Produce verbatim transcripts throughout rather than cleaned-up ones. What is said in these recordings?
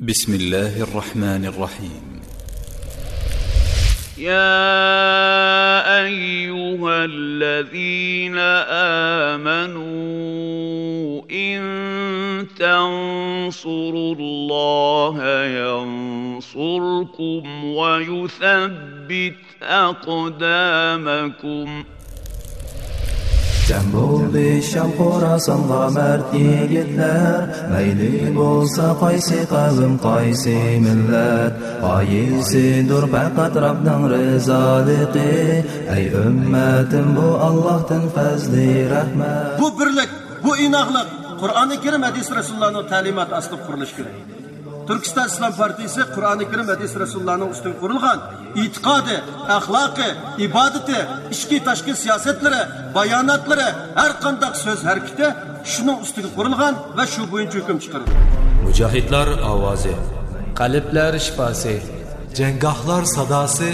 بسم الله الرحمن الرحيم. يا أيها الذين آمنوا إن تنصروا الله ينصركم ويثبت أقدامكم. جەم بولدى شام خوراسانغا مەرد يىگىتلەر، مەيلى بولسا قايسى قەۋم، قايسى مىللەت، غايىسىدۇر پەقەت رەبنىڭ رىزالىقى. ئەي ئۈممەتىم، بۇ ئاللاھتىن پەزلى رەھمەت. بۇ بىرلىك، بۇ ئىناقلىق قۇرئانى كەرىم، ھەدىس رەسۇلۇللانىڭ تەلىماتى ئاستىدا قۇرۇلۇشى كېرەك. تۈركىستان ئىسلام پارتىيىسى قۇرئانى كەرىم، ھەدىس رەسۇلۇللانىڭ ئۈستىگە قۇرۇلغان ئېتىقادى، ئەخلاقى، ئىبادىتى، ئىچكى تاشقى سىياسەتلىرى، باياناتلىرى، ھەر قانداق سۆز ھەرىكىتى شۇنىڭ ئۈستىگە قۇرۇلغان ۋە شۇ بويىچە ھۆكۈم چىقىرىدۇ. مۇجاھىدلار ئاۋازى. قەلبلەر شىپاسى. جەڭگاھلار ساداسى.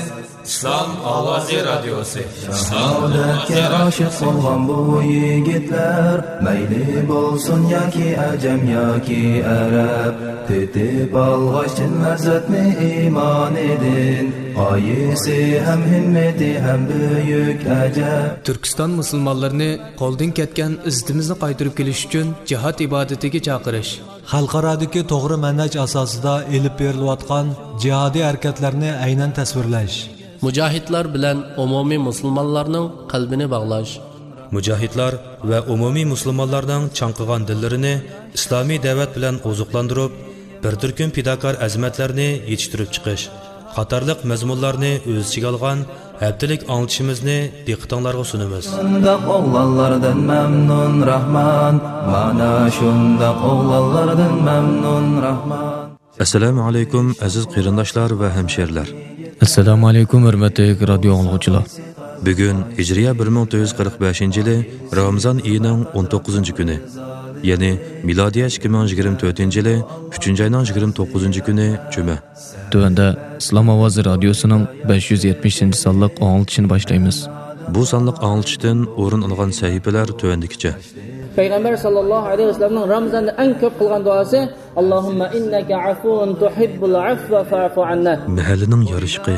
ئىسلام ئاۋازى رادىيوسى. شاھادەتكە ئاشىق بولغان بۇ يىگىتلەر، مەيلى بولسۇن ياكى ئەجەم ياكى ئەرەب، تېتىپ ئالغاچ چىن لەززەتنى ئىمانىدىن، غايىسى ھەم ھىممىتى ھەم بۈيۈك ئەجەب. تۈركىستان مۇسۇلمانلىرىنى قولدىن كەتكەن ئىززىتىمىزنى قايتۇرۇپ كېلىش ئۈچۈن جىھاد ئىبادىتىگە چاقىرىش. خەلقئارادىكى توغرا مەنھەج ئاساسىدا ئېلىپ بېرىلىۋاتقان جىھادىي ھەرىكەتلەرنى ئەينەن تەسۋىرلەش. مۇجاھىدلار بىلەن ئومۇمىي مۇسۇلمانلارنىڭ قەلبىنى باغلاش. مۇجاھىدلار ۋە ئومۇمىي مۇسۇلمانلارنىڭ چاڭقىغان دىللىرىنى ئىسلامىي دەۋەت بىلەن ئوزۇقلاندۇرۇپ، بىر تۈركۈم پىداكار ئەزىمەتلەرنى يېتىشتۈرۈپ چىقىش قاتارلىق مەزمۇنلارنى ئۆز ئىچىگە ئالغان ھەپتىلىك ئاڭلىتىشىمىزنى دىققىتىڭلارغا سۇنىمىز. شۇنداق ئوغلانلاردىن مەمنۇن راھمان، مانا شۇنداق ئوغلانلاردىن مەمنۇن راھمان. ئەسسالامۇ ئەلەيكۇم، ئەزىز قېرىنداشلار ۋە ھەمشېرىلەر. ئەسسالامۇ ئەلەيكۇم، ھۆرمەتلىك رادىيو ئاڭلىغۇچىلار. بۈگۈن ھىجرىيە بىر مىڭ تۆت يۈز قىرىق بەشىنچى يىلى رامىزان ئېيىنىڭ ئون توققۇزىنچى كۈنى، يەنى مىلادىيە ئىككى مىڭ يىگىرمە تۆتىنچى يىلى ئۈچىنچى ئاينىڭ يىگىرمە توققۇزىنچى كۈنى جۈمە. تۆۋەندە ئىسلام ئاۋازى رادىيوسىنىڭ بەش يۈز يەتمىشىنچى سانلىق ئاڭلىتىشىنى باشلايمىز. بۇ سانلىق ئاڭلىتىشتىن ئورۇن ئالغان سەھىپىلەر تۆۋەندىكىچە. پەيغەمبەر ساللاللاھۇ ئەلەيھى ۋەسەللەمنىڭ رامىزاندا ئەڭ كۆپ قىلغان دۇئاسى، اللهم إنك عفو تحب العفو فاعف عنا. مەھەللىنىڭ يارىشىقى،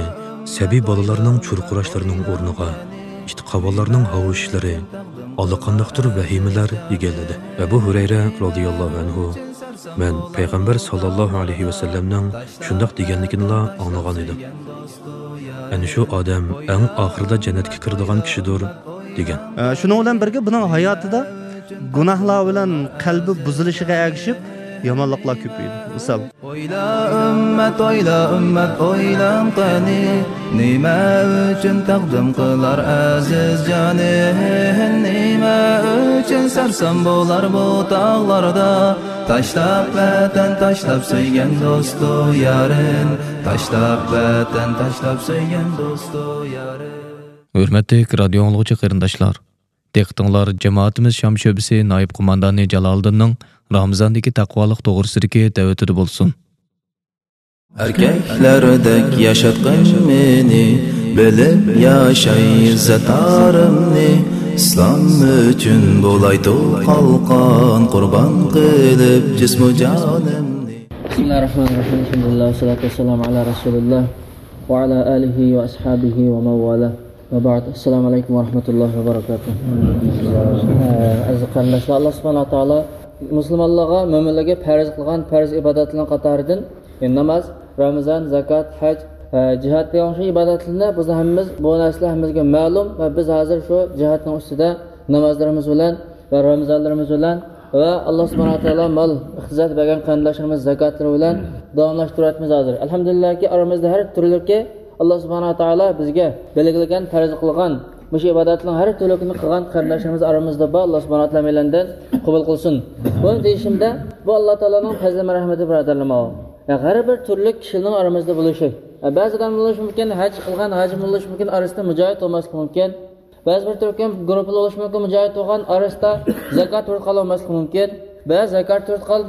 سەبىي بالىلارنىڭ چۇرقۇراشلىرىنىڭ ئورنىغا ئىت قاۋانلارنىڭ ھاۋشىشلىرى، ئاللىقانداقتۇر ۋەھىمىلەر ئىگىلىدى. ئەبۇ ھۇرەيرە رازىياللاھۇ ئەنھۇ، مەن پەيغەمبەر ساللاللاھۇ ئەلەيھى ۋەسەللەمنىڭ شۇنداق دېگەنلىكىنىلا ئاڭلىغان ئىدىم. ئەنە شۇ ئادەم ئەڭ ئاخىرىدا جەننەتكە كىرىدىغان كىشىدۇر، دېگەن. ئە، شۇنىڭ بىلەن بىرگە بۇنىڭ ھاياتىدا گۇناھلار بىلەن قەلبى بۇزۇلۇشىغا ئەگىشىپ يامانلىقلار كۆپىيىدۇ. مىسال. ئويلا ئۈممەت، ئويلا ئۈممەت، ئويلان قېنى، نېمە ئۈچۈن تەقدىم قىلار ئەزىز جانى؟ نېمە ئۈچۈن سەرسان بولار بۇ تاغلاردا؟ تاشلاپ ۋەتەن، تاشلاپ سۆيگەن دوستۇ يارىن، تاشلاپ ۋەتەن، تاشلاپ سۆيگەن دوستۇ يارىن. ھۆرمەتلىك رادىيو ئاڭلىغۇچى قېرىنداشلار، دىققىتىڭلار جامائىتىمىز شام شۆبىسى نائىب قوماندانى جالالىدىننىڭ رامىزاندىكى تەقۋالىق توغرىسىدىكى دەۋىتىدە بولسۇن. ئەركەكلەردەك ياشاتقىن مېنى، بىلىپ ياشاي ئىززەت-ئارىمنى، ئىسلام ئۈچۈن بولاي تۇغ قالقان، قۇربان قىلىپ جىسمۇ جانىمنى. بسم الله الرحمن الرحيم. الحمد لله والصلاة والسلام على رسول الله وعلى آله وأصحابه ومن والاه. ۋەبەئد. ئەسسالامۇ ئەلەيكۇم ۋەرەھمەتۇللاھى ۋەبەرەكاتۇھ. ئەزىز قېرىنداشلار، ئاللا سۇبھانەھۇ ۋە تائالا مۇسۇلمانلارغا، مۆمىنلەرگە پەرز قىلغان پەرز ئىبادەتلەرنىڭ قاتارىدىن، يەنى ناماز، رامىزان، زاكات، ھەج، ئە، جىھاد دېگەن شۇ ئىبادەتلەرنى بىز ھەممىمىز، بۇ نەرسىلەر ھەممىمىزگە مەلۇم ۋە بىز ھازىر شۇ جىھادنىڭ ئۈستىدە نامازلىرىمىز بىلەن ۋە رامىزانلىرىمىز بىلەن ۋە ئاللا سۇبھانەھۇ ۋە تائالا مال ئىقتىساد بەرگەن قېرىنداشلىرىمىز زاكاتلىرى بىلەن داۋاملاشتۇرۇۋاتىمىز ھازىر. ئەلھەمدۇلىللاھكى، ئارىمىزدا ھەر تۈرلۈكى ئاللا سۇبھانەھۇ ۋە تائالا بىزگە بەلگىلىگەن، پەرز قىلغان مۇشۇ ئىبادەتنىڭ ھەر تۈرلۈكىنى قىلغان قېرىنداشلىرىمىز ئارىمىزدا بار، ئاللا سۇبھانەھۇ ۋە تائالا ھەممەيلەندىن قوبۇل قىلسۇن. بۇنى دېيىشىمدە، بۇ ئاللا تائالانىڭ پەزلى مەرھەمىتى، بۇرادەرلىرىم. يا، ھەر بىر تۈرلۈك كىشىنىڭ ئارىمىزدا بولۇشى. يا، بەزى ئادەم بولۇشى مۇمكىن، ھەج قىلغان ھاجىم بولۇشى مۇمكىن، ئارىسىدا مۇجاھىد بولماسلىقى مۇمكىن. بەزى بىر تۈركۈم گۇرۇپپىدا بولۇشى مۇمكىن، مۇجاھىد بولغان، ئارىسىدا زاكات تۇرۇپ قالماسلىقى مۇمكىن. بەزى زاكات تۇرۇپ قال،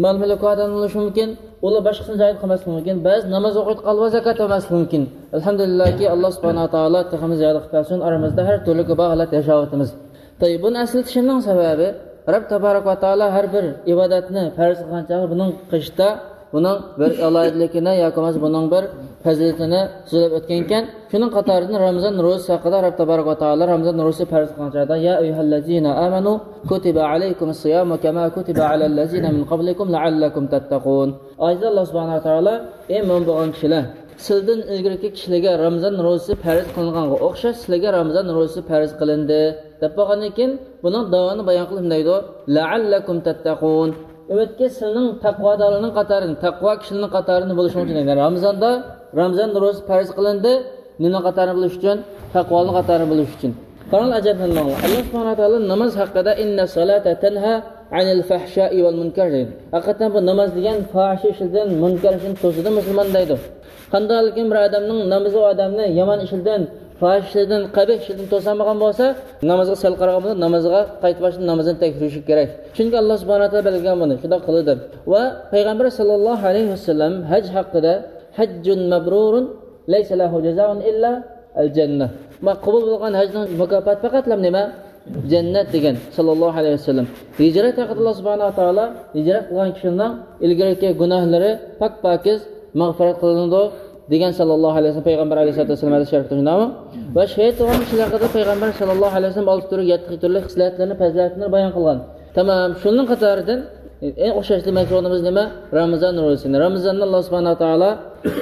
مال مۈلكى ئادەم بولۇشى مۇمكىن، ئۇلار باشقىسىنى جاھىد قىلماسلىقى مۇمكىن. بەزى ناماز ئوقۇيدۇ قالىۋا زاكات بەرمەسلىكى مۇمكىن. ئەلھەمدۇلىللاھكى، ئاللا سۇبھانەھۇ ۋە تائالا تېخىمۇ زىيادە قىلىپ بەرسۇن، ئارىمىزدا ھەر تۈرلۈكى بار ھالەتتە ياشاۋاتىمىز. تاي، بۇنى ئەسلىتىشىمنىڭ سەۋەبى، رەب تەبارەك ۋە تائالا ھەر بىر ئىبادەتنى پەرز قىلغان چاغدا بۇنىڭ قېشىدا بۇنىڭ بىر ئالاھىدىلىكىنى ياكى بولمىسا بۇنىڭ بىر پەزىلىتىنى سۆزلەپ ئۆتكەنكەن. شۇنىڭ قاتارىدىن رامىزان روزىسى ھەققىدە رەب تەبارەك ۋە تائالا رامىزان روزىسى پەرز قىلغان چاغدا، يا ئەييۇھەللەزىنە ئامەنۇ كۇتىبە ئەلەيكۇمۇس سىيامۇ كەما كۇتىبە ئەلەللەزىنە مىن قەبلىكۇم لەئەللەكۇم تەتتەقۇن. ئايەتتە ئاللا سۇبھانەھۇ ۋە تائالا، ئى مۆمىن بولغان كىشىلەر، سىلىدىن ئىلگىرىكى كىشىلەرگە رامىزان روزىسى پەرز قىلىنغانغا ئوخشاش سىلەرگە رامىزان روزىسى پەرز قىلىندى، دەپ بولغاندىن كېيىن بۇنىڭ داۋامىنى بايان قىلىپ دەيدۇ، لەئەللەكۇم تەتتەقۇن. ئۈمىدكى سىلىنىڭ تەقۋادارلارنىڭ قاتارىدىن، تەقۋا كىشىلەرنىڭ قاتارىدىن بولۇشۇڭ ئۈچۈن دەيدۇ. رامىزاندا، رامىزان روزىسى پەرز قىلىندى، نېمىنىڭ قاتارىدىن بولۇش ئۈچۈن؟ تەقۋالارنىڭ قاتارىدىن بولۇش ئۈچۈن. قاراڭلار، ئەجەبلەنمەڭلار. ئاللا سۇبھانەھۇ ۋە تائالا ناماز ھەققىدە، ئىننەس سالاتا تەنھا ئەنىل فەھشائى ۋەل مۇنكەر دەيدۇ. ھەقىقەتەن بۇ ناماز دېگەن فاھىشە ئىشلىرىدىن، مۇنكەر ئىشلىرىدىن توسىدۇ مۇسۇلماننى دەيدۇ. قانداقلىكىن بىر ئادەمنىڭ نامىزى ئۇ ئادەمنى يامان ئىشلىرىدىن، پاھىشە ئىشلىرىدىن، قەبىھ ئىشلىرىدىن توسالمىغان بولسا، نامازغا سەل قارىغان بولسا، نامازىغا قايتا باشتىن نامازىنى تەكشۈرۈشى كېرەك. چۈنكى ئاللا سۇبھانەھۇ ۋە تائالا بەلگىلىگەن بۇنى، شۇنداق قىلىدۇ دەپ. ۋە پەيغەمبەر ساللاللاھۇ ئەلەيھى ۋەسەللەم ھەج ھەققىدە، ھەججۇن مەبرۇرۇن لەيسە لەھۇ جازائۇن ئىللا ئەل جەننە. ما قوبۇل بولغان ھەجنىڭ مۇكاپاتى پەقەتلا نېمە؟ جەننەت دېگەن، ساللاللاھۇ ئەلەيھى ۋەسەللەم. ھىجرەت ھەققىدە ئاللا سۇبھانەھۇ ۋە تائالا ھىجرەت قىلغان كىشىنىڭ ئىلگىرىكى گۇناھلىرى پاك-پاكىز مەغپىرەت قىلىنىدۇ دېگەن، ساللاللاھۇ ئەلەيھى ۋەسەللەم، پەيغەمبەر ئەلەيھىسسالاتۇ ۋەسسالام ھەدىس شەرىپتە شۇنداقمۇ؟ ۋە شېھىت بولغان كىشىلەر ھەققىدە پەيغەمبەر ساللاللاھۇ ئەلەيھى ۋەسەللەم ئالتە تۈرلۈك، يەتتە خىل تۈرلۈك خىسلەتلىرىنى، پەزىلەتلىرىنى بايان قىلغان. تامام، شۇنىڭ قاتارىدىن ئەڭ ئوخشاش دېمەكچى بولغىنىمىز نېمە؟ رامىزان روزىسىنى. رامىزاننى ئاللا سۇبھانەھۇ ۋە تائالا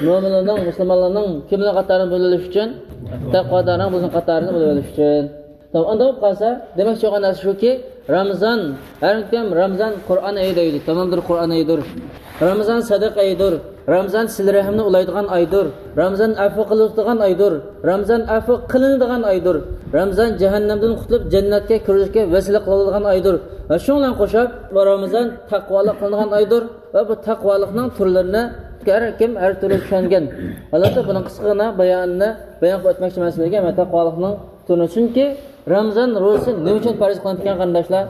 مۆمىنلەرنىڭ، مۇسۇلمانلارنىڭ كىملەر قاتارىدىن بولۇۋېلىش ئۈچۈن؟ تەقۋادارنىڭ بۇنىڭ قاتارىدىن بولۇۋېلىش ئۈچۈن. تامام، ئۇنداق بولۇپ قالسا، دېمەكچى بولغان نەرسە شۇكى، رامىزان، ھەر كىم رامىزان قۇرئان ئېيى دەيدۇ، تامامدۇر قۇرئان ئېيىدۇر. رامىزان سەدىقە ئېيىدۇر. رامىزان سىلە رەھىمنى ئۇلايدىغان ئايدۇر. رامىزان ئەپۇ قىلىدىغان ئايدۇر. رامىزان ئەپۇ قىلىنىدىغان ئايدۇر. رامىزان جەھەننەمدىن قۇتۇلۇپ جەننەتكە كىرىشكە ۋەسىلە قىلىدىغان ئايدۇر. ۋە شۇنىڭ بىلەن قوشۇپ، بۇ رامىزان تەقۋالىق قىلىنىدىغان ئايدۇر. ۋە بۇ تەقۋالىقنىڭ تۈرلىرىنى ھەر كىم ھەر تۈرلۈك چۈشەنگەن ھالەتتە بۇنىڭ قىسقىغىنا بايانىنى بايان قىلىپ ئۆتمەكچىمەن سىلەرگە. مەن تەقۋالىقنىڭ تۈرىنى، چۈنكى رامىزان روزىسى نېمە ئۈچۈن پەرز قىلىنىپتىكەن، قېرىنداشلار؟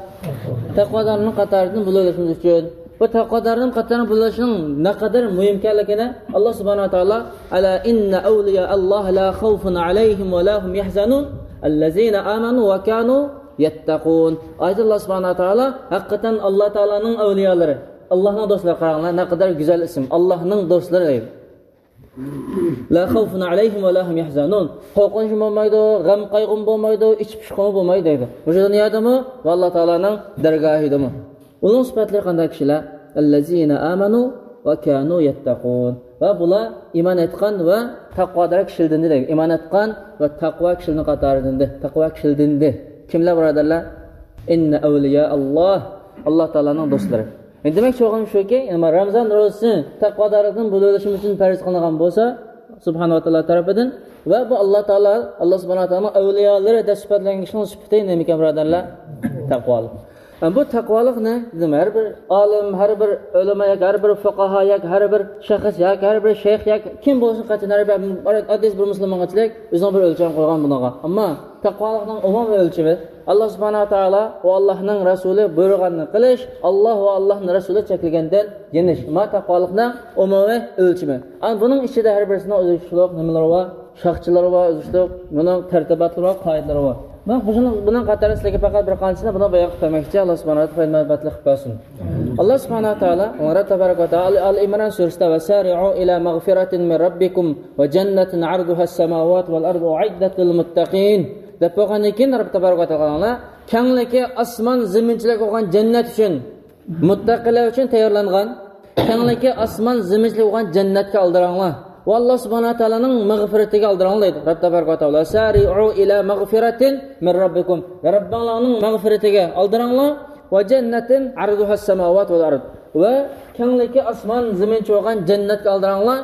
تەقۋادارلارنىڭ قاتارىدىن بولۇۋېلىشىمىز ئۈچۈن. بۇ تەقۋادارلارنىڭ قاتارىدىن بولۇۋېلىشنىڭ نەقەدەر مۇھىم ئىكەنلىكىنى ئاللا سۇبھانەھۇ ۋە تائالا، ئەلا ئىننە ئەۋلىيا ئاللاھ لا خەۋفۇن ئەلەيھىم ۋە لا ھۇم يەھزەنۇن، ئەللەزىنە ئامەنۇ ۋە كانۇ يەتتەقۇن. ئايەتتە ئاللا سۇبھانەھۇ ۋە تائالا، ھەقىقەتەن ئاللا تائالانىڭ ئەۋلىيالىرى، ئاللانىڭ دوستلىرى، قاراڭلار، نەقەدەر گۈزەل ئىسىم، ئاللانىڭ دوستلىرى دەيدۇ. لا خەۋفۇن ئەلەيھىم ۋە لا ھۇم يەھزەنۇن. قورقۇنچمۇ بولمايدۇ، غەم قايغۇمۇ بولمايدۇ، ئىچ پۇشقىمۇ بولمايدۇ دەيدۇ. مۇشۇ دۇنيادىمۇ ۋە ئاللا تائالانىڭ دەرگاھىدىمۇ. ئۇنىڭ سۈپەتلىرى قانداق كىشىلەر؟ ئەللەزىنە ئامەنۇ ۋە كانۇ يەتتەقۇن. ۋە بۇلار ئىمان ئېيتقان ۋە تەقۋادار كىشىلىرىدىن دەيدۇ. ئىمان ئېيتقان ۋە تەقۋا كىشىلىرىنىڭ قاتارىدىن، تەقۋا كىشىلىرىدىن. كىملەر، بۇرادەرلەر؟ ئىننە ئەۋلىيا ئاللاھ، ئاللا تائالانىڭ دوستلىرى. ئەمدى دېمەكچى بولغىنىم شۇكى، يەنى رامىزان روزىسى تەقۋادارلىقتىن بولۇۋېلىشىمىز ئۈچۈن پەرز قىلىنغان بولسا، سۇبھانەھۇ ۋە تائالا تەرىپىدىن، ۋە بۇ ئاللا تائالا، ئاللا سۇبھانەھۇ ۋە تائالانىڭ ئەۋلىيالىرى دەپ سۈپەتلەنگەن كىشىنىڭ سۈپىتى نېمىكەن، بۇرادەرلەر؟ تەقۋالىق. ئەمدى بۇ تەقۋالىقنى دېدىم، ھەر بىر ئالىم، ھەر بىر ئۆلىما ياكى ھەر بىر فۇقاھا ياكى ھەر بىر شەخس ياكى ھەر بىر شەيخ ياكى كىم بولسۇن، قاچان ھەر بىر ئاددىي بىر مۇسۇلمانغىچىلىك ئۆزىنىڭ بىر ئۆلچىمى قويغان بۇنىڭغا. ئەمما تەقۋالىقنىڭ ئومۇمىي ئۆلچىمى، ئاللا سۇبھانەھۇ ۋە تائالا ۋە ئاللانىڭ رەسۇلى بۇيرۇغاننى قىلىش، ئاللا ۋە ئاللانىڭ رەسۇلى چەكلىگەندىن يېنىش. ما تەقۋالىقنىڭ ئومۇمىي ئۆلچىمى. ئەمما بۇنىڭ ئىچىدە ھەر بىرسىنىڭ ئۆزگىچىلىك نېمىلىرى بار، شاخچىلىرى بار، ئۆزگىچىلىك بۇنىڭ تەرتىباتلىرى بار، قائىدىلىرى بار. مەن بۇنىڭ، بۇنىڭ قاتارىدا سىلەرگە پەقەت بىر قانچىسىنى بۇنى بايان قىلىپ بەرمەكچى. ئاللا سۇبھانەھۇ ۋە تائالا پايدىلىق قىلىپ بەرسۇن. ئاللا سۇبھانەھۇ ۋە تائالا، رەب تەبارەك ۋە تائالا ئال ئىمران سۈرىسىدە، ۋەسارىئۇ ئىلا مەغفىرەتىن مىن رەببىكۇم ۋە جەننەتىن ئەرزۇھەس سەماۋاتۇ ۋەل ئەرزۇ ئۇئىددەت لىل مۇتتەقىن دەپ بولغاندىن كېيىن، رەب تەبارەك ۋە تائالا، كەڭلىكى ئاسمان زېمىنچىلىك بولغان جەننەت ئۈچۈن، مۇتتەقىلەر ئۈچۈن تەييارلانغان، كەڭلىكى ئاسمان زېمىنچىلىك بولغان جەننەتكە ئالدىراڭلار. ۋە ئاللا سۇبھانەھۇ ۋە تائالانىڭ مەغپىرىتىگە ئالدىراڭلار دەيدۇ رەب تەبارەك ۋە تائالا. سارىئۇ ئىلا مەغفىرەتىن مىن رەببىكۇم. رەببىڭلارنىڭ مەغپىرىتىگە ئالدىراڭلار. ۋە جەننەتىن ئەرزۇھەس سەماۋات ۋەل ئەرز. ۋە كەڭلىكى ئاسمان زېمىنچە بولغان جەننەتكە ئالدىراڭلار.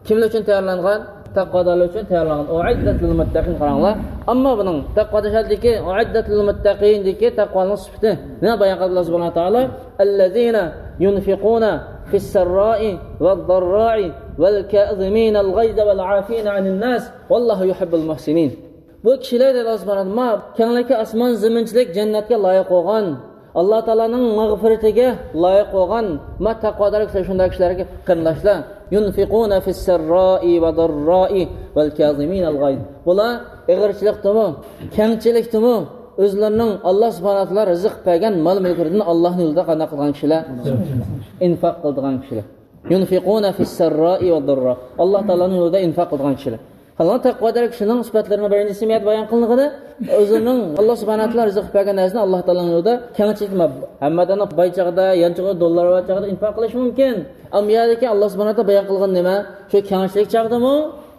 كىملەر ئۈچۈن تەييارلانغان؟ تەقۋادارلار ئۈچۈن تەييارلانغان. ئۇئىددەت لىل مۇتتەقىن، قاراڭلار. ئەمما بۇنىڭ تەقۋا دېگەندىكى، ئۇئىددەت لىل مۇتتەقىن دېگەندىكى تەقۋانىڭ سۈپىتى نېمە بايان قىلدى ئاللا سۇبھانەھۇ ۋە تائالا؟ ئەللەزىنە يۇنفىقۇنە فىسسەررائى ۋەززەررائى ۋەلكازىمىنەل غەيزە ۋەلئافىنە ئەنىنناس ۋەللاھۇ يۇھىببۇل مۇھسىنىن. بۇ كىشىلەر دەيدۇ ئاللا سۇبھانەھۇ ۋە تائالا، ما كەڭلىكى ئاسمان زېمىنچىلىك جەننەتكە لايىق بولغان، ئاللا تائالانىڭ مەغپىرىتىگە لايىق بولغان، ما تەقۋادار كىشىلەر، شۇنداق كىشىلەرگە قېرىنداشلار، يۇنفىقۇنە فىسسەررائى ۋەززەررائى ۋەلكازىمىنەل غەيز. بۇلار ئېغىرچىلىقتىمۇ، كەڭچىلىكتىمۇ ئۆزلىرىنىڭ ئاللا سۇبھانەھۇ ۋە تائالا رىزىق بەرگەن مال-مۈلكلىرىدىن ئاللانىڭ يولىدا قانداق قىلغان كىشىلەر؟ ئىنفاق قىلىدىغان كىشىلەر. ينفقون في السراء والضراء. ئاللا تائالانىڭ يولىدا ئىنفاق قىلىدىغان كىشىلەر. قالغان تەقۋادار كىشىنىڭ سۈپەتلىرىنىڭ بىرىنچىسى مۇ يەردە بايان قىلىنغىنى، ئۆزىنىڭ ئاللا سۇبھانەھۇ ۋە تائالا رىزىق بەرگەن نەرسىنى ئاللا تائالانىڭ يولىدا كەڭچىلىك، ھەممە ئادەمنىڭ باي چاغدا، يانچۇقىدا دوللار بار چاغدا ئىنفاق قىلىشى مۇمكىن. ئەمما يەردىكى ئاللا سۇبھانەھۇ ۋە تائالا بايان قىلغان نېمە؟ شۇ كەڭچىلىك چاغدىمۇ،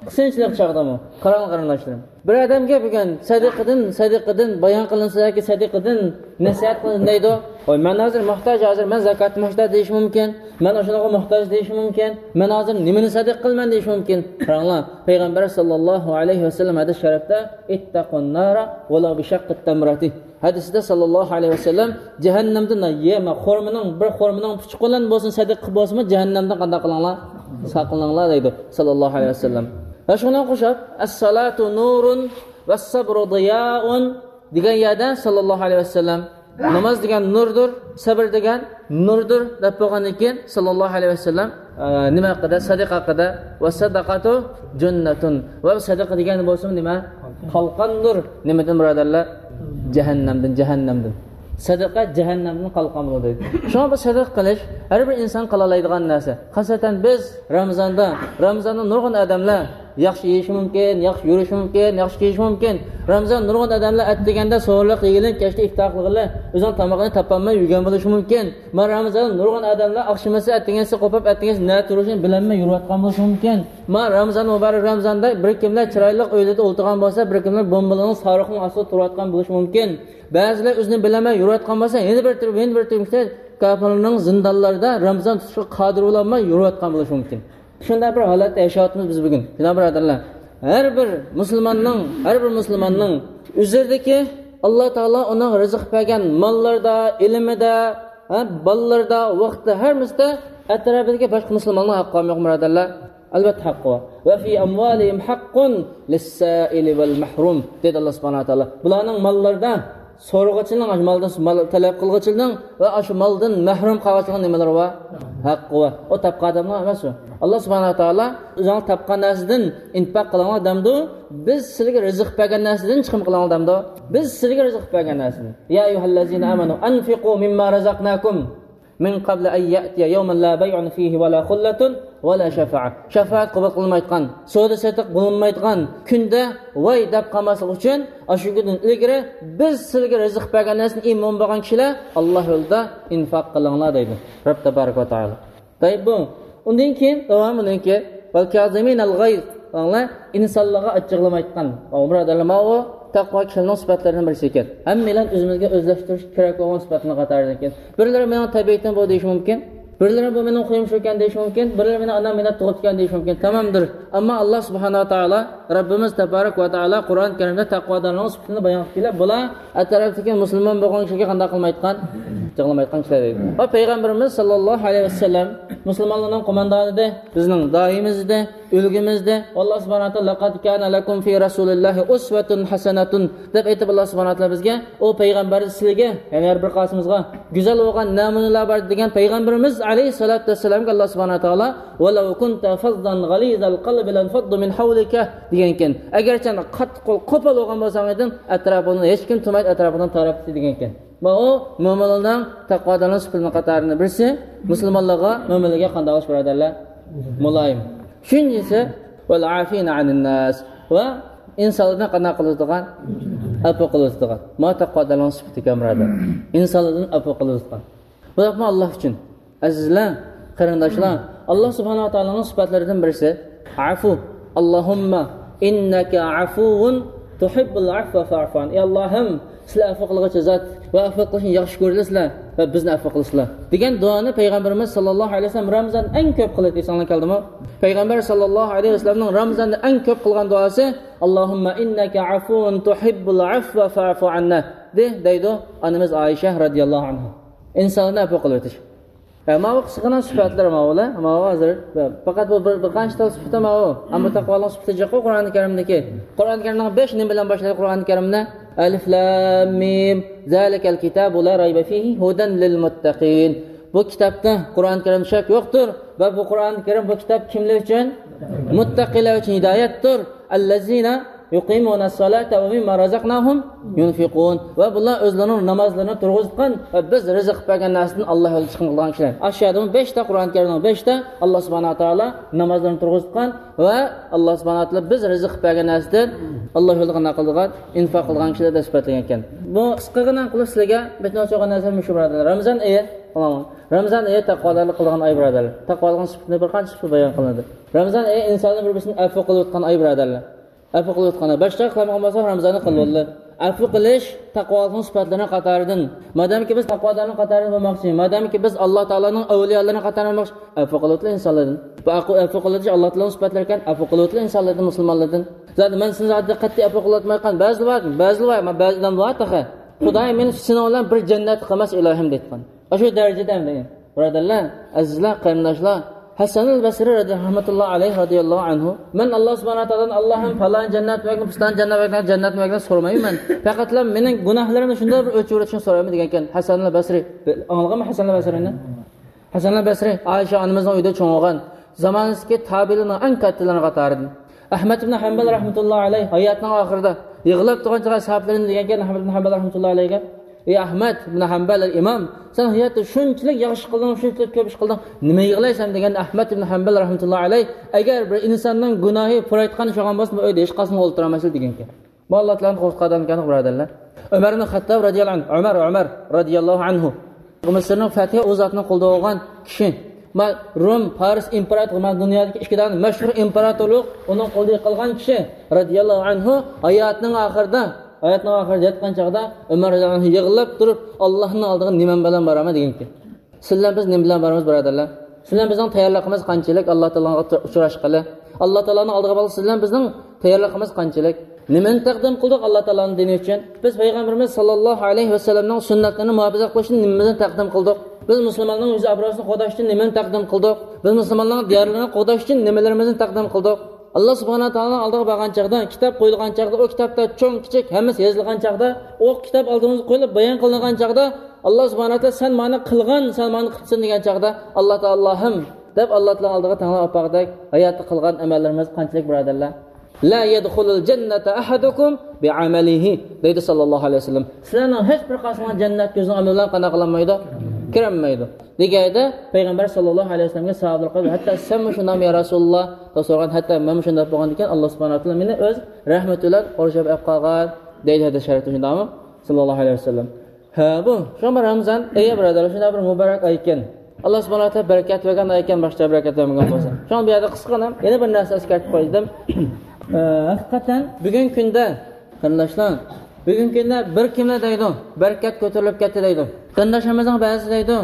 قىسىنچىلىق چاغدىمۇ؟ قاراڭ قېرىنداشلىرىم. بىر ئادەمگە بۈگۈن سەدىقىدىن، سەدىقىدىن بايان قىلىنسا ياكى سەدىقىدىن نەسىھەت قىلىنسا دەيدۇ. ۋاي، مەن ھازىر موھتاج، ھازىر مەن زاكات موھتاج دېيىشى مۇمكىن. مەن ئاشۇنىڭغا موھتاج دېيىشى مۇمكىن. مەن ھازىر نېمىنى سەدىقە قىلىمەن دېيىشى مۇمكىن. قاراڭلار، پەيغەمبەر ساللاللاھۇ ئەلەيھى ۋەسەللەم ھەدىس شەرىپتە، اتقوا النار ولو بشق تمرة. ھەدىسىدە ساللاللاھۇ ئەلەيھى ۋەسەللەم، جەھەننەمدىن يەمە خورمىنىڭ، بىر خورمىنىڭ پۇچۇقى بىلەن بولسۇن، سەدىقە قىلىپ بولسىمۇ، جەھەننەمدىن قانداق قىلىڭلار؟ ساقلىنىڭلار دەيدۇ ساللاللاھۇ ئەلەيھى ۋەسەللەم. ۋە شۇنىڭغا ئوخشاپ، الصلاة نور والصبر ضياء دېگەن يەردە ساللاللاھۇ ئەلەيھى ۋەسەللەم، ناماز دېگەن نۇردۇر، سەبر دېگەن نۇردۇر دەپ بولغاندىن كېيىن، ساللاللاھۇ ئەلەيھى ۋەسەللەم، ئە، نېمە ھەققىدە؟ سەدىقە ھەققىدە. والصدقة جنة. ۋە سەدىقە دېگەن بولسىمۇ نېمە؟ قالقاندۇر. نېمىدىن، بۇرادەرلەر؟ جەھەننەمدىن، جەھەننەمدىن. سەدىقە جەھەننەمدىن قالقان بولىدۇ دەيدۇ. شۇڭا بۇ سەدىقە قىلىش ھەر بىر ئىنسان قىلالايدىغان نەرسە. خاسەتەن بىز رامىزاندا، رامىزاندا نۇرغۇن ئادەملەر ياخشى يېيىشى مۇمكىن، ياخشى يۈرۈشى مۇمكىن، ياخشى كىيىشى مۇمكىن. رامىزان نۇرغۇن ئادەملەر ئەتىگەندە سوغۇرلۇق يېگىلى، كەچتە ئىپتار قىلغىلى، ئۆزىنىڭ تامىقىنى تاپالماي يۈرگەن بولۇشى مۇمكىن. ما رامىزان نۇرغۇن ئادەملەر ئاخشىمىسى ئەتىگەنسى قوپۇپ، ئەتىگەنسى نەدە تۇرۇشىنى بىلەلمەي يۈرۈۋاتقان بولۇشى مۇمكىن. ما رامىزان مۇبارەك رامىزاندا بىر كىملەر چىرايلىق ئۆيلىرىدە ئولتۇرغان بولسا، بىر كىملەر بومبىلارنىڭ، ساروخنىڭ ئاستىدا تۇرۇۋاتقان بولۇشى مۇمكىن. بەزىلەر ئۆزىنى بىلەلمەي يۈرۈۋاتقان بولسا، يەنە بىر تۈركۈم، يەنە بىر تۈركۈم كىشىلەر كاپىرنىڭ زىندانلىرىدا رامىزان تۇتۇشقا قادىر بولالماي يۈرۈۋاتقان بولۇشى مۇمكىن. شۇنداق بىر ھالەتتە ياشاۋاتىمىز بىز بۈگۈن. جاناب بۇرادەرلەر، ھەر بىر مۇسۇلماننىڭ، ھەر بىر مۇسۇلماننىڭ ئۆزىدىكى، ئاللا تائالا ئۇنىڭ رىزىق بەرگەن ماللىرىدا، ئىلمىدا، ھە، بالىلىرىدا، ۋاقتىدا، ھەممىسىدە ئەتراپىدىكى باشقا مۇسۇلمانلارنىڭ ھەققى بارمۇ يوقمۇ، بۇرادەرلەر؟ ئەلۋەتتە ھەققى بار. ۋە في أموالهم حق للسائل والمحروم دېدى ئاللا سۇبھانەھۇ ۋە تائالا. بۇلارنىڭ ماللىرىدا سورىغۇچىنىڭ، مالدىن مال تەلەپ قىلغۇچىنىڭ ۋە ئاشۇ مالدىن مەھرۇم قالغۇچىنىڭ نېمىلىرى بار؟ ھەققى بار. ئۇ تاپقان ئادەمنىڭ ئەمەس ئۇ. ئاللا سۇبھانەھۇ ۋە تائالا ئۆزۈڭلار تاپقان نەرسىدىن ئىنپاق قىلىڭلار دەمدۇ؟ بىز سىلەرگە رىزىق بەرگەن نەرسىدىن چىقىم قىلىڭلار دەمدۇ؟ بىز سىلەرگە رىزىق بەرگەن نەرسىدىن. يا أيها الذين آمنوا أنفقوا مما رزقناكم من قبل أن يأتي يوم لا بيع فيه ولا خلة ولا شفاعة. شاپائەت قوبۇل قىلىنمايدىغان، سودا سېتىق بولۇنمايدىغان كۈندە ۋاي دەپ قالماسلىق ئۈچۈن، ئاشۇ كۈندىن ئىلگىرى بىز سىلەرگە رىزىق بەرگەن نەرسىنى ئىمان بولغان كىشىلەر ئاللا يولىدا ئىنفاق قىلىڭلار دەيدۇ رەب تەبارەك ۋە تائالا. تايىپ بۇ. ئۇندىن كېيىن داۋامىنىڭكى، والكاظمين الغيظ. ئاڭلا، ئىنسانلارغا ئاچچىقلىمايدىغان. ئاۋۇ بۇرادەرلەر، ماۋۇ تەقۋا كىشىلەرنىڭ سۈپەتلىرىنىڭ بىرسى ئىكەن. ھەممەيلەن ئۆزىمىزگە ئۆزلەشتۈرۈش كېرەك بولغان سۈپەتنىڭ قاتارىدىكەن. بىرلىرى مېنىڭ تەبىئىتىم بۇ دېيىشى مۇمكىن. بىرلىرى بۇ مېنىڭ خۇيۇم شۇكەن دېيىشى مۇمكىن. بىرلىرى مېنىڭ ئانام مېنى تۇغۇپتىكەن دېيىشى مۇمكىن. تامامدۇر. ئەمما ئاللا سۇبھانەھۇ ۋە تائالا، رەببىمىز تەبارەك ۋە تائالا قۇرئان كەرىمدە تەقۋادارلارنىڭ سۈپىتىنى بايان قىلىپ كېلىپ، بۇلار ئەتراپتىكى مۇسۇلمان بولغان كىشىلەرگە قانداق قىلمايدىغان؟ جىغلىمايدىغان كىشىلەر دەيدۇ. ۋە پەيغەمبىرىمىز ساللاللاھۇ ئەلەيھى ۋەسەللەم مۇسۇلمانلارنىڭ قوماندانى ئىدى، بىزنىڭ دائىمىمىز ئىدى، ئۈلگىمىز ئىدى. ئاللا سۇبھانەھۇ ۋە تائالا، لەقەد كانە لەكۇم فى رەسۇلىللاھى ئۇسۋەتۇن ھەسەنەتۇن دەپ ئېيتىپ، ئاللا سۇبھانەھۇ ۋە تائالا بىزگە، ئۇ پەيغەمبەردە سىلىگە، يەنى ھەر بىر قاسىمىزغا گۈزەل بولغان نەمۇنىلەر بار دېگەن پەيغەمبىرىمىز ئەلەيھىسسالاتۇ ۋەسسالامغا ئاللا سۇبھانەھۇ ۋە تائالا، ۋەلەۋ كۇنتە فەززەن غەلىزەل قەلبى لەنفەضدۇ مىن ھەۋلىكە دېگەنكەن. ئەگەرچە قاتتىق قوپال بولغان بولساڭ ئىدىڭ، ئەتراپىڭدىن ھېچكىم تۇرمايدۇ، ئەتراپىڭدىن تاراپ كېتىدۇ دېگەنكەن. ماۋۇ مۆمىنلەرنىڭ تەقۋادارلىق سۈپىتىنىڭ قاتارىدىن بىرسى، مۇسۇلمانلارغا، مۆمىنلەرگە قانداق قىلىش، بۇرادەرلەر؟ مۇلايىم. ئۈچىنچىسى، ۋەل ئافىنە ئەنىن ناس، ۋە ئىنسانلاردىن قانداق قىلىدىغان؟ ئەپۇ قىلىدىغان. ماۋۇ تەقۋادارلىقنىڭ سۈپىتى ئىكەن، بۇرادەر. ئىنسانلاردىن ئەپۇ قىلىدىغان. بۇ يەنىمۇ ئاللا ئۈچۈن. ئەزىزلەر، قېرىنداشلار، ئاللا سۇبھانەھۇ ۋە تائالانىڭ سۈپەتلىرىدىن بىرسى ئەفۇ. ئاللاھۇممە ئىننەكە ئەفۇۋۇن تۇھىببۇل ئەفۋە فەئفۇ ئەن. ئەي ئاللاھىم، سىلەر ئەپۇ قىلغۇچى زات ۋە ئەپۇ قىلىشنى ياخشى كۆرىسىلەر ۋە بىزنى ئەپۇ قىلىسىلەر دېگەن دۇئانى پەيغەمبىرىمىز ساللاللاھۇ ئەلەيھى ۋەسەللەم رامىزاندا ئەڭ كۆپ قىلىدۇ. ئېسىڭلاردا كەلدىمۇ؟ پەيغەمبەر ساللاللاھۇ ئەلەيھى ۋەسەللەمنىڭ رامىزاندا ئەڭ كۆپ قىلغان دۇئاسى، ئاللاھۇممە ئىننەكە ئەفۇۋۇن تۇھىببۇل ئەفۋە فەئفۇ ئەننا دەيدۇ ئانىمىز ئائىشە رەزىياللاھۇ ئەنھا. ئىنسانلارنى ئەپۇ قىلىۋېتىش. ھە، ماۋۇ قىسقىغىنا سۈپەتلەر ماۋۇلار. ماۋۇ ھازىر پەقەت بۇ بىر، بىر قانچە تال سۈپىتى ماۋۇ. ئەمما تەقۋانىڭ سۈپىتى جىققۇ قۇرئانى كەرىمدىكى. قۇرئانى كەرىمنىڭ بەش نېمە بىلەن باشلايدۇ قۇرئانى كەرىمنى؟ ئەلىف لام مىم. زالىكەل كىتابۇ لا رايبە فىھى ھۇدەن لىل مۇتتەقىن. بۇ كىتابتا، قۇرئانى كەرىمدە شەك يوقتۇر. ۋە بۇ قۇرئانى كەرىم بۇ كىتاب كىملەر ئۈچۈن؟ مۇتتەقىلەر ئۈچۈن ھىدايەتتۇر. ئەللەزىنە يقيمون الصلاة ومما رزقناهم ينفقون. ۋە بۇلار ئۆزلىرىنىڭ نامازلىرىنى تۇرغۇزۇۋاتقان ۋە بىز رىزىق بەرگەن نەرسىدىن ئاللا يولىدا چىقىم قىلىدىغان كىشىلەر. ئاشۇ يەردىمۇ بەشتە، قۇرئان كەرىمنىڭ بەشتە، ئاللا سۇبھانەھۇ ۋە تائالا نامازلىرىنى تۇرغۇزۇۋاتقان ۋە ئاللا سۇبھانەھۇ ۋە تائالا بىز رىزىق بەرگەن نەرسىدىن ئاللا يولىدا قانداق قىلىدىغان، ئىنفاق قىلىدىغان كىشىلەر دەپ سۈپەتلىگەن ئىكەن. بۇ قىسقىغىنا قىلىپ سىلەرگە بىتىنى ئوچۇرغان نەرسە مۇشۇ، بۇرادەرلەر. رامىزان ئېيى، رامىزان ئېيى تەقۋادارلىق قىلىدىغان ئاي، بۇرادەرلەر. تەقۋادارلىقنىڭ سۈپىتىنى بىر قانچە سۈپىتى بايان قىلىندى. رامىزان ئېيى ئىنسانلار بىر-بىرسىنى ئەپۇ قىلىۋاتقان ئاي، بۇرادەرلەر. ئەپۇ قىلىۋاتقان ئاي. باشقا قىلالمىغان بولساق، رامىزاننى قىلىۋالدى. ئەپۇ قىلىش تەقۋالىقنىڭ سۈپەتلىرىنىڭ قاتارىدىن. مادامكى بىز تەقۋادارنىڭ قاتارىدا بولماقچى، مادامكى بىز ئاللا تائالانىڭ ئەۋلىيالىرىنىڭ قاتارىدا بولماقچى، ئەپۇ قىلىۋېتىلە ئىنسانلاردىن. بۇ ئەپۇ، ئەپۇ قىلىۋېتىش ئاللا تائالانىڭ سۈپەتلىرى ئىكەن، ئەپۇ قىلىۋېتىلە ئىنسانلاردىن، مۇسۇلمانلاردىن. زادى مەن سىزنى زادى قەتئىي ئەپۇ قىلىۋاتمايمەن. بەزىلەر بار، بەزىلەر بار، بەزى ئادەم بار تېخى. خۇدايىم، مېنى سېنىڭ بىلەن بىر جەننەتتە قىلماس ئىلاھىم دەيدىغان. ئاشۇ دەرىجىدە ئەمدى. بۇرادەرلەر، ئەزىزلەر، قېرىنداشلار، ھەسەنۇل بەسرى رەزىياللاھۇ ئەنھۇ، مەن ئاللا سۇبھانەھۇ ۋە تائالادىن، ئاللاھىم، پالان جەننەت بەرگىن، پۇستان جەننەت بەرگىن، جەننەت بەرگىن سورىمايمەن. پەقەتلا مېنىڭ گۇناھلىرىمنى شۇنداق بىر ئۆچۈرۈۋېتىشنى سورايمەن دېگەنكەن ھەسەنۇل بەسرى. ئاڭلىغانمۇ ھەسەنۇل بەسرىنى؟ ھەسەنۇل بەسرى ئائىشە ئانىمىزنىڭ ئۆيىدە چوڭ بولغان، زامانىسىدىكى تابىئىنلارنىڭ ئەڭ كاتتىلىرىنىڭ قاتارىدىن. ئەھمەد ئىبن ھەمبەل رەھمەتۇللاھى ئەلەيھ ھاياتىنىڭ ئاخىرىدا يىغلاپ تۇرغان چاغدا ئەسھابلىرىنى دېگەنكەن ئەھمەد ئىبن ھەمبەل رەھمەتۇللاھى ئەلەيھگە، ئى ئەھمەد ئىبن ھەمبەل ئىمام، سەن ھاياتتا شۇنچىلىك ياخشى قىلدىڭ، شۇنچىلىك كۆپ ئىش قىلدىڭ، نېمە يىغلايسەن دېگەندە ئەھمەد ئىبن ھەمبەل رەھمەتۇللاھى ئەلەيھ، ئەگەر بىر ئىنساننىڭ گۇناھى پۇرايتقان ئىش بولغان بولسا، بۇ ئۆيدە ھېچقايسىڭ ئولتۇرالمايسىلەر دېگەنكەن. بۇ ئاللا تائالانىڭ قورقۇتقان ئادەمكەن، بۇرادەرلەر. ئۆمەر ئىبن خەتتاب رەزىياللاھۇ ئەنھۇ، ئۆمەر، ئۆمەر رەزىياللاھۇ ئەنھۇ. مىسىرنىڭ فەتھى ئۇ زاتنىڭ قولىدا بولغان كىشى. ما روم، پارس ئىمپېراتورى، ما دۇنيادىكى ئىككى دانە مەشھۇر ئىمپېراتورلۇق ئۇنىڭ قولىدا قىلغان كىشى رەزىياللاھۇ ئەنھۇ ھاياتىنىڭ ئاخىرىدا، ھاياتىنىڭ ئاخىرىدا ياتقان چاغدا ئۆمەر رەزىياللاھۇ ئەنھۇ يىغلاپ تۇرۇپ، ئاللانىڭ ئالدىغا نېمەم بىلەن بارىمەن دېگەنكەن. سىز بىلەن بىز نېمە بىلەن بارىمىز، بۇرادەرلەر؟ سىز بىلەن بىزنىڭ تەييارلىقىمىز قانچىلىك ئاللا تائالانىڭ ئۇچراشقىلى؟ ئاللا تائالانىڭ ئالدىغا بارغىلى سىز بىلەن بىزنىڭ تەييارلىقىمىز قانچىلىك؟ نېمىنى تەقدىم قىلدۇق ئاللا تائالانىڭ دىنى ئۈچۈن؟ بىز پەيغەمبىرىمىز ساللاللاھۇ ئەلەيھى ۋەسەللەمنىڭ سۈننەتلىرىنى مۇھاپىزەت قىلىش ئۈچۈن نېمىمىزنى تەقدىم قىلدۇق؟ بىز مۇسۇلماننىڭ يۈز ئابرۇيىنى قوغداش ئۈچۈن نېمىنى تەقدىم قىلدۇق؟ بىز مۇسۇلماننىڭ دىيارلىرىنى قوغداش ئۈچۈن نېمىلىرىمىزنى تەقدىم قىلدۇق؟ ئاللا سۇبھانەھۇ ۋە تائالانىڭ ئالدىغا بارغان چاغدا، كىتاب قويۇلغان چاغدا، ئۇ كىتابتا چوڭ كىچىك ھەممىسى يېزىلغان چاغدا، ئۇ كىتاب ئالدىمىزغا قويۇلۇپ بايان قىلىنغان چاغدا، ئاللا سۇبھانەھۇ ۋە تائالا سەن مانا قىلغان، سەن مانا قىپسەن دېگەن چاغدا، ئاللا تائالا ئاللاھىم دەپ ئاللا تائالانىڭ ئالدىغا تەڭلەپ ئاپارغۇدەك ھاياتتا قىلغان ئەمەللىرىمىز قانچىلىك، بۇرادەرلەر؟ لا يدخل الجنة أحدكم بعمله دەيدۇ ساللاللاھۇ ئەلەيھى ۋەسەللەم. سىلەرنىڭ ھېچ بىر قايسىڭلار جەننەتكە ئۆزىنىڭ ئەمىلى بىلەن قانداق قىلالمايدۇ؟ كىرەلمەيدۇ. دېگەندە پەيغەمبەر ساللاللاھۇ ئەلەيھى ۋەسەللەمگە ساھابىلەر قىلىپ، ھەتتا سەنمۇ شۇنداقمۇ يا رەسۇلاللا دەپ سورىغان، ھەتتا مەنمۇ شۇنداق بولغاندىكىن ئاللا سۇبھانەھۇ ۋە تائالا مېنى ئۆز رەھمىتى بىلەن قورشاپ ئېلىپ قالغان دەيدۇ ھەدىس شەرىپتە، شۇنداقمۇ؟ ساللاللاھۇ ئەلەيھى ۋەسەللەم. ھە، بۇ شۇڭا رامىزان ئېيى، بۇرادەرلەر، شۇنداق بىر مۇبارەك ئاي ئىكەن. ئاللا سۇبھانەھۇ ۋە تائالا بەرىكەت بەرگەن ئاي ئىكەن، باشقا بەرىكەت بەرمىگەن بولسا. شۇڭا بۇ يەردە قىسقىغىنا يەنە بىر نەرسە ئەسكەرتىپ قويدۇم. ئە، ھەقىقەتەن بۈگۈنكى كۈندە، قېرىنداشلار، بۈگۈنكى كۈندە بىر كىملەر دەيدۇ، بەرىكەت كۆتۈرۈلۈپ كەتتى دەيدۇ. قېرىنداشلىرىمىزنىڭ بەزىسى دەيدۇ،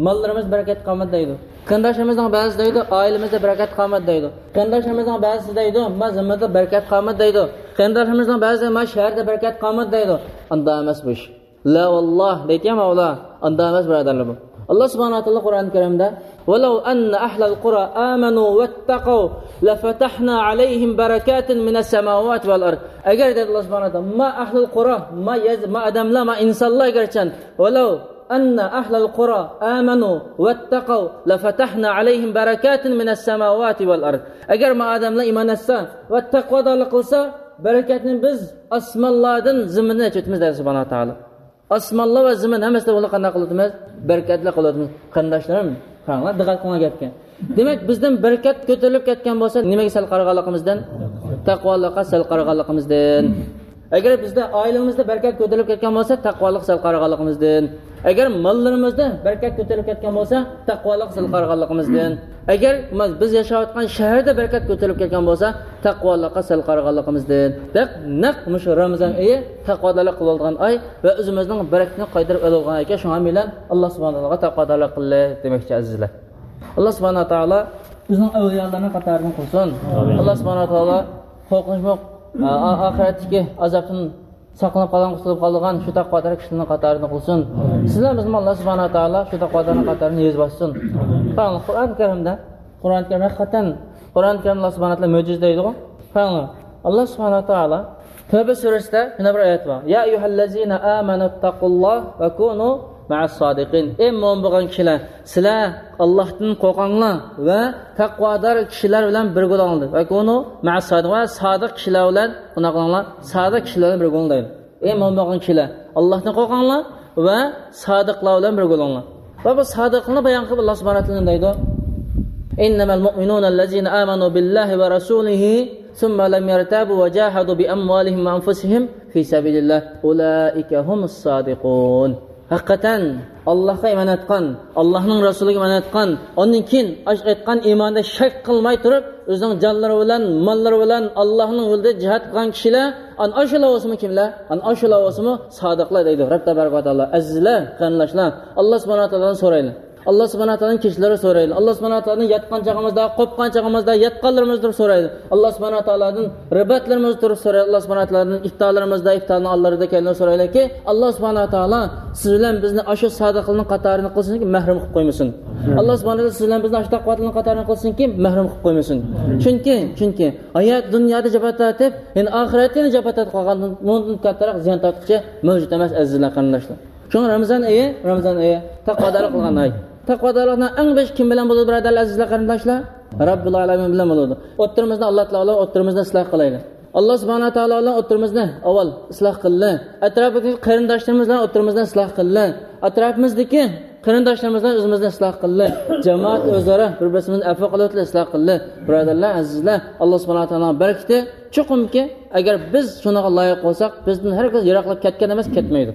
ماللىرىمىز بەرىكەت قالمىدى دەيدۇ. قېرىنداشلىرىمىزنىڭ بەزىسى دەيدۇ، ئائىلىمىزدە بەرىكەت قالمىدى دەيدۇ. قېرىنداشلىرىمىزنىڭ بەزىسى دەيدۇ، ما زېمىندا بەرىكەت قالمىدى دەيدۇ. قېرىنداشلىرىمىزنىڭ بەزىسى ما شەھەردە بەرىكەت قالمىدى دەيدۇ. ئانداق ئەمەس بۇ ئىش. لا ۋاللاھ دەيدىكەن مەۋلا، ئانداق ئەمەس بۇرادەرلەر بۇ. ئاللا سۇبھانەھۇ ۋە تائالا قۇرئان كەرىمدە، ولو أن أهل القرى آمنوا واتقوا لفتحنا عليهم بركات من السماوات والأرض. ئەگەر دەيدۇ ئاللا سۇبھانەھۇ ۋە تائالا، ما ئەھلۇل قۇرا، ما يەز، ما ئادەملەر، ما ئىنسانلار ئەگەرچەن، ولو أن أهل القرى آمنوا واتقوا لفتحنا عليهم بركات من السماوات والأرض. ئەگەر ما ئادەملەر ئىمان ئەتسە ۋە تەقۋادارلىق قىلسا، بەرىكەتنى بىز ئاسمانلاردىن، زېمىندىن ئېچىۋېتىمىز دەيدۇ سۇبھانەھۇ ۋە تائالا. ئاسمانلار ۋە زېمىن ھەممىسىدە بۇنى قانداق قىلىۋاتىمىز؟ بەرىكەتلىك قىلىۋاتىمىز. قېرىنداشلىرىم، قاراڭلار، دىققەت قىلىڭلار گەپكە. دېمەك، بىزدىن بەرىكەت كۆتۈرۈلۈپ كەتكەن بولسا، نېمىگە سەل قارىغانلىقىمىزدىن؟ تەقۋالىققا سەل قارىغانلىقىمىزدىن. ئەگەر بىزدە، ئائىلىمىزدە بەرىكەت كۆتۈرۈلۈپ كەتكەن بولسا، تەقۋالىققا سەل قارىغانلىقىمىزدىن. ئەگەر ماللىرىمىزدا بەرىكەت كۆتۈرۈلۈپ كەتكەن بولسا، تەقۋالىققا سەل قارىغانلىقىمىزدىن. ئەگەر ما-، بىز ياشاۋاتقان شەھەردە بەرىكەت كۆتۈرۈلۈپ كەتكەن بولسا، تەقۋالىققا سەل قارىغانلىقىمىزدىن. دەپ، نەق مۇشۇ رامىزان ئېيى تەقۋادارلىق قىلىۋالىدىغان ئاي ۋە ئۆزىمىزنىڭ بەرىكىتىنى قايتۇرۇپ ئېلىۋالغان ئىكەن، شۇڭا بىلەن ئاللا سۇبھانەھۇ ۋە تائالا تەقۋادارلىق قىلدى دېمەكچى، ئەزىزلەر. ئاللا سۇبھانەھۇ ۋە تائالا ئۆزىنىڭ ئەۋلىيالىرىنىڭ قاتارىدىن قىلسۇن. ئامىن. ئاللا سۇبھانەھۇ ۋە تائالا قورقۇنچلۇق، ئا-، ئا-، ئاخىرەتتىكى ئازابتىن ساقلىنىپ قالغان، قۇتۇلۇپ قالىدىغان شۇ تەقۋادار كىشىلەرنىڭ قاتارىدىن قىلسۇن. سىزلەر بىزنى ئاللا سۇبھانەھۇ ۋە تائالا شۇ تەقۋادارنىڭ قاتارىدىن يېزىپ ئالسۇن. قاراڭلار، قۇرئان كەرىمدە، قۇرئان كەرىم ھەقىقەتەن، قۇرئان كەرىم ئاللا سۇبھانەھۇ ۋە تائالا مۆجىزە دەيدىغۇ. قاراڭلار، ئاللا سۇبھانەھۇ ۋە تائالا تەۋبە سۈرىسىدە شۇنداق بىر ئايەت بار. يا أيها الذين آمنوا اتقوا الله وكونوا مع الصادقين. ئەي مۆمىن بولغان كىشىلەر، سىلەر ئاللاھتىن قورقۇڭلار ۋە تەقۋادار كىشىلەر بىلەن بىرگە بولۇڭلار. وكونوا مع الصادقين. ۋە سادىق كىشىلەر بىلەن قانداق قىلىڭلار؟ سادىق كىشىلەر بىلەن بىرگە بولۇڭلار دەيدۇ. ئەي مۆمىن بولغان كىشىلەر، ئاللاھتىن قورقۇڭلار ۋە سادىقلار بىلەن بىرگە بولۇڭلار. ۋە بۇ سادىقلارنى بايان قىلىپ، ئاللاھ سۇبھانەھۇ ۋە تائالا نېمە دەيدۇ؟ إنما المؤمنون الذين آمنوا بالله ورسوله ثم لم يرتابوا وجاهدوا بأموالهم وأنفسهم في سبيل الله أولئك هم الصادقون. ھەقىقەتەن، ئاللاھقا ئىمان ئېيتقان، ئاللاھنىڭ رەسۇلىگە ئىمان ئېيتقان، ئاندىن كېيىن ئاش-، ئېيتقان ئىمانىدا شەك قىلماي تۇرۇپ، ئۆزىنىڭ جانلىرى بىلەن، ماللىرى بىلەن ئاللاھنىڭ يولىدا جىھاد قىلغان كىشىلەر، ئەنە ئاشۇلار بولسىمۇ كىملەر؟ ئەنە ئاشۇلار بولسىمۇ سادىقلار دەيدۇ رەب تەبارەك ۋە تائالا. ئەزىزلەر، قېرىنداشلار، ئاللاھ سۇبھانەھۇ ۋە تائالادىن سورايلى. ئاللاھ سۇبھانەھۇ ۋە تائالادىن كەچۈرۈم سورايلى. ئاللاھ سۇبھانەھۇ ۋە تائالادىن ياتقان چېغىمىزدا، قوپقان چېغىمىزدا، ياتقانلىرىمىزدا تۇرۇپ سورايلى. ئاللاھ سۇبھانەھۇ ۋە تائالادىن رىباتلىرىمىزدا تۇرۇپ سورايلى. ئاللاھ سۇبھانەھۇ ۋە تائالادىن ئىپتارلىرىمىزدا، ئىپتارنىڭ ئالدىلىرىدا كەينىدە سورايلىكى، ئاللاھ سۇبھانەھۇ ۋە تائالا سىز بىلەن بىزنى ئاشۇ سادىقلارنىڭ قاتارىدا قىلسۇنكى، مەھرۇم قىلىپ قويمىسۇن. ئاللاھ سۇبھانەھۇ ۋە تائالا سىز بىلەن بىزنى ئاشۇ تەقۋادارلارنىڭ قاتارىدا قىلسۇنكى، مەھرۇم قىلىپ قويمىسۇن. چۈنكى، چۈنكى ھايات دۇنيادا جاپا تارتىپ، يەنە ئاخىرەتتە يەنە جاپا تارتىپ قالغاندىن، بۇنىڭدىن كاتتىراق زىيان تارتقۇچى مەۋجۇت ئەمەس، ئەزىزلەر، قېرىنداشلار. شۇڭا رامىزان ئېيى، رامىزان ئېيى تەقۋادارلىق قىلغان ئاي. تەقۋادارلىقنىڭ ئەڭ بېشى كىم بىلەن بولىدۇ، بۇرادەرلەر، ئەزىزلەر، قېرىنداشلار؟ رەببۇل ئالەمىن بىلەن بولىدۇ. ئوتتۇرىمىزنى ئاللاھ تائالا بىلەن ئوتتۇرىمىزنى ئىسلاھ قىلايلى. ئاللاھ سۇبھانەھۇ ۋە تائالا بىلەن ئوتتۇرىمىزنى ئاۋۋال ئىسلاھ قىلدى. ئەتراپىدىكى قېرىنداشلىرىمىز بىلەن ئوتتۇرىمىزنى ئىسلاھ قىلدى. ئەتراپىمىزدىكى قېرىنداشلىرىمىز بىلەن ئۆزىمىزنى ئىسلاھ قىلدى. جامائەت ئۆزئارا بىر-بىرسىمىزنى ئەپۇ قىلىۋېتىلى، ئىسلاھ قىلدى. بۇرادەرلەر، ئەزىزلەر، ئاللاھ سۇبھانەھۇ ۋە تائالانىڭ بەرىكىتى چوقۇمكى، ئەگەر بىز شۇنىڭغا لايىق بولساق، بىزدىن ھەرگىز يىراقلاپ كەتكەن ئەمەس، كەتمەيدۇ.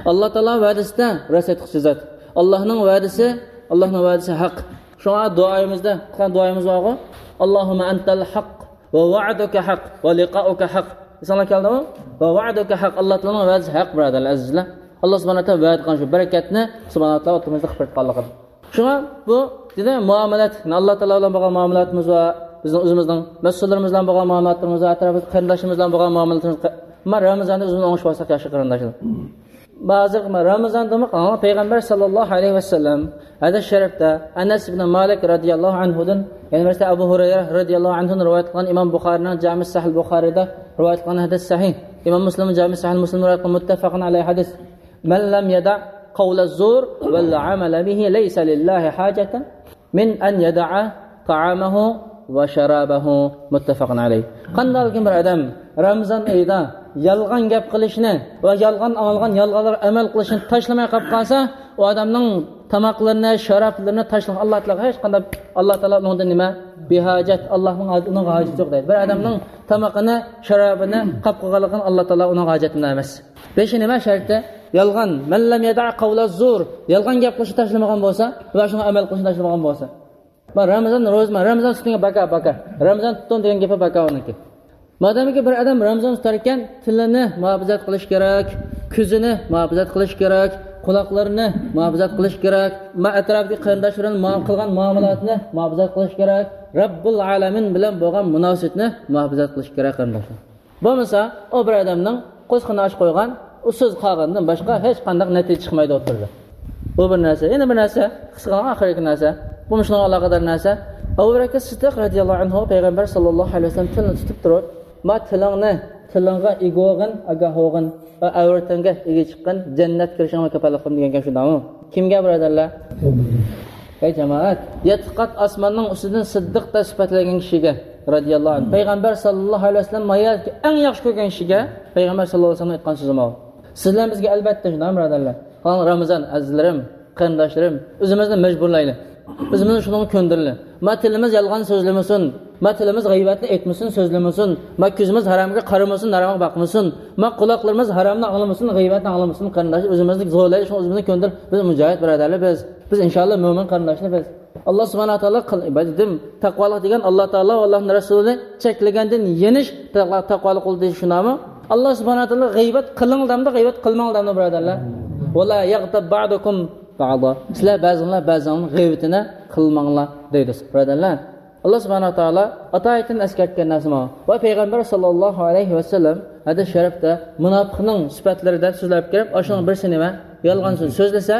ئاللاھ تائالا ۋەدىسىدە راست ئېيتقۇچى زات. ئاللاھنىڭ ۋەدىسى، ئاللاھنىڭ ۋەدىسى ھەق. شۇڭا دۇئايىمىزدا، قىلغان دۇئايىمىز بارغۇ، اللهم أنت الحق ووعدك حق ولقاؤك حق. ئېسىڭلارغا كەلدىمۇ؟ ووعدك حق. ئاللاھ تائالانىڭ ۋەدىسى ھەق، بۇرادەرلەر، ئەزىزلەر. ئاللاھ سۇبھانەھۇ ۋە تائالا ۋەدە قىلغان شۇ بەرىكەتنى سۇبھانەھۇ ۋە تائالا ئوتتۇرىمىزدا قىلىپ بېرىدىغانلىقىدىن. شۇڭا بۇ، دېدى، مۇئامىلەت، يەنى ئاللاھ تائالا بىلەن بولغان مۇئامىلاتىمىز بار، بىزنىڭ ئۆزىمىزنىڭ مەسئۇللىرىمىز بىلەن بولغان مۇئامىلاتلىرىمىز بار، ئەتراپىمىزدىكى قېرىنداشلىرىمىز بىلەن بولغان مۇئامىلىتىمىز، ما رامىزاندا ئۆزىمىزنى ئوڭشىۋالساق ياخشى، قېرىنداشلار. ھازىر ما رامىزاندا ما پەيغەمبەر ساللاللاھۇ ئەلەيھى ۋەسەللەم ھەدىس شەرىپتە ئەنەس ئىبن مالىك رەزىياللاھۇ ئەنھۇدىن، يەنە بىرسى ئەبۇ ھۇرەيرە رەزىياللاھۇ ئەنھۇدىن رىۋايەت قىلغان ئىمام بۇخارىنىڭ جامى سەھىھ بۇخارىدا رىۋايەت قىلغان ھەدىس سەھىھ. ئىمام مۇسلىم جامى سەھىھ مۇسلىم رىۋايەت قىلغان مۇتتەپەقۇن ئەلەيھى ھەدىس. من لم يدع قول الزور والعمل به ليس لله حاجة من أن يدع طعامه وشرابه، متفق عليه. قانداقكىن بىر ئادەم رامىزان ئېيىدا يالغان گەپ قىلىشنى ۋە يالغان ئاڭلىغان يالغانلارغا ئەمەل قىلىشنى تاشلىماي قېلىپ قالسا، ئۇ ئادەمنىڭ تاماقلىرىنى، شارابلىرىنى تاشلىغان ئاللاھ تائالا ھېچقانداق، ئاللاھ تائالا ئۇنىڭدىن نېمە؟ بىھاجەت، ئاللاھنىڭ ھاج-، ئۇنىڭغا ھاجىتى يوق دەيدۇ. بىر ئادەمنىڭ تامىقىنى، شارابىنى قاپ قىلغانلىقىدىن ئاللاھ تائالا ئۇنىڭغا ھاجەتمەن ئەمەس. بېشى نېمە شەرتى؟ يالغان. من لم يدع قول الزور. يالغان گەپ قىلىشنى تاشلىمىغان بولسا ۋە شۇڭا ئەمەل قىلىشنى تاشلىمىغان بولسا. ما رامىزان روزا، ما رامىزان تۇتۇڭ، باكا، باكا. رامىزان تۇتۇڭ دېگەن گېپى باكا ئۇنىڭكى. مادامكى بىر ئادەم رامىزان تۇتاركەن، تىلىنى مۇھاپىزەت قىلىش كېرەك، كۆزىنى مۇھاپىزەت قىلىش كېرەك، قۇلاقلىرىنى مۇھاپىزەت قىلىش كېرەك، ما ئەتراپىدىكى قېرىنداش بىلەن ما-، قىلغان مۇئامىلاتىنى مۇھاپىزەت قىلىش كېرەك، رەببۇل ئالەمىن بىلەن بولغان مۇناسىۋىتىنى مۇھاپىزەت قىلىش كېرەك، قېرىنداشلار. بولمىسا، ئۇ بىر ئادەمنىڭ قوسىقىنى ئاچ قويغان، ئۇسسۇز قالغاندىن باشقا ھېچقانداق نەتىجە چىقمايدۇ ئوتتۇرىدا. بۇ بىر نەرسە. يەنە بىر نەرسە، قىسقىغىنە ئاخىرقى نەرسە. بۇمۇ شۇنىڭغا ئالاقىدار نەرسە. ئەبۇ بەكرى سىددىق رەزىياللاھۇ ئەنھۇ پەيغەمبەر ساللاللاھۇ ئەلەيھى ۋەسەللەم تىلىنى تۇتۇپ تۇرۇپ، ما تىلىڭنى، تىلىڭغا ئىگە بولغىن، ئاگاھ بولغىن، ۋە ئەۋرىتىڭگە ئىگە چىققىن، جەننەتكە كىرىشىڭگە كاپالەتلىك قىلىمەن دېگەن گەپ شۇنداقمۇ؟ كىمگە، بۇرادەرلەر؟ ھەي جامائەت، يەتتە قات ئاسماننىڭ ئۈستىدىن سىددىق دەپ سۈپەتلەنگەن كىشىگە رەزىياللاھۇ ئەنھۇ، پەيغەمبەر ساللاللاھۇ ئەلەيھى ۋەسەللەم ما يەردىكى ئەڭ ياخشى كۆرگەن كىشىگە پەيغەمبەر ساللاللاھۇ ئەلەيھى ۋەسەللەم ئېيتقان سۆزى ماۋۇ. سىز بىلەن بىزگە ئەلۋەتتە شۇنداق، بۇرادەرلەر. قاراڭ، رامىزان، ئەزىزلىرىم، قېرىنداشلىرىم، ئۆزىمىزنى مەجبۇرلايلى. ئۆزىمىزنى شۇنىڭغا كۆندۈرىلى. ما تىلىمىز يالغان سۆزلىمىسۇن. ما تىلىمىز غەيۋەتنى ئېيتمىسۇن، سۆزلىمىسۇن. ما كۆزىمىز ھارامغا قارىمىسۇن، ھارامغا باقمىسۇن. ما قۇلاقلىرىمىز ھارامنى ئاڭلىمىسۇن، غەيۋەتنى ئاڭلىمىسۇن، قېرىنداشلار. ئۆزىمىزنى زورلايلى، شۇڭا ئۆزىمىزنى كۆندۈرۈپ، بىز مۇجاھىد بۇرادەرلەر بىز. بىز ئىنشاللا مۆمىن قېرىنداشلار بىز. ئاللا سۇبھانەھۇ ۋە تائالا قىل-، دېدىم، تەقۋالىق دېگەن ئاللا تائالا ۋە ئاللانىڭ رەسۇلى چەكلىگەندىن يېنىش تەقۋا-، تەقۋالىق قىلدى دېيىش شۇنداقمۇ؟ ئاللا سۇبھانەھۇ ۋە تائالا غەيۋەت قىلىڭ دەمدۇ، غەيۋەت قىلماڭ دەمدۇ، بۇرادەرلەر؟ ولا يغتب بعضكم بعضا. سىلەر بەزىڭلار بەزىڭلارنىڭ غەيۋىتىنى قىلماڭلار دەيدۇ، بۇرادەرلەر. ئاللا سۇبھانەھۇ ۋە تائالا ئاتايىتىن ئەسكەرتكەن نەرسە ماۋۇ. ۋە پەيغەمبەر ساللاللاھۇ ئەلەيھى ۋەسەللەم ھەدىس شەرىپتە مۇناپىقنىڭ سۈپەتلىرى دەپ سۆزلەپ كىرىپ، ئاشۇنىڭ بىرسى نېمە؟ يالغان سۆز. سۆزلىسە،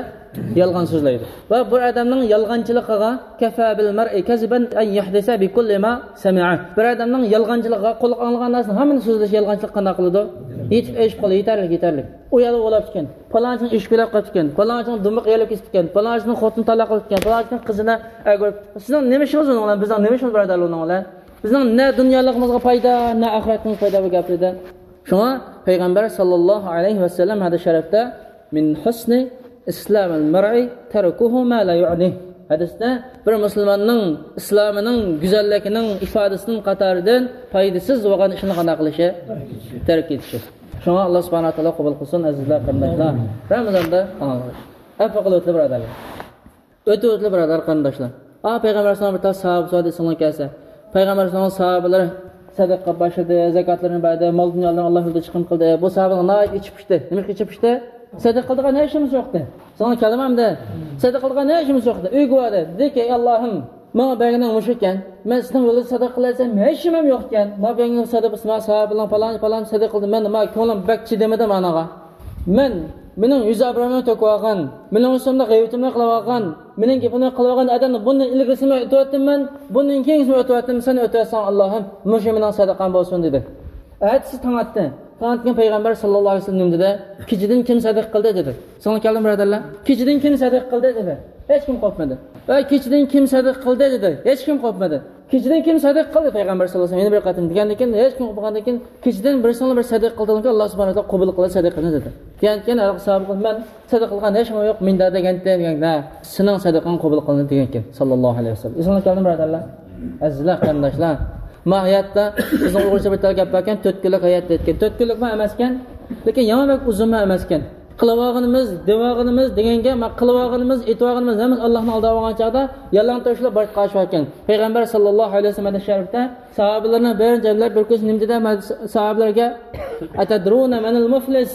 يالغان سۆزلەيدۇ. ۋە بىر ئادەمنىڭ يالغانچىلىقىغا كفى بالمرء كذبا أن يحدث بكل ما سمع. بىر ئادەمنىڭ يالغانچىلىقىغا، قۇلاق ئاڭلىغان نەرسىنى ھەممىنى سۆزلەش يالغانچىلىق قانداق قىلىدۇ؟ يېتىپ ئېشىپ قالىدۇ، يېتەرلىك، يېتەرلىك. ئۇيالغا ئولاپتىكەن، پالانچىنىڭ ئىشى كۆرۈپ قاپتىكەن، پالانچىنىڭ دۇمبىقى يېرىلىپ كېتىپتىكەن، پالانچىنىڭ خوتۇنى تالاق قىلىپتىكەن، پالانچىنىڭ قىزىنى ئەگىۋېتىپتىكەن. سىزنىڭ نېمە ئىشىڭىز ئۇنىڭ بىلەن؟ بىزنىڭ نېمە ئىشىمىز بۇرادەر ئۇنىڭ بىلەن؟ بىزنىڭ نە دۇنيالىقىمىزغا پايدا، نە ئاخىرەتىمىزگە پايدا بۇ گەپلەردىن. شۇڭا پەيغەمبەر ساللاللاھۇ ئەلەيھى ۋەسەللەم ھەدىس شەرىپتە، مىن ھۇسنى ئىسلامىل مەرئى تەركۇھۇ ما لا يۇئنىھ. ھەدىستە بىر مۇسۇلماننىڭ ئىسلامىنىڭ گۈزەللىكىنىڭ ئىپادىسىنىڭ قاتارىدىن پايدىسىز بولغان ئىشنى قانداق قىلىشى؟ تەرك ئېتىشى. شۇڭا ئاللا سۇبھانەھۇ ۋە تائالا قوبۇل قىلسۇن، ئەزىزلەر، قېرىنداشلار. رامىزاندا ئەپۇ قىلىۋېتىلى بۇرادەرلەر. ئۆتۈۋېتىلى بۇرادەر، قېرىنداشلار. ئا، پەيغەمبەر ئەلەيھىسسالام بىر تال ساھابىسى بار ئېسىڭلارغا كەلسە. پەيغەمبەر ئەلەيھىسسالام ساھابىلىرى سەدىقە باشلىدى، زاكاتلىرىنى بەردى، مال دۇنيالىرىنى ئاللا يولىدا چىقىم قىلدى. بۇ ساھابىلەر ناھايىتى ئىچى پۇشتى. نېمە ئىچى پۇشتى؟ سەدىقە قىلىدىغان ھېچ نېمىسى يوقتى. ساڭا كەلدىم ئەمدى. سەدىقە قىلىدىغان ھېچ نېمىسى يوقتى. ئۆيگە باردى. دېدىكى، ئەي ئاللاھىم، ماڭا بەرگىنىڭ مۇشۇ ئىكەن. مەن سېنىڭ يولىدا سەدىقە قىلايسەن، ھېچ نېمەم يوق ئىكەن. ماڭا بەرگىنىڭ سەدىقىسى، ماڭا ساھابىلەرنىڭ پالان، پالان سەدىقە قىلدى. مەن، ماڭا كۆڭلۈم بەك چىدىمىدى مانىغا. مەن، مېنىڭ يۈز ئابرۇيۇمنى تۆكۈۋالغان، مېنىڭ ئۈستۈمدە غەيۋىتىمنى قىلىۋالغان، مېنىڭ گېپىمنى قىلىۋالغان ئادەمنى بۇندىن ئىلگىرىسىمۇ ئۆتۈۋەتتىم مەن، بۇندىن كېيىنكىسىمۇ ئۆتۈۋەتتىم، سەن ئۆتۈۋەتسەڭ ئاللاھىم، مۇشۇ مېنىڭ سەدىقەم بولسۇن، دېدى. ئەتىسى تاڭ ئاتتى. تاڭ ئاتقان پەيغەمبەر ساللاللاھۇ ئەلەيھى ۋەسەللەم نېمە دېدى؟ كېچىدىن كىم سەدىقە قىلدى؟ دېدى. سىڭلىپ كەلدىم بۇرادەرلەر. كېچىدىن كىم سەدىقە قىلدى؟ دېدى. ھېچكىم قوپمىدى. ۋە كېچىدىن كىم سەدىقە قىلدى؟ دېدى. ھېچكىم قوپمىدى. كېچىدىن كىم سەدىقە قىلدى؟ پەيغەمبەر ساللاللاھۇ ئەلەيھى ۋەسەللەم يەنە بىر قېتىم دېگەندىن كېيىن، ھېچكىم قوپمىغاندىن كېيىن، كېچىدىن بىرسىڭلار بىر سەدىقە قىلدىڭلار، ئاللا سۇبھانەھۇ ۋە تائالا قوبۇل قىلىدۇ سەدىقىنى، دېدى. دېگەندىن كېيىن ھېلىقى ساھابە، مەن سەدىقە قىلغان ھېچ نېمە يوق، مۇنداق دېگەنتى، دېگەن، ھە، سېنىڭ سەدىقەڭ قوبۇل قىلىنىدۇ دېگەنكەن، ساللاللاھۇ ئەلەيھى ۋەسەللەم. ئېسىڭلارغا كەلدىمۇ بۇرادەرلەر؟ ئەزىزلەر، قېرىنداشلار، ما ھاياتتا بىزنىڭ ئۇيغۇرچە بىر تال گەپ باركەن، تۆت كۈنلۈك ھايات دەيدىكەن. تۆت كۈنلۈكمۇ ئەمەسكەن، لېكىن يامان بەك ئۇزۇنمۇ ئەمەسكەن. قىلىۋالغىنىمىز، دېۋالغىنىمىز دېگەنگە، ما قىلىۋالغىنىمىز، ئېيتىۋالغىنىمىز ھەممىسى ئاللاھنىڭ ئالدىغا بارغان چاغدا يالىڭتاشلاپ بارىپ قالىشىۋاتكەن. پەيغەمبەر ساللاللاھۇ ئەلەيھى ۋەسەللەم ھەدىس شەرىپتە ساھابىلەرنى بىر جەملەپ بىر كۈنى نېمە دېدى؟ ساھابىلەرگە، ئەتەدرۇنە مەنىل مۇفلىس؟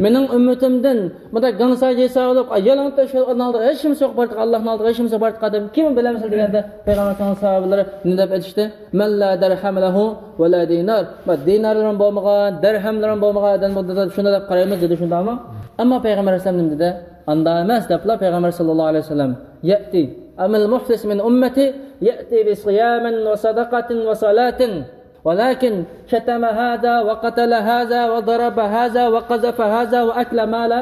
مېنىڭ ئۈممىتىمدىن بۇنداق گاڭساجى ساۋۇلۇپ، يالىڭتاش يولنىڭ ئالدىغا ھېچ نېمىسى يوق بارتىغان، ئاللاھنىڭ ئالدىغا ھېچ نېمىسى يوق بارتىغان ئادەم كىم بىلەمسىلەر دېگەندە، پەيغەمبەر ساللاللاھۇ ئەلەيھى ۋەسەللەم ساھابىلىرى نېمە دەپ ئېيتىشتى؟ مەن لا دەرھەم لەھۇ ۋە لا دىنار. دىنارلىرىمۇ بولمىغان، دەرھەملىرىمۇ بولمىغان ئادەم بۇ دېدى، شۇنداق دەپ قارايمىز دېدى، شۇنداقمۇ؟ ئەمما پەيغەمبەر ئەلەيھىسسالام نېمە دېدى؟ ئاندا ئەمەس دەپلا پەيغەمبەر ساللاللاھۇ ئەلەيھى ۋەسەللەم، يەتى ئەمەل مۇفلىس مىن ئۈممەتى يەتى بىسىيامىن ۋە سەدەقەتىن ۋە سالاتىن. ولكن شتم هذا وقتل هذا وضرب هذا وقذف هذا وأكل مال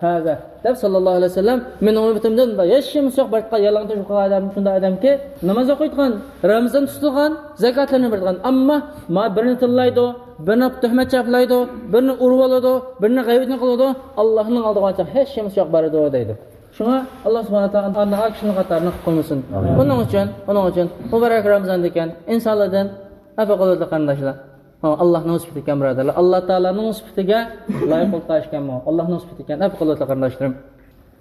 هذا، دەپ ساللاللاھۇ ئەلەيھى ۋەسەللەم، مېنىڭ ئۈممىتىمدىن ھېچ نېمىسى يوق بارتقان يالىڭتاش يوقالغان ئادەم شۇنداق ئادەمكى، ناماز ئوقۇيدىغان، رامىزان تۇتىدىغان، زاكاتلارنى بېرىدىغان، ئەمما ما بىرنى تىللايدۇ، بىرنى تۆھمەت چاپلايدۇ، بىرنى ئۇرۇۋالىدۇ، بىرنى غەيۋىتىنى قىلىدۇ، ئاللاھنىڭ ئالدىغا ھېچ نېمىسى يوق بارىدۇ دەيدۇ. شۇڭا ئاللا سۇبھانەھۇ ۋە تائالا ئاندىن ئا كىشىنىڭ قاتارىنى قىلىپ قويمىسۇن. ئۇنىڭ ئۈچۈن، ئۇنىڭ ئۈچۈن مۇبارەك رامىزاندىكەن ئىنسانلاردىن ئەپۇ قىلىدۇ قېرىنداشلار. ئاللاھنىڭ سۈپىتى ئىكەن، بۇرادەرلەر. ئاللا تائالانىڭ سۈپىتىگە لايىق بولۇپ قالىشكەنمۇ؟ ئاللاھنىڭ سۈپىتى ئىكەن، ئەپۇ قىلىۋېتىڭ قېرىنداشلىرىم.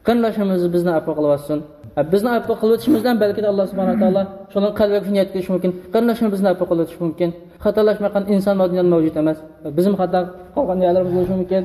قېرىنداشلىرىمىز بىزنى ئەپۇ قىلىۋەتسۇن. بىزنى ئەپۇ قىلىۋېتىشىمىز بىلەن بەلكىدە ئاللا سۇبھانەھۇ ۋە تائالا شۇنىڭ قەلبىگە شۇنى يەتكۈزۈشى مۇمكىن. قېرىنداشلىرىمىز بىزنى ئەپۇ قىلىۋېتىشى مۇمكىن. خاتالاشمايدىغان ئىنسان بار دۇنيادا مەۋجۇت ئەمەس. بىزمۇ خاتا قىلغان يەرلىرىمىز بولۇشى مۇمكىن.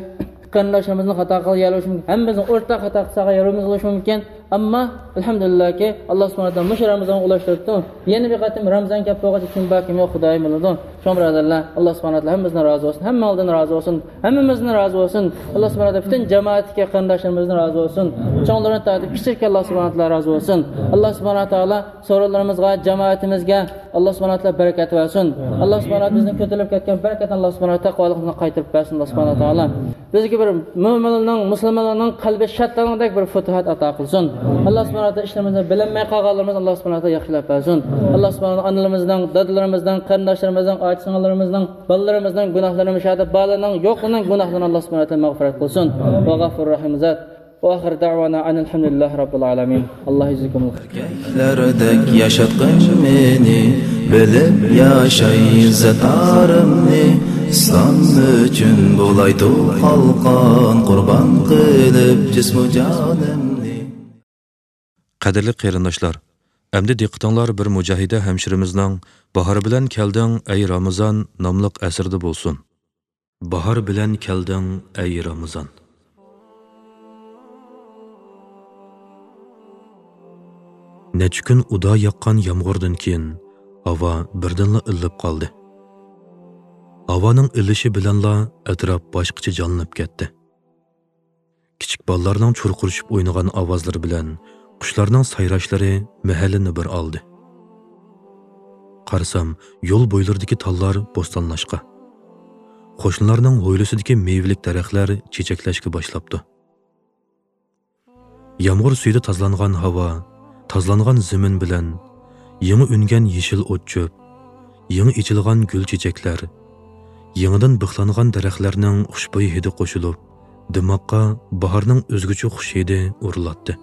قېرىنداشلىرىمىزنىڭ خاتا قىلغان يەرلىرى بولۇشى مۇمكىن. ھەممىمىزنىڭ ئورتاق خاتا قىلساق يەرلىرىمىز بولۇشى مۇمكىن. ئەمما ئەلھەمدۇلىللاھكى، ئاللا سۇبھانەھۇ ۋە تائالا مۇشۇ رامىزانغا ئۇلاشتۇرۇپتۇ. يەنە بىر قېتىم رامىزان كەپ بولغاچ كىم بار، كىم يوق، خۇدايىم بىلىدۇ. شۇڭا بۇرادەرلەر، ئاللا سۇبھانەھۇ ۋە تائالا ھەممىمىزدىن رازى بولسۇن، ھەممىڭلاردىن رازى بولسۇن، ھەممىمىزدىن رازى بولسۇن. ئاللا سۇبھانەھۇ ۋە تائالا پۈتۈن جامائەتتىكى قېرىنداشلىرىمىزدىن رازى بولسۇن. چوڭلىرىدىن تارتىپ كىچىككە ئاللا سۇبھانەھۇ ۋە تائالا رازى بولسۇن. ئاللا سۇبھانەھۇ ۋە تائالا سورۇنلىرىمىزغا، جامائىتىمىزگە ئاللا سۇبھانەھۇ ۋە تائالا بەرىكەت بەرسۇن. ئاللا سۇبھانەھۇ ۋە تائالا بىزنىڭ كۆتۈرۈلۈپ كەتكەن بەرىكەتنى ئاللا سۇبھانەھۇ ۋە تائالا تەقۋالىقىمىزغا قايتۇرۇپ بەرسۇن، ئاللا سۇبھانەھۇ ۋە تائالا. بىزگە بىر مۆمىنلەرنىڭ، مۇسۇلمانلارنىڭ قەلبى شادلانغۇدەك بىر پۇتۇھات ئاتا قىلسۇن. ئاللا سۇبھانەھۇ ۋە تائالا ئىشلىرىمىزنى بىلەلمەي قالغانلىرىمىز ئاللا سۇبھانەھۇ ۋە تائالا ياخشىلاپ بەرسۇن. ئاللا سۇبھانەھۇ ۋە تائالا ئانىلىرىمىزنىڭ، دادىلىرىمىزنىڭ، قېرىنداشلىرىمىزنىڭ، ئاچا-سىڭىللىرىمىزنىڭ، بالىلىرىمىزنىڭ گۇناھلىرىنى، مۇشۇ يەردە بالىلارنىڭ، يوقلىرىنىڭ گۇناھلىرىنى ئاللا سۇبھانەھۇ ۋە تائالا مەغپىرەت قىلسۇن. ۋە غەفۇر رەھىم زات. ۋە ئاخىر دەۋانا ئەنىل ھەمدۇلىللاھى رەببىل ئالەمىن. ئاللا يەجزىكۇمۇل خەير. ئەركەكلەردەك ياشاتقىن مېنى، بىلىپ ياشاي زاتارىمنى. ئىسلام ئۈچۈن بولايتۇ قالقان، قۇربان قىلىپ جىسمۇ جانىمنى. قەدىرلىك قېرىنداشلار، ئەمدى دىققىتىڭلار بىر مۇجاھىدە ھەمشىرىمىزنىڭ باھار بىلەن كەلدىڭ، ئەي رامىزان ناملىق ئەسىرىدە بولسۇن. باھار بىلەن كەلدىڭ، ئەي رامىزان. نەچچە كۈن ئۇدا ياغقان يامغۇردىن كېيىن، ھاۋا بىردىنلا ئىللىپ قالدى. ھاۋانىڭ ئىللىشى بىلەنلا ئەتراپ باشقىچە جانلىنىپ كەتتى. كىچىك بالىلارنىڭ چۇرقۇرىشىپ ئوينىغان ئاۋازلىرى بىلەن قۇشلارنىڭ سايراشلىرى مەھەللىنى بىر ئالدى. قارىسام، يول بويلىرىدىكى تاللار بوستانلاشقا، قوشنىلارنىڭ ھويلىسىدىكى مېۋىلىك دەرەخلەر چېچەكلەشكە باشلاپتۇ. يامغۇر سۈيىدە تازىلانغان ھاۋا، تازىلانغان زېمىن بىلەن يېڭى ئۈنگەن يېشىل ئوت-چۆپ، يېڭى ئېچىلغان گۈل-چېچەكلەر، يېڭىدىن بىخلانغان دەرەخلەرنىڭ خۇشبۇي ھىدى قوشۇلۇپ، دىماققا باھارنىڭ ئۆزگىچە خۇش ھىدى ئۇرۇلاتتى.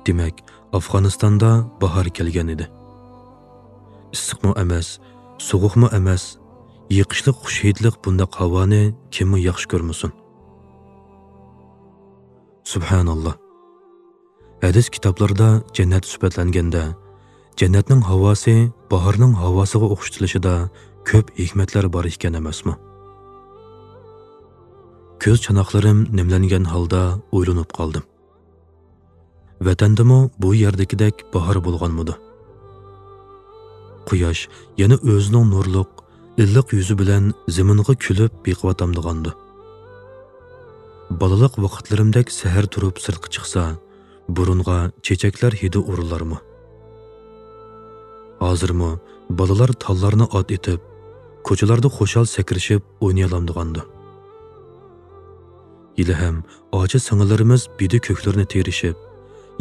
دېمەك، ئافغانىستاندا باھار كەلگەن ئىدى. ئىسسىقمۇ ئەمەس، سوغۇقمۇ ئەمەس، يېقىشلىق خۇش ھىدلىق بۇنداق ھاۋانى كىممۇ ياخشى كۆرمىسۇن؟ سۇبھاناللا. ھەدىس كىتابلىرىدا جەننەت سۈپەتلەنگەندە، جەننەتنىڭ ھاۋاسى باھارنىڭ ھاۋاسىغا ئوخشىتىلىشىدا كۆپ ھېكمەتلەر بار ئىكەن ئەمەسمۇ؟ كۆز چاناقلىرىم نېمىلەنگەن ھالدا ئويلىنىپ قالدىم. ۋەتەندىمۇ بۇ يەردىكىدەك باھار بولغانمىدۇ؟ قۇياش يەنە ئۆزىنىڭ نۇرلۇق، ئىللىق يۈزى بىلەن زېمىنغا كۈلۈپ بېقىۋاتامدىغاندۇ؟ بالىلىق ۋاقىتلىرىمدەك سەھەر تۇرۇپ سىرتقا چىقسا، بۇرۇنغا چېچەكلەر ھىدى ئۇرۇلارمۇ؟ ھازىرمۇ بالىلار تاللارنى ئات ئېتىپ، كوچىلاردا خۇشال سەكرىشىپ ئوينىيالامدىغاندۇ؟ ھېلىھەم ئاچا-سىڭىللىرىمىز بىدە كۆكلىرىنى تېرىشىپ،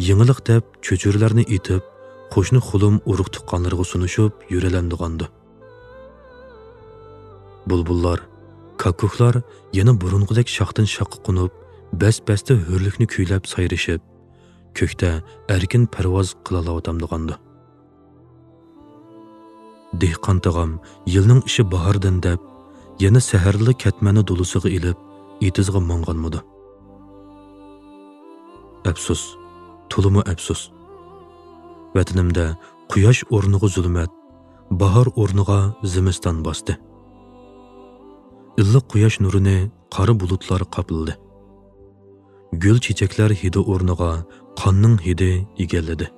يېڭىلىق دەپ چۆچۈرىلەرنى ئېتىپ، قوشنا خۇلۇم ئۇرۇق-تۇغقانلىرىغا سۇنۇشۇپ يۈرەلەمدىغاندۇ؟ بۇلبۇللار، كاككۇكلار يەنە بۇرۇنقىدەك شاختىن-شاخقا قونۇپ، بەس-بەستە ھۆرلۈكنى كۈيلەپ سايرىشىپ، كۆكتە ئەركىن پەرۋاز قىلالاۋاتامدىغاندۇ؟ دېھقان تاغام يىلنىڭ ئىشى باھاردىن دەپ، يەنە سەھەردىلا كەتمەننى دولىسىغا ئېلىپ، ئېتىزغا ماڭغانمىدۇ؟ ئەپسۇس، تولىمۇ ئەپسۇس. ۋەتىنىمدە قۇياش ئورنىغا زۇلمەت، باھار ئورنىغا زىمىستان باستى. ئىللىق قۇياش نۇرىنى قارا بۇلۇتلار قاپلىدى. گۈل چېچەكلەر ھىدى ئورنىغا قاننىڭ ھىدى ئىگىلىدى.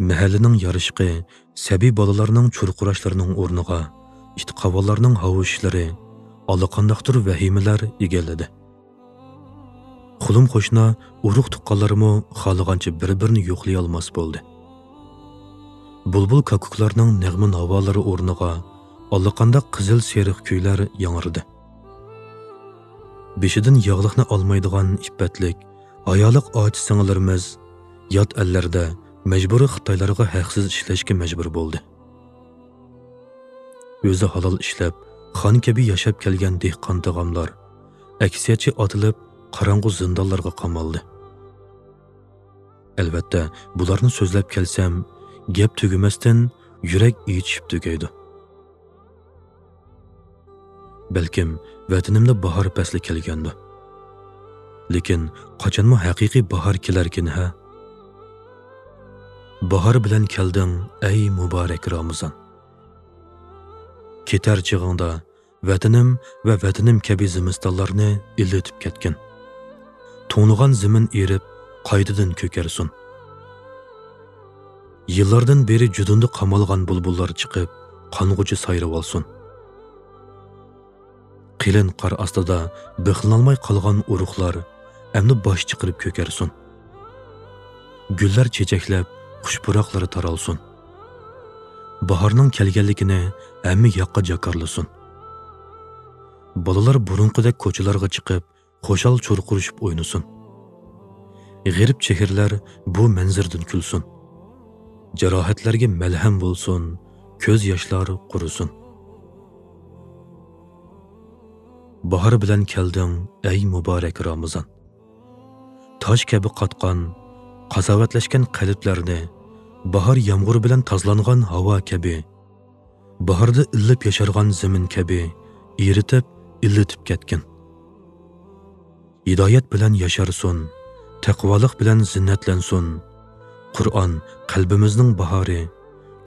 مەھەللىنىڭ يارىشىقى، سەبىي بالىلارنىڭ چۇرقۇراشلىرىنىڭ ئورنىغا ئىت قاۋانلارنىڭ ھاۋشىشلىرى، ئاللىقانداقتۇر ۋەھىمىلەر ئىگىلىدى. خۇلۇم قوشنا، ئۇرۇق-تۇغقانلارمۇ خالىغانچە بىر-بىرىنى يوقلىيالماس بولدى. بۇلبۇل كاككۇكلارنىڭ نەغمە-ناۋالىرى ئورنىغا ئاللىقانداق قىزىل-سېرىق كۈيلەر ياڭرىدى. بېشىدىن ياغلىقنى ئالمايدىغان ئىپپەتلىك، ھايالىق ئاچا-سىڭىللىرىمىز يات ئەللەردە مەجبۇرىي خىتايلارغا ھەقسىز ئىشلەشكە مەجبۇر بولدى. ئۆزى ھالال ئىشلەپ، خان كەبى ياشاپ كەلگەن دېھقان تاغاملار ئەكسىيەتچى ئاتىلىپ، قاراڭغۇ زىندانلارغا قامالدى. ئەلۋەتتە، بۇلارنى سۆزلەپ كەلسەم، گەپ تۈگىمەستىن يۈرەك ئېچىشىپ تۈگەيدۇ. بەلكىم ۋەتىنىمدە باھار پەسلى كەلگەندۇ. لېكىن قاچانمۇ ھەقىقىي باھار كېلەركىن ھە؟ باھار بىلەن كەلدىڭ، ئەي مۇبارەك رامىزان. كېتەر چېغىڭدا ۋەتىنىم ۋە ۋەتىنىم كەبى زىمىستانلارنى ئىللىتىپ كەتكىن. توڭلىغان زېمىن ئېرىپ، قايتىدىن كۆكەرسۇن. يىللاردىن بېرى جۇدۇندا قامالغان بۇلبۇللار چىقىپ، قانغۇچە سايرىۋالسۇن. قېلىن قار ئاستىدا بىخلىنالماي قالغان ئۇرۇقلار ئەمدى باش چىقىرىپ كۆكەرسۇن. گۈللەر چېچەكلەپ، خۇش پۇراقلىرى تارالسۇن. باھارنىڭ كەلگەنلىكىنى ھەممە ياققا جاكارلىسۇن. بالىلار بۇرۇنقىدەك كوچىلارغا چىقىپ، خۇشال چۇرقۇرۇشۇپ ئوينىسۇن. غېرىب چېھرىلەر بۇ مەنزىرىدىن كۈلسۇن. جاراھەتلەرگە مەلھەم بولسۇن، كۆز ياشلار قۇرۇسۇن. باھار بىلەن كەلدىڭ، ئەي مۇبارەك رامىزان. تاش كەبى قاتقان، قازاۋەتلەشكەن قەلبلەرنى، باھار يامغۇرى بىلەن تازىلانغان ھاۋا كەبى، باھاردا ئىللىپ ياشارغان زېمىن كەبى ئېرىتىپ، ئىللىتىپ كەتكىن. ھىدايەت بىلەن ياشارسۇن، تەقۋالىق بىلەن زىننەتلەنسۇن. قۇرئان قەلبىمىزنىڭ باھارى،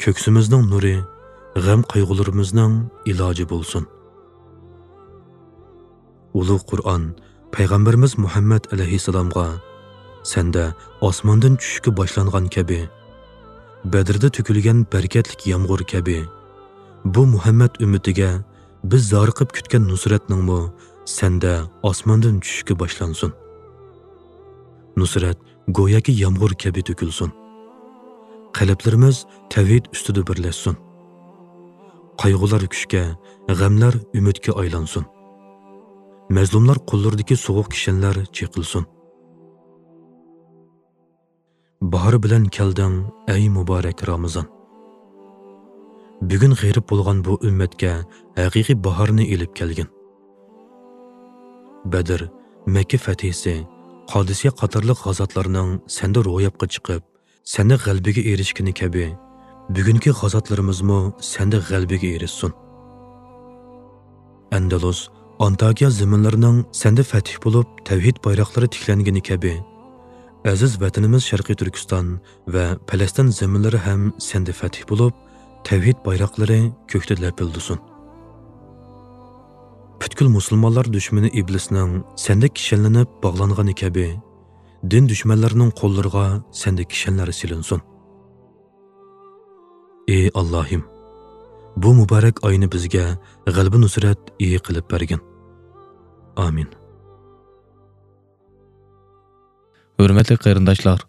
كۆكسىمىزنىڭ نۇرى، غەم-قايغۇلىرىمىزنىڭ ئىلاجى بولسۇن. ئۇلۇغ قۇرئان پەيغەمبىرىمىز مۇھەممەد ئەلەيھىسسالامغا، سەندە ئاسماندىن چۈشۈشكە باشلانغان كەبى، بەدرىدە تۆكۈلگەن بەرىكەتلىك يامغۇر كەبى، بۇ مۇھەممەد ئۈممىتىگە بىز زارىقىپ كۈتكەن نۇسرەتنىڭمۇ سەندە ئاسماندىن چۈشۈشكە باشلانسۇن. نۇسرەت گوياكى يامغۇر كەبى تۆكۈلسۇن. قەلبلىرىمىز تەۋھىد ئۈستىدە بىرلەشسۇن. قايغۇلار كۈچكە، غەملەر ئۈمىدكە ئايلانسۇن. مەزلۇملار قوللىرىدىكى سوغۇق كىشەنلەر چېقىلسۇن. باھار بىلەن كەلدىڭ، ئەي مۇبارەك رامىزان. بۈگۈن غېرىب بولغان بۇ ئۈممەتكە ھەقىقىي باھارنى ئېلىپ كەلگىن. بەدر، مەككە فەتھىسى، قادىسىيە قاتارلىق غازاتلارنىڭ سەندە روياپقا چىقىپ، سەندە غەلىبىگە ئېرىشكىنى كەبى، بۈگۈنكى غازاتلىرىمىزمۇ سەندە غەلىبىگە ئېرىشسۇن. ئەندەلۇس، ئانتاكىيا زېمىنلىرىنىڭ سەندە فەتھى بولۇپ، تەۋھىد بايراقلىرى تىكلەنگىنى كەبى، ئەزىز ۋەتىنىمىز شەرقىي تۈركىستان ۋە پەلەستىن زېمىنلىرى ھەم سەندە فەتھى بولۇپ، تەۋھىد بايراقلىرى كۆكتە لەپىلدىسۇن. پۈتكۈل مۇسۇلمانلار دۈشمىنى ئىبلىسنىڭ سەندە كىشەنلىنىپ باغلانغىنى كەبى، دىن دۈشمەنلىرىنىڭ قوللىرىغا سەندە كىشەنلەر سېلىنسۇن. ئى ئاللاھىم، بۇ مۇبارەك ئاينى بىزگە غەلىبە نۇسرەت ئىگە قىلىپ بەرگىن. ئامىن. ھۆرمەتلىك قېرىنداشلار،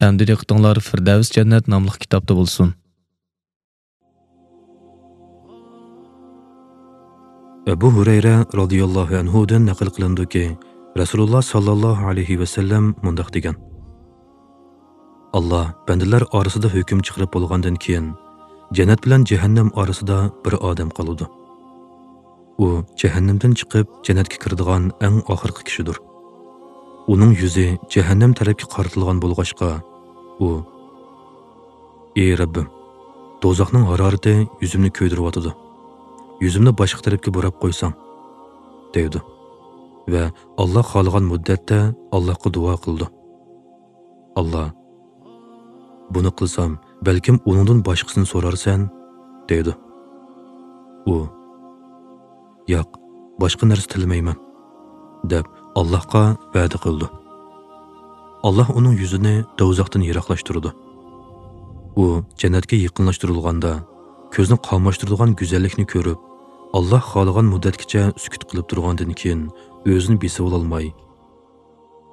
ئەمدى دىققىتىڭلار فىردەۋس جەننەت ناملىق كىتابتا بولسۇن. ئەبۇ ھۇرەيرە رازىياللاھۇ ئەنھۇدىن نەقىل قىلىنىدۇكى، رەسۇلۇللا ساللاللاھۇ ئەلەيھى ۋەسەللەم مۇنداق دېگەن: ئاللا بەندىلەر ئارىسىدا ھۆكۈم چىقىرىپ بولغاندىن كېيىن، جەننەت بىلەن جەھەننەم ئارىسىدا بىر ئادەم قالىدۇ. ئۇ جەھەننەمدىن چىقىپ، جەننەتكە كىرىدىغان ئەڭ ئاخىرقى كىشىدۇر. ئۇنىڭ يۈزى جەھەننەم تەرەپكە قارىتىلغان بولغاچقا، ئۇ، ئى رەببىم، دوزاخنىڭ ھارارىتى يۈزۈمنى كۆيدۈرۈۋاتىدۇ. يۈزۈمنى باشقا تەرەپكە بۇراپ قويساڭ، دەيدۇ. ۋە ئاللا خالىغان مۇددەتتە ئاللاھقا دۇئا قىلىدۇ. ئاللا، بۇنى قىلسام، بەلكىم ئۇنىڭدىن باشقىسىنى سورارسەن، دەيدۇ. ئۇ، ياق، باشقا نەرسە تىلىمەيمەن، دەپ ئاللاھقا ۋەدە قىلىدۇ. ئاللاھ ئۇنىڭ يۈزىنى دوزاختىن يىراقلاشتۇرىدۇ. ئۇ جەننەتكە يېقىنلاشتۇرۇلغاندا، كۆزنى قاماشتۇرىدىغان گۈزەللىكنى كۆرۈپ، ئاللاھ خالىغان مۇددەتكىچە سۈكۈت قىلىپ تۇرغاندىن كېيىن، ئۆزىنى بېسىۋالالماي،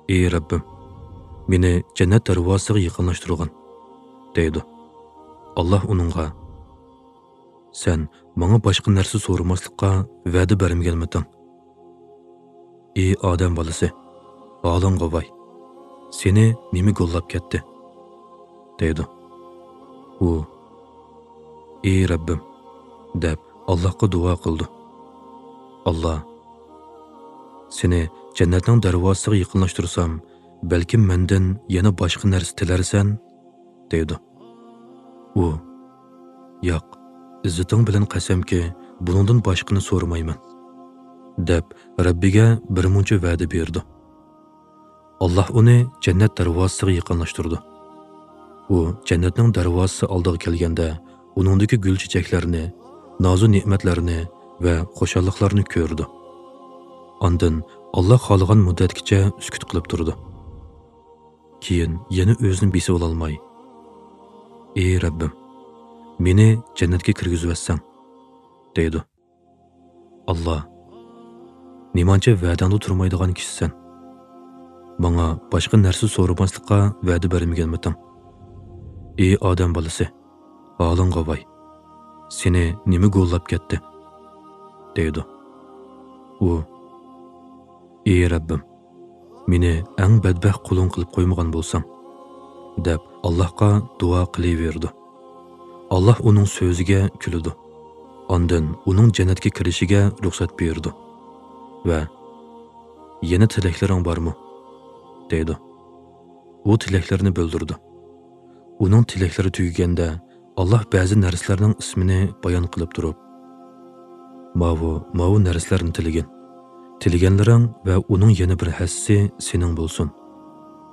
ئى رەببىم، مېنى جەننەت دەرۋازىسىغا يېقىنلاشتۇرغىن، دەيدۇ. ئاللاھ ئۇنىڭغا، سەن ماڭا باشقا نەرسە سورىماسلىققا ۋەدە بەرمىگەنمىدىڭ؟ ئى ئادەم بالىسى، ھالىڭغا ۋاي! سېنى نېمە گوللاپ كەتتى؟ دەيدۇ. ئۇ، ئى رەببىم، دەپ ئاللاھقا دۇئا قىلىدۇ. ئاللا، سېنى جەننەتنىڭ دەرۋازىسىغا يېقىنلاشتۇرسام، بەلكىم مەندىن يەنە باشقا نەرسە تىلەرسەن؟ دەيدۇ. ئۇ، ياق، ئىززىتىڭ بىلەن قەسەمكى، بۇنىڭدىن باشقىنى سورىمايمەن، دەپ رەببىگە بىرمۇنچە ۋەدە بېرىدۇ. ئاللاھ ئۇنى جەننەت دەرۋازىسىغا يېقىنلاشتۇرىدۇ. ئۇ جەننەتنىڭ دەرۋازىسى ئالدىغا كەلگەندە، ئۇنىڭدىكى گۈل-چېچەكلەرنى، نازۇ-نېمەتلەرنى ۋە خۇشاللىقلارنى كۆرىدۇ. ئاندىن ئاللاھ خالىغان مۇددەتكىچە سۈكۈت قىلىپ تۇرىدۇ. كېيىن يەنە ئۆزىنى بېسىۋالالماي، ئى رەببىم، مېنى جەننەتكە كىرگۈزۈۋەتسەڭ، دەيدۇ. ئاللا، نېمانچە ۋەدەڭدە تۇرمايدىغان كىشىسەن؟ ماڭا باشقا نەرسە سورىماسلىققا ۋەدە بەرمىگەنمىدىڭ؟ ئى ئادەم بالىسى، ھالىڭغا ۋاي! سېنى نېمە گوللاپ كەتتى؟ دەيدۇ. ئۇ، ئى رەببىم، مېنى ئەڭ بەدبەخت قۇلۇڭ قىلىپ قويمىغان بولساڭ، دەپ ئاللاھقا دۇئا قىلىۋېرىدۇ. ئاللاھ ئۇنىڭ سۆزىگە كۈلىدۇ. ئاندىن ئۇنىڭ جەننەتكە كىرىشىگە رۇخسەت بېرىدۇ ۋە، يەنە تىلەكلىرىڭ بارمۇ؟ دەيدۇ. ئۇ تىلەكلىرىنى بىلدۈرىدۇ. ئۇنىڭ تىلەكلىرى تۈگىگەندە، ئاللاھ بەزى نەرسىلەرنىڭ ئىسمىنى بايان قىلىپ تۇرۇپ، ماۋۇ، ماۋۇ نەرسىلەرنى تىلىگىن. تىلىگەنلىرىڭ ۋە ئۇنىڭ يەنە بىر ھەسسىسى سېنىڭ بولسۇن،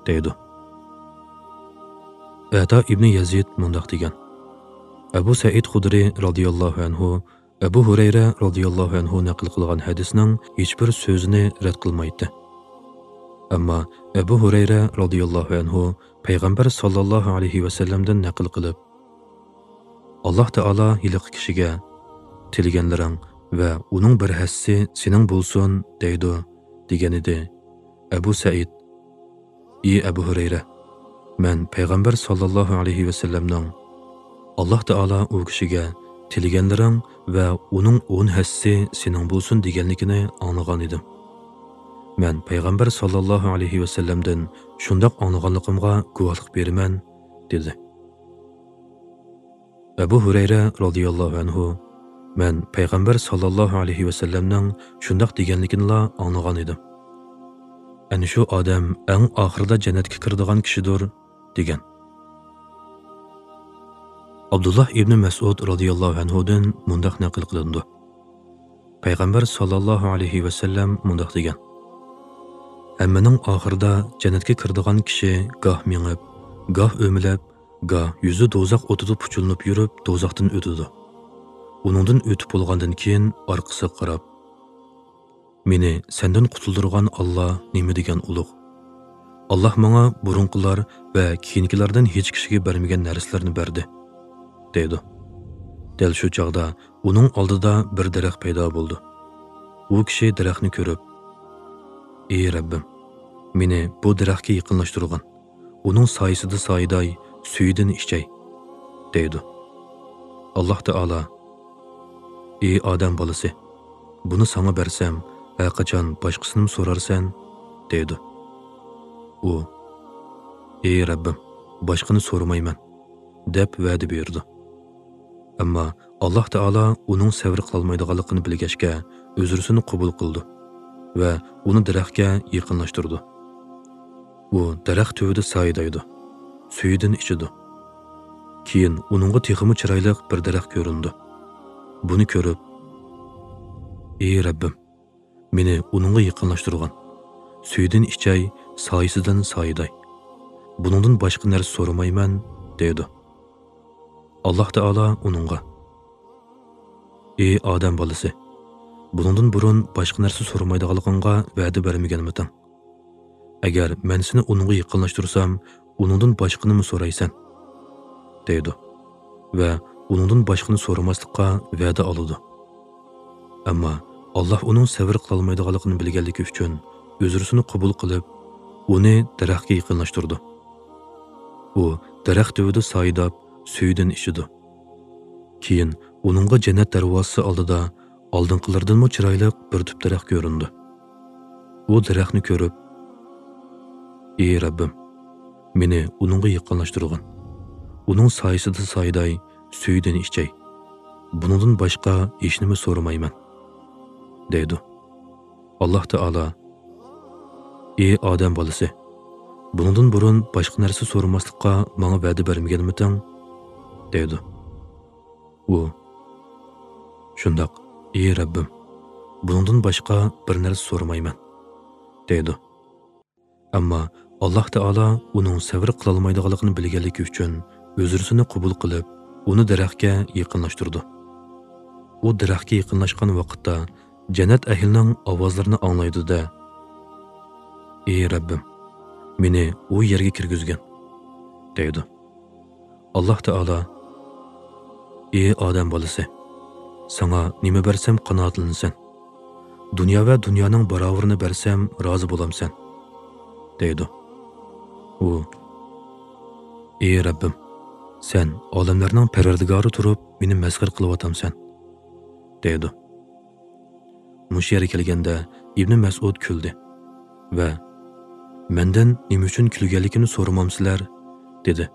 دەيدۇ. ئەتا ئىبنى يەزىد مۇنداق دېگەن، ئەبۇ سەئىد خۇدرى رازىياللاھۇ ئەنھۇ ئەبۇ ھۇرەيرە رازىياللاھۇ ئەنھۇ نەقىل قىلغان ھەدىسنىڭ ھېچبىر سۆزىنى رەت قىلمايتتى. ئەمما ئەبۇ ھۇرەيرە رازىياللاھۇ ئەنھۇ پەيغەمبەر ساللاللاھۇ ئەلەيھى ۋەسەللەمدىن نەقىل قىلىپ، ئاللاھ تائالا ھېلىقى كىشىگە، تىلىگەنلىرىڭ ۋە ئۇنىڭ بىر ھەسسىسى سېنىڭ بولسۇن، دەيدۇ، دېگەنىدى. ئەبۇ سەئىد، ئى ئەبۇ ھۇرەيرە، مەن پەيغەمبەر ساللاللاھۇ ئەلەيھى ۋەسەللەمنىڭ، ئاللاھ تائالا ئۇ كىشىگە تىلىگەنلىرىڭ ۋە ئۇنىڭ ئون ھەسسىسى سېنىڭ بولسۇن دېگەنلىكىنى ئاڭلىغان ئىدىم. مەن پەيغەمبەر ساللاللاھۇ ئەلەيھى ۋەسەللەمدىن شۇنداق ئاڭلىغانلىقىمغا گۇۋاھلىق بېرىمەن، دېدى. ئەبۇ ھۇرەيرە رازىياللاھۇ ئەنھۇ، مەن پەيغەمبەر ساللاللاھۇ ئەلەيھى ۋەسەللەمنىڭ شۇنداق دېگەنلىكىنىلا ئاڭلىغان ئىدىم. ئەنە شۇ ئادەم ئەڭ ئاخىرىدا جەننەتكە كىرىدىغان كىشىدۇر، دېگەن. ئابدۇللاھ ئىبنى مەسئۇد رازىياللاھۇ ئەنھۇدىن مۇنداق نەقىل قىلىنىدۇ. پەيغەمبەر ساللاللاھۇ ئەلەيھى ۋەسەللەم مۇنداق دېگەن: ھەممىنىڭ ئاخىرىدا جەننەتكە كىرىدىغان كىشى گاھ مېڭىپ، گاھ ئۆمىلەپ، گاھ يۈزى دوزاخ ئوتىدا پۇچۇلىنىپ يۈرۈپ دوزاختىن ئۆتىدۇ. ئۇنىڭدىن ئۆتۈپ بولغاندىن كېيىن ئارقىسىغا قاراپ، مېنى سەندىن قۇتۇلدۇرغان ئاللا نېمە دېگەن ئۇلۇغ. ئاللا ماڭا بۇرۇنقىلار ۋە كېيىنكىلەردىن ھېچ كىشىگە بەرمىگەن نەرسىلەرنى بەردى، دەيدۇ. دەل شۇ چاغدا ئۇنىڭ ئالدىدا بىر دەرەخ پەيدا بولدى. ئۇ كىشى دەرەخنى كۆرۈپ، ئى رەببىم، مېنى بۇ دەرەخكە يېقىنلاشتۇرغىن، ئۇنىڭ سايىسىدا سايىداي سۈيىدىن ئىچەي، دەيدۇ. ئاللا تائالا، ئى ئادەم بالىسى، بۇنى ساڭا بەرسەم، ھەرقاچان باشقىسىنىمۇ سورارسەن، دەيدۇ. ئۇ، ئى رەببىم، باشقىنى سورىمايمەن، دەپ ۋەدە بېرىدۇ. ئەمما ئاللا تائالا ئۇنىڭ سەۋر قىلالمايدىغانلىقىنى بىلگەچكە، ئۆزرىسىنى قوبۇل قىلىدۇ ۋە ئۇنى دەرەخكە يېقىنلاشتۇرىدۇ. ئۇ دەرەخ تۈۋىدە سايىدايدۇ، سۈيىدىن ئىچىدۇ. كېيىن ئۇنىڭغا تېخىمۇ چىرايلىق بىر دەرەخ كۆرۈندى. بۇنى كۆرۈپ، ئى رەببىم، مېنى ئۇنىڭغا يېقىنلاشتۇرغىن، سۈيىدىن ئىچەي، سايىسىدىن سايىداي. بۇنىڭدىن باشقا نەرسە سورىمايمەن، دەيدۇ. ئاللا تائالا ئۇنىڭغا، ئى ئادەم بالىسى، بۇنىڭدىن بۇرۇن باشقا نەرسە سورىمايدىغانلىقىڭغا ۋەدە بەرمىگەنمىدىڭ؟ ئەگەر مەن سېنى ئۇنىڭغا يېقىنلاشتۇرسام، ئۇنىڭدىن باشقىنىمۇ سورايسەن، دەيدۇ ۋە ئۇنىڭدىن باشقىنى سورىماسلىققا ۋەدە ئالىدۇ. ئەمما ئاللا ئۇنىڭ سەۋر قىلالمايدىغانلىقىنى بىلگەنلىكى ئۈچۈن ئۆزرىسىنى قوبۇل قىلىپ، ئۇنى دەرەخكە يېقىنلاشتۇرىدۇ. ئۇ دەرەخ تۈۋىدە سايىداپ، سۈيىدىن ئىچىدۇ. كېيىن ئۇنىڭغا جەننەت دەرۋازىسى ئالدىدا ئالدىنقىلىرىدىنمۇ چىرايلىق بىر تۈپ دەرەخ كۆرۈندى. ئۇ دەرەخنى كۆرۈپ، ئى رەببىم، مېنى ئۇنىڭغا يېقىنلاشتۇرغىن. ئۇنىڭ سايىسىدا سايىداي سۈيىدىن ئىچەي. بۇنىڭدىن باشقا ھېچنېمە سورىمايمەن، دەيدۇ. ئاللا تائالا، ئى ئادەم بالىسى، بۇنىڭدىن بۇرۇن باشقا نەرسە سورىماسلىققا ماڭا ۋەدە بەرمىگەنمىدىڭ؟ دەيدۇ. ئۇ، شۇنداق، ئى رەببىم، بۇنىڭدىن باشقا بىر نەرسە سورىمايمەن، دەيدۇ. ئەمما ئاللا تائالا ئۇنىڭ سەۋر قىلالمايدىغانلىقىنى بىلگەنلىكى ئۈچۈن ئۆزرىسىنى قوبۇل قىلىپ، ئۇنى دەرەخكە يېقىنلاشتۇرىدۇ. ئۇ دەرەخكە يېقىنلاشقان ۋاقىتتا جەننەت ئەھلىنىڭ ئاۋازلىرىنى ئاڭلايدۇ-دە، ئى رەببىم، مېنى ئۇ يەرگە كىرگۈزگىن، دەيدۇ. ئاللا تائالا، ئى ئادەم بالىسى، ساڭا نېمە بەرسەم قانائەتلىنىسەن؟ دۇنيا ۋە دۇنيانىڭ باراۋىرىنى بەرسەم رازى بولامسەن؟ دەيدۇ. ئۇ، ئى رەببىم، سەن ئالەملەرنىڭ پەرۋەردىگارى تۇرۇپ مېنى مەسخىرە قىلىۋاتامسەن؟ دەيدۇ. مۇشۇ يەرگە كەلگەندە ئىبنى مەسئۇد كۈلدى ۋە مەندىن نېمە ئۈچۈن كۈلگەنلىكىمنى سورىمامسىلەر؟ دېدى.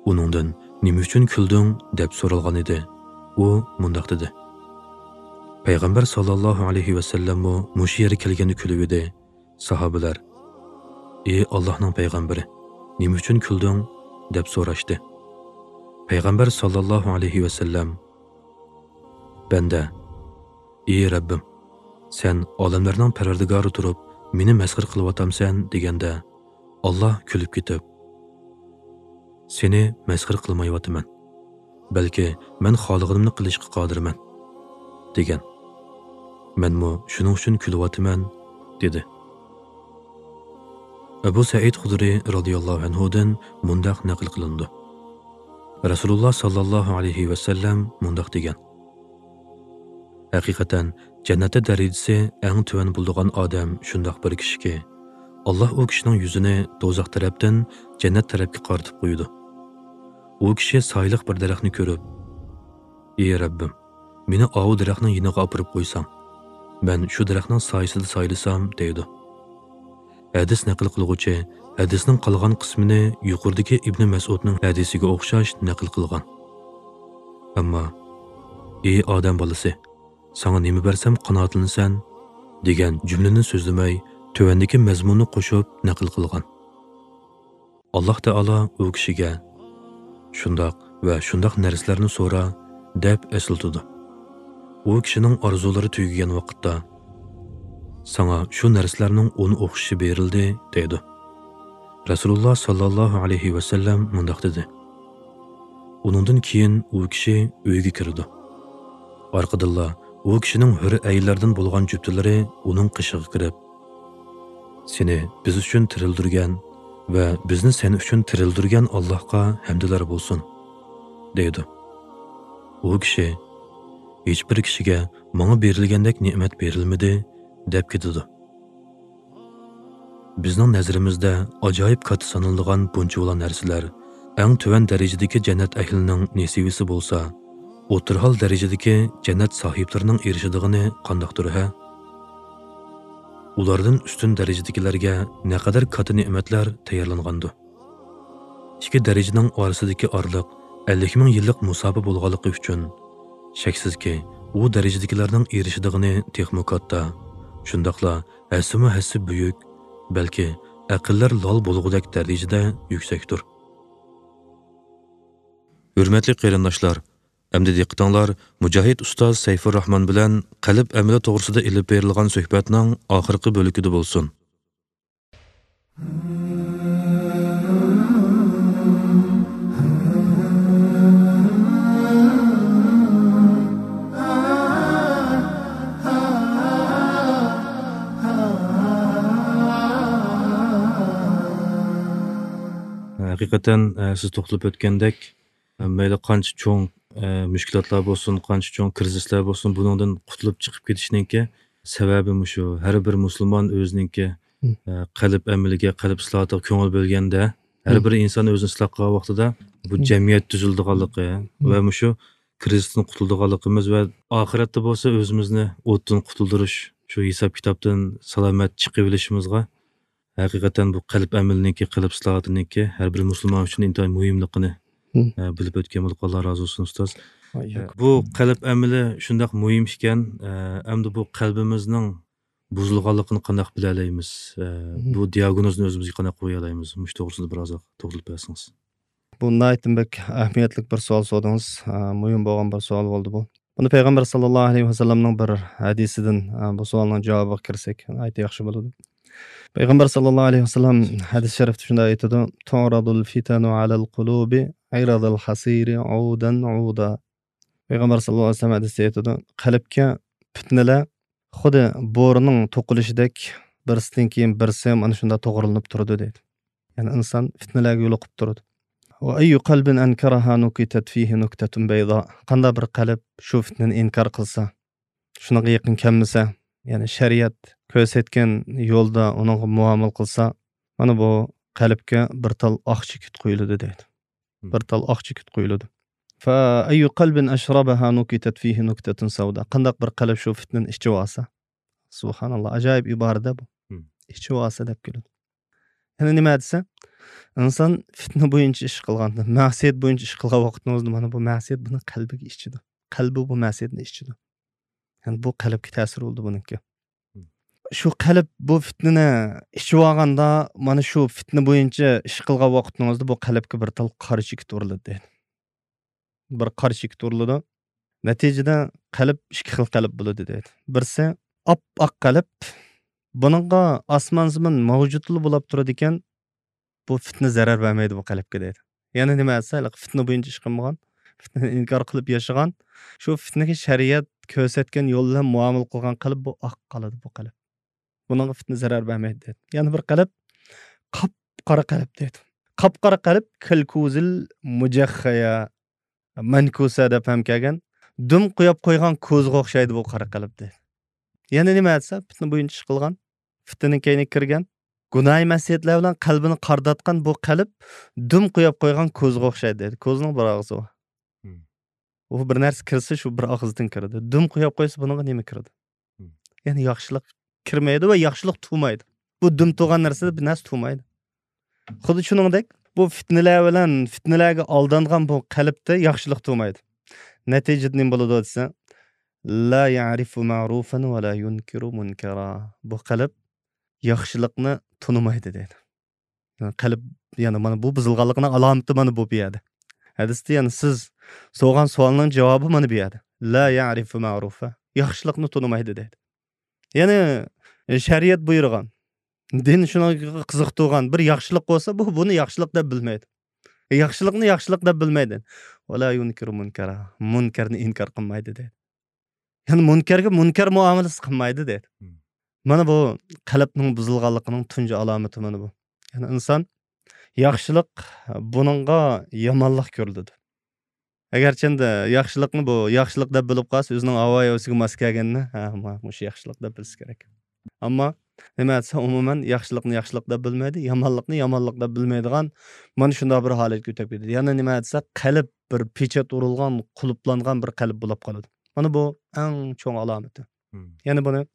ئۇنىڭدىن نېمە ئۈچۈن كۈلدۈڭ؟ دەپ سورالغان ئىدى. ئۇ مۇنداق دېدى، پەيغەمبەر ساللاللاھۇ ئەلەيھى ۋەسەللەممۇ مۇشۇ يەرگە كەلگەندە كۈلۈۋىدى. ساھابىلەر، ئى ئاللاھنىڭ پەيغەمبىرى، نېمە ئۈچۈن كۈلدۈڭ؟ دەپ سوراشتى. پەيغەمبەر ساللاللاھۇ ئەلەيھى ۋەسەللەم، بەندە، ئى رەببىم، سەن ئالەملەرنىڭ پەرۋەردىگارى تۇرۇپ مېنى مەسخىرە قىلىۋاتامسەن؟ دېگەندە، ئاللا كۈلۈپ كېتىپ، سېنى مەسخىرە قىلمايۋاتىمەن، بەلكى مەن خالىغىنىمنى قىلىشقا قادىرمەن، دېگەن. مەنمۇ شۇنىڭ ئۈچۈن كۈلۈۋاتىمەن، دېدى. ئەبۇ سەئىد خۇدرى رازىياللاھۇ ئەنھۇدىن مۇنداق نەقىل قىلىنىدۇ، رەسۇلۇللا ساللاللاھۇ ئەلەيھى ۋەسەللەم مۇنداق دېگەن، ھەقىقەتەن جەننەتتە دەرىجىسى ئەڭ تۆۋەن بولىدىغان ئادەم شۇنداق بىر كىشىكى، ئاللا ئۇ كىشىنىڭ يۈزىنى دوزاخ تەرەپتىن جەننەت تەرەپكە قارىتىپ قويىدۇ. ئۇ كىشى سايىلىق بىر دەرەخنى كۆرۈپ، «ئى رەببىم، مېنى ئاۋۇ دەرەخنىڭ يېنىغا ئاپىرىپ قويساڭ، مەن شۇ دەرەخنىڭ سايىسىدا سايلىسام» دەيدۇ. ھەدىس نەقىل قىلغۇچى ھەدىسنىڭ قالغان قىسمىنى يۇقىرىدىكى ئىبنى مەسئۇدنىڭ ھەدىسىگە ئوخشاش نەقىل قىلغان. ئەمما «ئى ئادەم بالىسى، ساڭا نېمە بەرسەم قانائەتلىنىسەن» دېگەن جۈملىنى سۆزلىمەي، تۆۋەندىكى مەزمۇننى قوشۇپ نەقىل قىلغان. ئاللاھ تائالا ئۇ كىشىگە «شۇنداق ۋە شۇنداق نەرسىلەرنى سورا» دەپ ئەسلىتىدۇ. ئۇ كىشىنىڭ ئارزۇلىرى تۈگىگەن ۋاقىتتا «ساڭا شۇ نەرسىلەرنىڭ ئون ئوخشىشى بېرىلدى» دەيدۇ. رەسۇلۇللاھ ساللاللاھۇ ئەلەيھى ۋەسەللەم مۇنداق دېدى: ئۇنىڭدىن كېيىن ئۇ كىشى ئۆيگە كىرىدۇ. ئارقىدىنلا ئۇ كىشىنىڭ ھۆر ئەينلەردىن بولغان جۈپتىلىرى ئۇنىڭ قېشىغا كىرىپ، «سېنى بىز ئۈچۈن تىرىلدۈرگەن ۋە بىزنى سەن ئۈچۈن تىرىلدۈرگەن ئاللاھقا ھەمدىلەر بولسۇن» دەيدۇ. ئۇ كىشى «ھېچبىر كىشىگە ماڭا بېرىلگەندەك نېمەت بېرىلمىدى» دەپ كېتىدۇ. بىزنىڭ نەزىرىمىزدە ئاجايىپ كاتتا سانىلىدىغان بۇنچىۋالا نەرسىلەر ئەڭ تۆۋەن دەرىجىدىكى جەننەت ئەھلىنىڭ نېسىۋىسى بولسا، ئوتتۇرىھال دەرىجىدىكى جەننەت ساھىبلىرىنىڭ ئېرىشىدىغىنى قانداقتۇر ھە؟ ئۇلاردىن ئۈستۈن دەرىجىدىكىلەرگە نەقەدەر كاتتا نېمەتلەر تەييارلانغاندۇ! ئىككى دەرىجىنىڭ ئارىسىدىكى ئارىلىق ئەللىك مىڭ يىللىق مۇساپە بولغانلىقى ئۈچۈن، شەكسىزكى، ئۇ دەرىجىدىكىلەرنىڭ ئېرىشىدىغىنى تېخىمۇ كاتتا، شۇنداقلا ھەسسىمۇ ھەسسە بۈيۈك، بەلكى ئەقىللەر لال بولغۇدەك دەرىجىدە يۈكسەكتۇر. ھۆرمەتلىك قېرىنداشلار، ئەمدى دىققىتىڭلار مۇجاھىد ئۇستاز سەيفۇرراھمان بىلەن قەلب ئەمىلى توغرىسىدا ئېلىپ بېرىلغان سۆھبەتنىڭ ئاخىرقى بۆلىكىدە بولسۇن. ھەقىقەتەن، ئە، سىز توختىلىپ ئۆتكەندەك، مەيلى قانچە چوڭ، ئە، مۈشكۈلاتلار بولسۇن، قانچە چوڭ كىرىزىسلار بولسۇن، بۇنىڭدىن قۇتۇلۇپ چىقىپ كېتىشنىڭكى سەۋەبى مۇشۇ. ھەر بىر مۇسۇلمان ئۆزىنىڭكى، مم. ئە، قەلب ئەمىلىگە، قەلب ئىسلاھاتىغا كۆڭۈل بۆلگەندە، ھەر مم. بىر ئىنسان ئۆزىنى ئىسلاھ قىلغان ۋاقتىدا بۇ مم. جەمئىيەت تۈزۈلىدىغانلىقى مم. ۋە مۇشۇ كىرىزىستىن قۇتۇلىدىغانلىقىمىز ۋە ئاخىرەتتە بولسا ئۆزىمىزنى ئوتتىن قۇتۇلدۇرۇش، شۇ ھېساب-كىتابتىن سالامەت چىقىۋېلىشىمىزغا ھەقىقەتەن بۇ قەلب ئەمىلىنىڭكى، قەلب ئىسلاھاتىنىڭكى ھەر بىر مۇسۇلمان ئۈچۈن ئىنتايىن مۇھىملىقىنى، مم. ئە، بىلىپ ئۆتكەن بولدۇق. ئاللا رازى بولسۇن، ئۇستاز. ئە، بۇ قەلب ئەمىلى شۇنداق مۇھىم ئىكەن، ئە، ئەمدى بۇ قەلبىمىزنىڭ بۇزۇلغانلىقىنى قانداق بىلەلەيمىز؟ ئە، مم. بۇ دىئاگنوزنى ئۆزىمىزگە قانداق قويالايمىز؟ مۇشۇ توغرىسىدا بىر ئازراق توختىلىپ بەرسىڭىز. بۇ ناھايىتى بەك ئەھمىيەتلىك بىر سوئال سورىدىڭىز. ئە، مۇھىم بولغان بىر سوئال بولدى بۇ. بۇنى پەيغەمبەر ساللاللاھۇ ئەلەيھى ۋەسەللەمنىڭ بىر ھەدىسىدىن، ئە، بۇ سوئالنىڭ جاۋابىغا كىرسەك ناھايىتى ياخشى بولىدۇ. پەيغەمبەر ساللاللاھۇ ئەلەيھى ۋەسەللەم ھەدىس شەرىفتە شۇنداق ئېيتىدۇ: «تعرض الفتن على القلوب عرض الحصير عودا عودا.» پەيغەمبەر ساللاللاھۇ ئەلەيھى ۋەسەللەم ھەدىستە ئېيتىدۇ: قەلبكە پىتنىلەر خۇددى بورىنىڭ توقۇلۇشىدەك بىرسىدىن كېيىن بىرسى مانا شۇنداق توغرىلىنىپ تۇرىدۇ دەيدۇ. يەنى ئىنسان پىتنىلەرگە يولۇقۇپ تۇرىدۇ. «وأي قلب أنكرها نكتت فيه نكتة بيضاء.» قانداق بىر قەلب شۇ پىتنىنى ئىنكار قىلسا، شۇنىڭغا يېقىن كەلمىسە، يەنى شەرىئەت كۆرسەتكەن يولدا ئۇنىڭغا مۇئامىلە قىلسا، مانا بۇ قەلبكە بىر تال ئاق چېكىت قويۇلىدۇ دەيدۇ. مم. بىر تال ئاق چېكىت قويۇلىدۇ. «فأي قلب أشربها نكتت فيه نكتة سوداء.» قانداق بىر قەلب شۇ پىتنىنى ئىچىۋالسا، سۇبھاناللا، ئاجايىپ ئىبارە-دە بۇ. مم. ئىچىۋالسا دەپ كېلىدۇ. يەنى نېمە دېسە، ئىنسان پىتنە بويىچە ئىش قىلغاندا، مەسىيەت بويىچە ئىش قىلغان ۋاقتىڭىزدا مانا بۇ مەسىيەت بۇنى قەلبىگە ئىچىدۇ. قەلبى بۇ مەسىيەتنى ئىچىدۇ. يەنى بۇ قەلبكە تەسىر بولىدۇ بۇنىڭكى. مم. شۇ قەلب بۇ پىتنىنى ئىچىۋالغاندا، مانا شۇ پىتنە بويىچە ئىش قىلغان ۋاقتىڭىزدا بۇ قەلبكە بىر تال قارا چېكىت ئۇرۇلىدۇ دەيدۇ. بىر قارا چېكىت ئۇرۇلىدۇ. نەتىجىدە قەلب ئىككى خىل قەلب بولىدۇ دەيدۇ. بىرسى ئاپئاق قەلب، بۇنىڭغا ئاسمان زېمىن مەۋجۇتلا بولاپ تۇرىدىكەن، بۇ پىتنە زەرەر بەرمەيدۇ بۇ قەلبكە دەيدۇ. يەنى نېمە دېسە، ھېلىقى پىتنە بويىچە ئىش قىلمىغان، پىتنىنى ئىنكار قىلىپ ياشىغان، شۇ پىتنىگە شەرىئەت كۆرسەتكەن يول بىلەن مۇئامىلە قىلغان قەلب بۇ ئاق قالىدۇ بۇ قەلب. بۇنىڭغا پىتنە زەرەر بەرمەيدۇ دەيدۇ. يەنە بىر قەلب قاپقارا قەلب دەيدۇ. قاپقارا قەلب كالكوزىل مۇجەخخەيە، مەنكۇسە دەپ ھەم كەلگەن. دۈم قويۇپ قويغان كوزىغا ئوخشايدۇ بۇ قارا قەلب دەيدۇ. يەنە نېمە دېسە، پىتنە بويىچە ئىش قىلغان، پىتنىنىڭ كەينىگە كىرگەن، گۇناھى مەسىيەتلەر بىلەن قەلبىنى قارداتقان بۇ قەلب دۈم قويۇپ قويغان كوزىغا ئوخشايدۇ دەيدۇ. كوزىنىڭ بىر ئاغزى بار. مم. ئۇ بىر نەرسە كىرسە، شۇ بىر ئاغزىدىن كىرىدۇ. دۈم قويۇپ قويسا، بۇنىڭغا نېمە كىرىدۇ؟ مم. يەنى ياخشىلىق كىرمەيدۇ ۋە ياخشىلىق تۇغمايدۇ. بۇ دۈم تۇغان نەرسىدە بىر نەرسە تۇغمايدۇ. خۇددى شۇنىڭدەك، بۇ پىتنىلەر بىلەن پىتنىلەرگە ئالدانغان بۇ قەلبتە ياخشىلىق تۇغمايدۇ. نەتىجىدە نېمە بولىدۇ دېسە، لا يەرىفۇ مەرۇفەن ۋە لا يۇنكىرۇ مۇنكەرا. بۇ قەلب ياخشىلىقنى تونۇمايدۇ دەيدۇ. يەنى قەلب، يەنى مانا بۇ بۇزۇلغانلىقنىڭ ئالامىتى مانا بۇ، بۇ يەردە. ھەدىستە يەنى سىز سورىغان سوئالنىڭ جاۋابى مانا بۇ يەردە. لا يەرىفۇ مەرۇفەن. ياخشىلىقنى تونۇمايدۇ دەيدۇ. يەنى، ئە، شەرىئەت بۇيرۇغان، دىن شۇنىڭغا قىزىقتۇرغان بىر ياخشىلىق بولسا، بۇ، بۇنى ياخشىلىق دەپ بىلمەيدۇ. ياخشىلىقنى ياخشىلىق دەپ بىلمەيدۇ. ۋە لا يۇنكىرۇ مۇنكەرا. مۇنكەرنى ئىنكار قىلمايدۇ دەيدۇ. يەنى مۇنكەرگە مۇنكەر مۇئامىلىسى قىلمايدۇ دەيدۇ. مم. مانا بۇ قەلبنىڭ بۇزۇلغانلىقىنىڭ تۇنجى ئالامىتى مانا بۇ. يەنى ئىنسان ياخشىلىق، بۇنىڭغا يامانلىق كۆرۈلىدۇ. ئەگەرچەندە ياخشىلىقنى بۇ ياخشىلىق دەپ بىلىپ قالسا، ئۆزىنىڭ ھاۋا-ھەۋىسىگە ماس كەلگەننى، ھە، ما-، مۇشۇ ياخشىلىق دەپ بىلسە كېرەك. ئەمما نېمە دېسە، ئومۇمەن ياخشىلىقنى ياخشىلىق دەپ بىلمەيدۇ، يامانلىقنى يامانلىق دەپ بىلمەيدىغان مانا شۇنداق بىر ھالەتكە ئۆتۈپ كېتىدۇ. يەنە نېمە دېسە، قەلب بىر پېچەت ئۇرۇلغان، قۇلۇپلانغان بىر قەلب بولۇپ قالىدۇ. مانا بۇ ئەڭ چوڭ ئالامىتى. مم. يەنە بۇنى،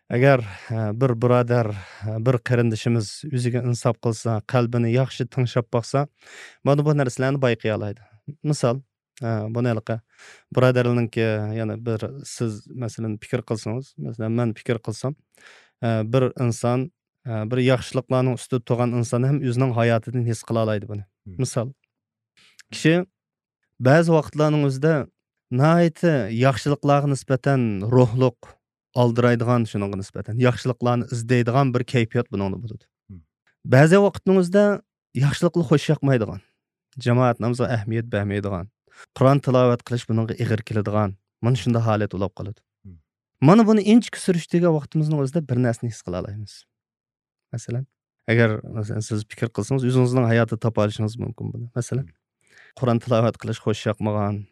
ئەگەر، ئە، بىر بۇرادەر، ئە، بىر قېرىندىشىمىز ئۆزىگە ئىنساپ قىلسا، قەلبىنى ياخشى تىڭشاپ باقسا، مانا بۇ نەرسىلەرنى بايقىيالايدۇ. مىسال، ئە، بۇنى ھېلىقى بۇرادەرلەرنىڭكى، يەنە بىر سىز، مەسىلەن، پىكىر قىلسىڭىز، مەسىلەن، مەن پىكىر قىلسام، ئە، بىر ئىنسان، ئە، بىر ياخشىلىقلارنىڭ ئۈستىدە تۇرغان ئىنسان ھەم ئۆزىنىڭ ھاياتىدىن ھېس قىلالايدۇ بۇنى. مم. مىسال، كىشى بەزى ۋاقىتلارنىڭ ئۆزىدە ناھايىتى ياخشىلىقلارغا نىسبەتەن روھلۇق، ئالدىرايدىغان، شۇنىڭغا نىسبەتەن ياخشىلىقلارنى ئىزدەيدىغان بىر كەيپىيات بۇنىڭدا بولىدۇ. مم. بەزى ۋاقىتنىڭ ئۆزىدە ياخشىلىققا خوش ياقمايدىغان، جامائەت نامىزىغا ئەھمىيەت بەرمەيدىغان، قۇرئان تىلاۋەت قىلىش بۇنىڭغا ئېغىر كېلىدىغان، مانا شۇنداق ھالەت بولۇپ قالىدۇ. مم. مانا بۇنى ئىنچىكە سۈرۈشتۈرگەن ۋاقتىمىزنىڭ ئۆزىدە بىر نەرسىنى ھېس قىلالايمىز. مەسىلەن، ئەگەر، مەسىلەن، سىز پىكىر قىلسىڭىز، ئۆزىڭىزنىڭ ھاياتىدا تاپالىشىڭىز مۇمكىن بۇنى. مەسىلەن، قۇرئان تىلاۋەت قىلىش خوش ياقمىغان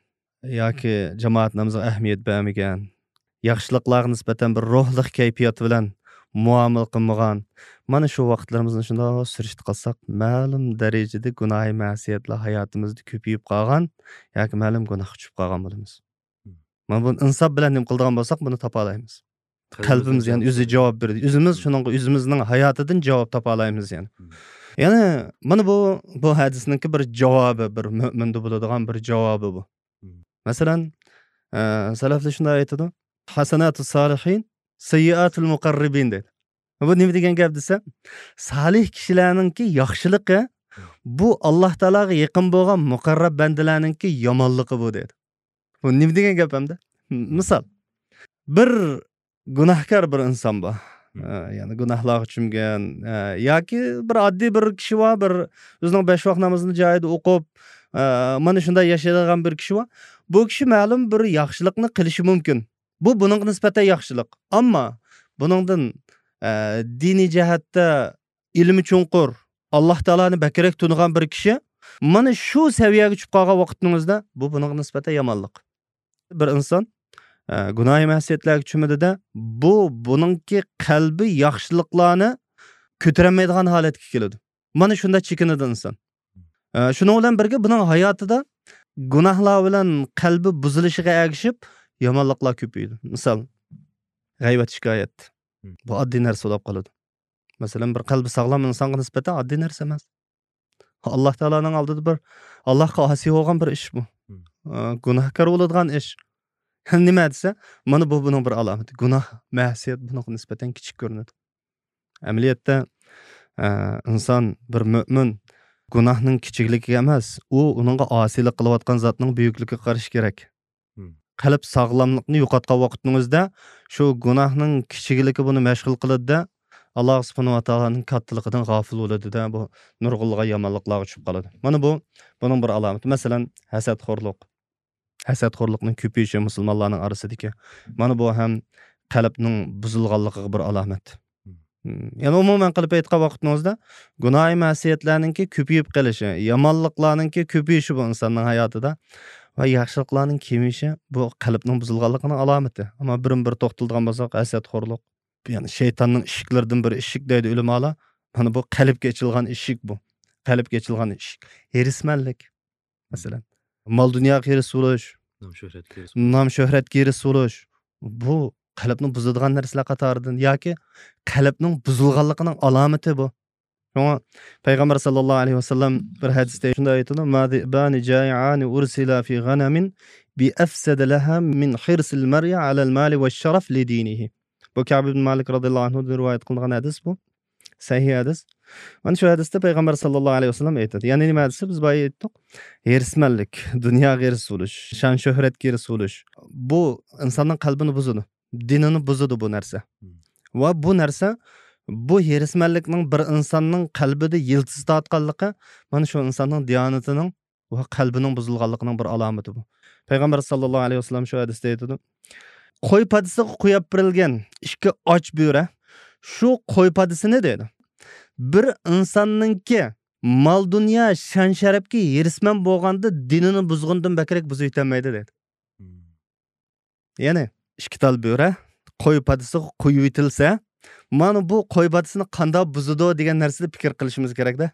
ياكى جامائەت نامىزىغا ئەھمىيەت بەرمىگەن، ياخشىلىقلارغا نىسبەتەن بىر روھلۇق كەيپىيات بىلەن مۇئامىلە قىلمىغان، مانا شۇ ۋاقىتلىرىمىزنى شۇنداق سۈرۈشتە قىلساق، مەلۇم دەرىجىدە گۇناھى مەسىيەتلەر ھاياتىمىزدا كۆپىيىپ قالغان ياكى مەلۇم گۇناھقا چۈشۈپ قالغان بولىمىز. مم. مانا بۇنى ئىنساپ بىلەن نېمە قىلىدىغان بولساق، بۇنى تاپالايمىز. قەلبىمىز، يەنى ئۆزى جاۋاب بېرىدۇ. ئۆزىمىز مم. شۇنىڭغا ئۆزىمىزنىڭ ھاياتىدىن جاۋاب تاپالايمىز، يەنى. مم. يەنى مانا بۇ، بۇ ھەدىسنىڭكى بىر جاۋابى، بىر مۆمىندە بولىدىغان بىر جاۋابى بۇ. مم. مەسىلەن، ئە، سەلەفلەر شۇنداق ئېيتىدۇ، «ھەسەناتۇ سالىھىن، سەييىئاتۇل مۇقەررىبىن» دەيدۇ. بۇ نېمە دېگەن گەپ دېسە، سالىھ كىشىلەرنىڭكى ياخشىلىقى، بۇ ئاللا تائالاغا يېقىن بولغان مۇقەررەب بەندىلەرنىڭكى يامانلىقى بۇ دەيدۇ. بۇ نېمە دېگەن گەپ ئەمدى؟ مىسال، بىر گۇناھكار بىر ئىنسان بار. مم. ئە، يەنى گۇناھلارغا چۆمگەن، ئە، ياكى بىر ئاددىي بىر كىشى بار، بىر ئۆزىنىڭ بەش ۋاق نامىزىنى جايىدا ئوقۇپ، ئە، مانا شۇنداق ياشايدىغان بىر كىشى بار. بۇ كىشى مەلۇم بىر ياخشىلىقنى قىلىشى مۇمكىن. بۇ بۇنىڭغا نىسبەتەن ياخشىلىق. ئەمما بۇنىڭدىن، ئە، دىنىي جەھەتتە ئىلمى چوڭقۇر، ئاللا تائالانى بەكرەك تونۇغان بىر كىشى مانا شۇ سەۋىيەگە چۈشۈپ قالغان ۋاقىتنىڭ ئۆزىدە بۇ بۇنىڭغا نىسبەتەن يامانلىق. بىر ئىنسان، ئە، گۇناھى مەسىيەتلەرگە چۆمىدىدە، بۇ بۇنىڭكى قەلبى ياخشىلىقلارنى كۆتۈرەلمەيدىغان ھالەتكە كېلىدۇ. مانا شۇنداق چېكىنىدۇ ئىنسان. ئە، شۇنىڭ بىلەن بىرگە بۇنىڭ ھاياتىدا گۇناھلار بىلەن قەلبى بۇزۇلۇشىغا ئەگىشىپ يامانلىقلار كۆپىيىدۇ. مىسال، غەيۋەت، شىكايەت. مم. بۇ ئاددىي نەرسە بولۇپ قالىدۇ. مەسىلەن، بىر قەلبى ساغلام ئىنسانغا نىسبەتەن ئاددىي نەرسە ئەمەس. ئاللا تائالانىڭ ئالدىدا بىر، ئاللاغا ئاسىي بولغان بىر ئىش بۇ. مم. ئە، گۇناھكار بولىدىغان ئىش. نېمە دېسە، مانا بۇ بۇنىڭ بىر ئالامىتى. گۇناھ، مەسىيەت بۇنىڭغا نىسبەتەن كىچىك كۆرۈنىدۇ. ئەمەلىيەتتە، ئە، ئىنسان، بىر مۆمىن گۇناھنىڭ كىچىكلىكىگە ئەمەس، ئۇ ئۇنىڭغا ئاسىيلىق قىلىۋاتقان زاتنىڭ بۈيۈكلۈكىگە قارىشى كېرەك. مم. قەلب ساغلاملىقنى يوقاتقان ۋاقىتنىڭ ئۆزىدە شۇ گۇناھنىڭ كىچىكلىكى بۇنى مەشغۇل قىلىدۇ-دە، ئاللا سۇبھانەھۇ ۋە تائالانىڭ كاتتىلىقىدىن غاپىل بولىدۇ-دە، بۇ نۇرغۇنلىغان يامانلىقلارغا چۈشۈپ قالىدۇ. مانا بۇ بۇنىڭ بىر ئالامىتى. مەسىلەن، ھەسەتخورلۇق. ھەسەتخورلۇقنىڭ كۆپىيىشى مۇسۇلمانلارنىڭ ئارىسىدىكى. مانا بۇ ھەم قەلبنىڭ بۇزۇلغانلىقىغا بىر ئالامەت. مم. يەنى ئومۇمەن قىلىپ ئېيتقان ۋاقىتنىڭىزدا، گۇناھى مەسىيەتلەرنىڭكى كۆپىيىپ قېلىشى، يامانلىقلارنىڭكى كۆپىيىشى بۇ ئىنساننىڭ ھاياتىدا ۋە ياخشىلىقلارنىڭ كېمىيىشى بۇ قەلبنىڭ بۇزۇلغانلىقىنىڭ ئالامىتى. ئەمما بىرمۇ بىر توختىلىدىغان بولساق، ھەسەتخورلۇق، يەنى شەيتاننىڭ ئىشىكلىرىدىن بىر ئىشىك دەيدۇ ئۆلىمالار. مانا بۇ قەلبكە ئېچىلغان ئىشىك بۇ. قەلبكە ئېچىلغان ئىشىك. ھېرىسمەنلىك. مەسىلەن، مال دۇنياغا ھېرىس بولۇش، نام شۆھرەتكە ئېرىشىش بۇ قەلبنى بۇزىدىغان نەرسىلەر قاتارىدىن ياكى قەلبنىڭ بۇزۇلغانلىقىنىڭ ئالامىتى بۇ. شۇڭا پەيغەمبەر ساللاللاھۇ ئەلەيھى ۋەسەللەم بىر ھەدىستە شۇنداق ئېيتىدۇ، ما ذئبان جائعان أرسلا في غنم بأفسد لها من حرص المرء على المال والشرف لدينه. بۇ كەب ئىبن مالىك رازىياللاھۇ ئەنھۇدىن رىۋايەت قىلىنغان ھەدىس بۇ. سەھىھ ھەدىس. مانا شۇ ھەدىستە پەيغەمبەر ساللاللاھۇ ئەلەيھى ۋەسەللەم ئېيتىدۇ. يەنى نېمە ھەدىسى؟ بىز بايا ئېيتتۇق. ھېرىسمەنلىك، دۇنياغا ھېرىس بولۇش، شان شۆھرەتكە ھېرىس بولۇش. بۇ ئىنساننىڭ قەلبىنى بۇزىدۇ. دىنىنى بۇزىدۇ بۇ نەرسە. ۋە بۇ نەرسە، بۇ ھېرىسمەنلىكنىڭ بىر ئىنساننىڭ قەلبىدە يىلتىز تارتقانلىقى، مانا شۇ ئىنساننىڭ دىيانىتىنىڭ ۋە قەلبىنىڭ بۇزۇلغانلىقىنىڭ بىر ئالامىتى بۇ. پەيغەمبەر ساللاللاھۇ ئەلەيھى ۋەسەللەم شۇ ھەدىستە ئېيتىدۇ، قوي پادىسىغا قويۇپ بېرىلگەن ئىككى ئاچ بۆرە، شۇ قوي پادىسىنى دەيدۇ، بىر ئىنساننىڭكى مال دۇنيا، شان شەرەپكە ھېرىسمەن بولغاندا دىنىنى بۇزغىنىدىن بەكرەك بۇزۇپ يېتەلمەيدۇ دەيدۇ. يەنى ئىككى تال بۆرە قوي پادىسىغا قويۇۋېتىلسە، مانا بۇ قوي پادىسىنى قانداق بۇزىدۇ دېگەن نەرسىدە پىكىر قىلىشىمىز كېرەكتە.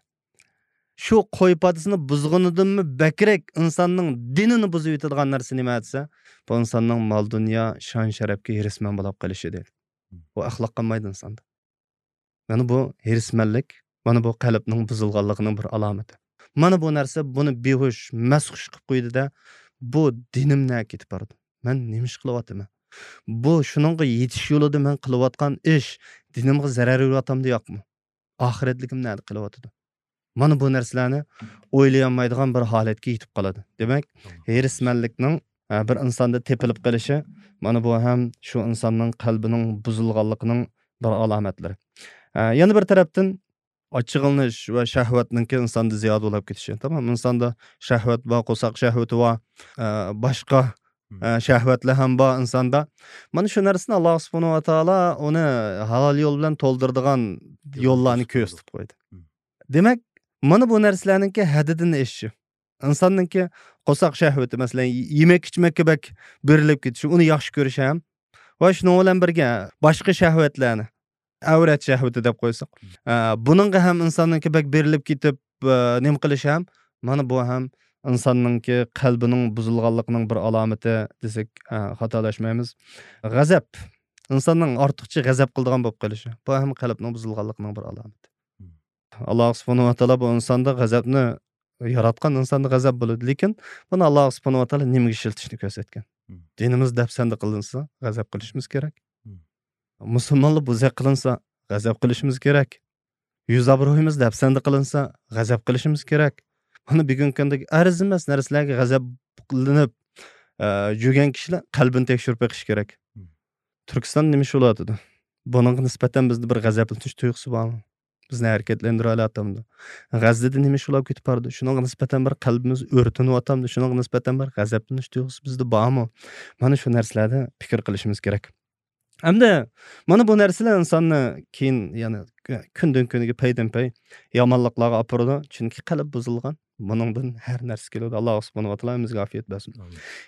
شۇ قوي پادىسىنى بۇزغىنىدىنمۇ بەكرەك ئىنساننىڭ دىنىنى بۇزۇۋېتىدىغان نەرسە نېمە دېسە، بۇ ئىنساننىڭ مال دۇنيا، شان شەرەپكە ھېرىسمەن بولۇپ قېلىشى دەيدۇ. بۇ ئەخلاق قالمايدۇ ئىنساندا. مانا بۇ ھېرىسمەنلىك، مانا بۇ قەلبنىڭ بۇزۇلغانلىقىنىڭ بىر ئالامىتى. مانا بۇ نەرسە بۇنى بىھوش، مەستخۇش قىلىپ قويدى-دە، بۇ دىنىم نەگە كېتىپ بارىدۇ؟ مەن نېمە ئىش قىلىۋاتىمەن؟ بۇ شۇنىڭغا يېتىش يولىدا مەن قىلىۋاتقان ئىش دىنىمغا زەرەر بېرىۋاتامدۇ ياقمۇ؟ ئاخىرەتلىكىم نەدە قېلىۋاتىدۇ؟ مانا بۇ نەرسىلەرنى ئويلىيالمايدىغان بىر ھالەتكە يېتىپ قالىدۇ. دېمەك، ھېرىسمەنلىكنىڭ، ئە، بىر ئىنساندا تېپىلىپ قېلىشى، مانا بۇ ھەم شۇ ئىنساننىڭ قەلبىنىڭ بۇزۇلغانلىقىنىڭ بىر ئالامەتلىرى. ئە، يەنە بىر تەرەپتىن، ئاچچىقلىنىش ۋە شەھۋەتنىڭكى ئىنساندا زىيادە بولۇپ كېتىشى. تامام، ئىنساندا شەھۋەت بار، قورساق شەھۋىتى بار، ئە، باشقا، ئە، شەھۋەتلەر ھەم بار ئىنساندا. مانا شۇ نەرسىنى ئاللا سۇبھانەھۇ ۋە تائالا ئۇنى ھالال يول بىلەن تولدۇرىدىغان يوللارنى كۆرسىتىپ قويدى. دېمەك، مانا بۇ نەرسىلەرنىڭكى ھەددىدىن ئېشىشى. ئىنساننىڭكى قورساق شەھۋىتى، مەسىلەن، يېمەك ئىچمەككە بەك بېرىلىپ كېتىشى، ئۇنى ياخشى كۆرۈشى ھەم ۋە شۇنىڭ بىلەن بىرگە باشقا شەھۋەتلەرنى، ئەۋرەت شەھۋىتى دەپ قويساق، ئە، بۇنىڭغا ھەم ئىنساننىڭكى بەك بېرىلىپ كېتىپ، ئە، نېمە قىلىشى ھەم، مانا بۇ ھەم ئىنساننىڭكى قەلبىنىڭ بۇزۇلغانلىقىنىڭ بىر ئالامىتى دېسەك، ئە، خاتالاشمايمىز. غەزەپ، ئىنساننىڭ ئارتۇقچە غەزەپ قىلىدىغان بولۇپ قېلىشى، بۇ ھەم قەلبنىڭ بۇزۇلغانلىقىنىڭ بىر ئالامىتى. ئاللا سۇبھانەھۇ ۋە تائالا بۇ ئىنساندا غەزەپنى ياراتقان، ئىنساندا غەزەپ بولىدۇ. لېكىن بۇنى ئاللا سۇبھانەھۇ ۋە تائالا نېمىگە ئىشلىتىشنى كۆرسەتكەن؟ دىنىمىز دەپسەندە قىلىنسا، غەزەپ قىلىشىمىز كېرەك. مۇسۇلمانلار بوزەك قىلىنسا، غەزەپ قىلىشىمىز كېرەك. يۈز ئابرۇيىمىز دەپسەندە قىلىنسا، غەزەپ قىلىشىمىز كېرەك. مانا بۈگۈنكى كۈندىكى ئەرزىمەس نەرسىلەرگە غەزەپلىنىپ، ئە، يۈرگەن كىشىلەر قەلبىنى تەكشۈرۈپ بېقىشى كېرەك. تۈركىستاندا نېمە ئىش بولۇۋاتىدۇ؟ بۇنىڭغا نىسبەتەن بىزدە بىر غەزەپلىنىش تۇيغۇسى بارمۇ؟ بىزنى ھەرىكەتلەندۈرۈۋالاتامدۇ؟ غەززىدە نېمە ئىش بولۇپ كېتىپ بارىدۇ؟ شۇنىڭغا نىسبەتەن بىر قەلبىمىز ئۆرتىنىۋاتامدۇ؟ شۇنىڭغا نىسبەتەن بىر غەزەپلىنىش تۇيغۇسى بىزدە بارمۇ؟ مانا شۇ نەرسىلەردە پىكىر قىلىشىمىز كېرەك. ئەمدى مانا بۇ نەرسىلەر ئىنساننى كېيىن، يەنى، كۈندىن كۈنگە پەيدىن پەي يامانلىقلارغا ئاپىرىدۇ. چۈنكى قەلب بۇزۇلغان. بۇنىڭدىن ھەر نەرسە كېلىدۇ. ئاللا سۇبھانەھۇ ۋە تائالا ھەممىمىزگە ئافىيەت بەرسۇن.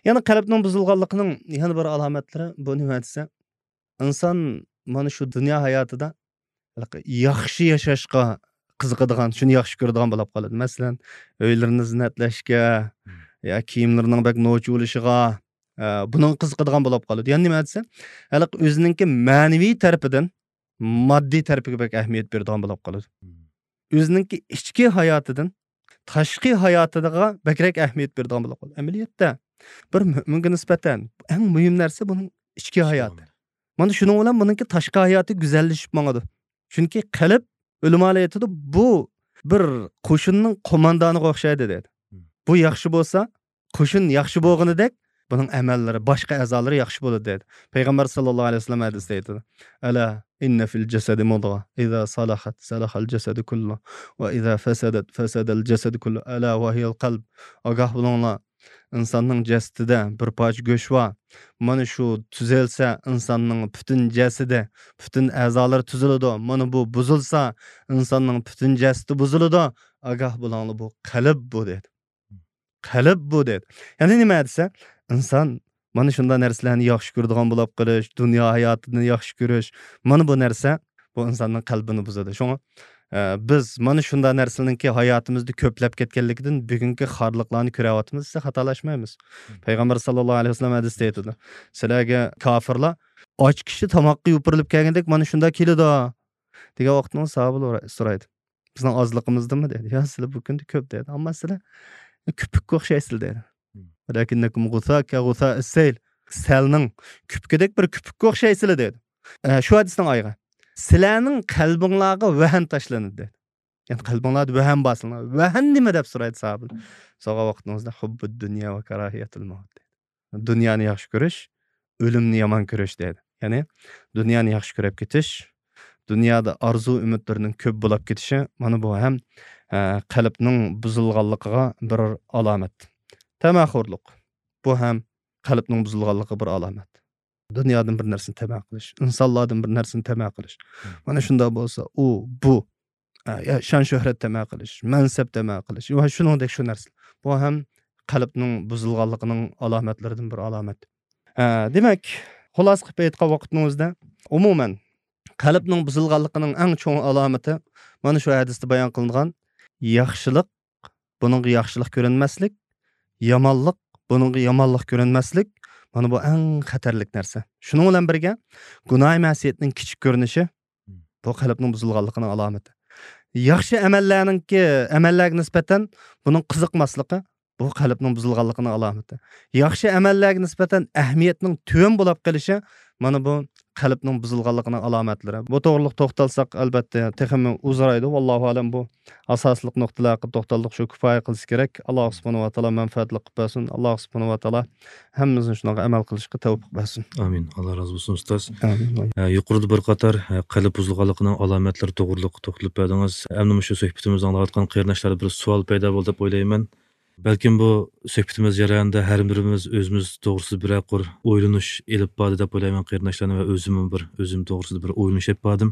يەنە قەلبنىڭ بۇزۇلغانلىقىنىڭ يەنە بىر ئالامەتلىرى بۇ نېمە دېسە، ئىنسان مانا شۇ دۇنيا ھاياتىدا ياخشى ياشاشقا قىزىقىدىغان، شۇنى ياخشى كۆرىدىغان بولۇپ قالىدۇ. مەسىلەن، ئۆيلىرىنى زىننەتلەشكە، يا كىيىملىرىنىڭ بەك نوچى بولۇشىغا، ئە، بۇنىڭغا قىزىقىدىغان بولۇپ قالىدۇ. يەنى نېمە دېسە، ھېلىقى ئۆزىنىڭكى مەنىۋى تەرىپىدىن ماددىي تەرىپىگە بەك ئەھمىيەت بېرىدىغان بولۇپ قالىدۇ. ئۆزىنىڭكى ئىچكى ھاياتىدىن تاشقى ھاياتىغا بەكرەك ئەھمىيەت بېرىدىغان بولۇپ قالىدۇ. ئەمەلىيەتتە، بىر مۆمىنگە نىسبەتەن ئەڭ مۇھىم نەرسە بۇنىڭ ئىچكى ھاياتى. مانا شۇنىڭ بىلەن بۇنىڭكى تاشقى ھاياتى گۈزەللىشىپ ماڭىدۇ. چۈنكى قەلب، ئۆلىمالار ئېيتىدۇ، بۇ بىر قوشۇننىڭ قوماندانىغا ئوخشايدۇ دەيدۇ. بۇ ياخشى بولسا، قوشۇن ياخشى بولغىنىدەك، بۇنىڭ ئەمەللىرى، باشقا ئەزالىرى ياخشى بولىدۇ دەيدۇ. پەيغەمبەر ساللاللاھۇ ئەلەيھى ۋەسەللەم ھەدىستە ئېيتىدۇ، ألا إن في الجسد مضغة إذا صلحت صلح الجسد كله وإذا فسدت فسد الجسد كله ألا وهي القلب. ئاگاھ بولۇڭلار، ئىنساننىڭ جەسىتىدە بىر پارچە گۆش بار. مانا شۇ تۈزەلسە، ئىنساننىڭ پۈتۈن جەسىتى، پۈتۈن ئەزالىرى تۈزۈلىدۇ. مانا بۇ بۇزۇلسا، ئىنساننىڭ پۈتۈن جەسىتى بۇزۇلىدۇ. ئاگاھ بولۇڭلار، بۇ قەلب بۇ دەيدۇ. قەلب بۇ دەيدۇ. يەنى نېمە دېسە، ئىنسان مانا شۇنداق نەرسىلەرنى ياخشى كۆرىدىغان بولۇپ قېلىش، دۇنيا ھاياتىنى ياخشى كۆرۈش، مانا بۇ نەرسە بۇ ئىنساننىڭ قەلبىنى بۇزىدۇ. شۇڭا، ئە، بىز مانا شۇنداق نەرسىلەرنىڭكى ھاياتىمىزدا كۆپلەپ كەتكەنلىكىدىن بۈگۈنكى خارلىقلارنى كۆرۈۋاتىمىز دېسە خاتالاشمايمىز. پەيغەمبەر ساللاللاھۇ ئەلەيھى ۋەسەللەم ھەدىستە ئېيتىدۇ، سىلەرگە كاپىرلار ئاچ كىشى تاماققا يوپۇرۇلۇپ كەلگەندەك مانا شۇنداق كېلىدۇ دېگەن ۋاقىتنىڭ ساھابىلار سورايدۇ، بىزنىڭ ئازلىقىمىزدىنمۇ دەيدۇ. يا، سىلەر بۇ كۈندە كۆپ دەيدۇ، ئەمما سىلەر كۆپۈككە ئوخشايسىلەر دەيدۇ. ۋەلەكىننەكۇم غۇسا كە غۇسا ئىسسەيل. سەلنىڭ كۆپۈكىدەك بىر كۆپۈككە ئوخشايسىلەر دەيدۇ. ئە، شۇ ھەدىسنىڭ ئايىغى. سىلەرنىڭ قەلبىڭلارغا ۋەھىم تاشلىنىدۇ دەيدۇ. يەنى قەلبىڭلاردا ۋەھىم بار سىلەرنىڭ. ۋەھىم نېمە دەپ سورايدۇ ساھابىلار. سورىغان ۋاقتىڭىزدا ھۇببۇد دۇنيا ۋە كاراھىيەتۇل مەۋت دەيدۇ. دۇنيانى ياخشى كۆرۈش، ئۆلۈمنى يامان كۆرۈش دەيدۇ. يەنى دۇنيانى ياخشى كۆرۈپ كېتىش، دۇنيادا ئارزۇ ئۈمىدلىرىنىڭ كۆپ بولاپ كېتىشى، مانا بۇ ھەم، ئە، قەلبنىڭ بۇزۇلغانلىقىغا بىر ئالامەت. تەمەخورلۇق. بۇ ھەم قەلبنىڭ بۇزۇلغانلىقىغا بىر ئالامەت. دۇنيادىن بىر نەرسىنى تەمە قىلىش، ئىنسانلاردىن بىر نەرسىنى تەمە قىلىش. مانا شۇنداق بولسا، ئۇ، بۇ، ئە، يا شان شۆھرەت تەمە قىلىش، مەنسەپ تەمە قىلىش ۋە شۇنىڭدەك شۇ نەرسىلەر. بۇ ھەم قەلبنىڭ بۇزۇلغانلىقىنىڭ ئالامەتلىرىدىن بىر ئالامەت. ئە، دېمەك، خۇلاسە قىلىپ ئېيتقان ۋاقىتنىڭ ئۆزىدە، ئومۇمەن، قەلبنىڭ بۇزۇلغانلىقىنىڭ ئەڭ چوڭ ئالامىتى مانا شۇ ھەدىستە بايان قىلىنغان ياخشىلىق، بۇنىڭغا ياخشىلىق كۆرۈنمەسلىك، يامانلىق، بۇنىڭغا يامانلىق كۆرۈنمەسلىك، مانا بۇ ئەڭ خەتەرلىك نەرسە. شۇنىڭ بىلەن بىرگە، گۇناھ مەسىيەتنىڭ كىچىك كۆرۈنۈشى، بۇ قەلبنىڭ بۇزۇلغانلىقىنىڭ ئالامىتى. ياخشى ئەمەللەرنىڭكى، ئەمەللەرگە نىسبەتەن بۇنىڭ قىزىقماسلىقى، بۇ قەلبنىڭ بۇزۇلغانلىقىنىڭ ئالامىتى. ياخشى ئەمەللەرگە نىسبەتەن ئەھمىيەتنىڭ تۆۋەن بولاپ قېلىشى، مانا بۇ قەلبنىڭ بۇزۇلغانلىقىنىڭ ئالامەتلىرى. بۇ توغرىلىق توختالساق، ئەلبەتتە، تېخىمۇ ئۇزىرايدۇ. ۋاللاھۇ ئەلەم، بۇ ئاساسلىق نۇقتىلار ھەققىدە توختالدۇق، شۇ كۇپايە قىلسا كېرەك. ئاللا سۇبھانەھۇ ۋە تائالا مەنپەئەتلىك قىلىپ بەرسۇن. ئاللا سۇبھانەھۇ ۋە تائالا ھەممىمىزنى شۇنىڭغا ئەمەل قىلىشقا تەۋپىق بەرسۇن. ئامىن. ئاللا رازى بولسۇن، ئۇستاز. ئامىن. ئە، يۇقىرىدا بىر قاتار، ئە، قەلب بۇزۇلغانلىقىنىڭ ئالامەتلىرى توغرۇلۇق توختىلىپ بەردىڭىز. ئەمدى مۇشۇ سۆھبىتىمىزنى ئاڭلاۋاتقان قېرىنداشلاردا بىر سوئال پەيدا بولدى دەپ ئويلايمەن. بەلكىم بۇ سۆھبىتىمىز جەريانىدا ھەر بىرىمىز ئۆزىمىز توغرىسىدا بىرەر قۇر ئويلىنىش ئېلىپ باردى دەپ ئويلايمەن قېرىنداشلارنى ۋە ئۆزۈممۇ بىر، ئۆزۈم توغرىسىدا بىر ئويلىنىش ئېلىپ باردىم.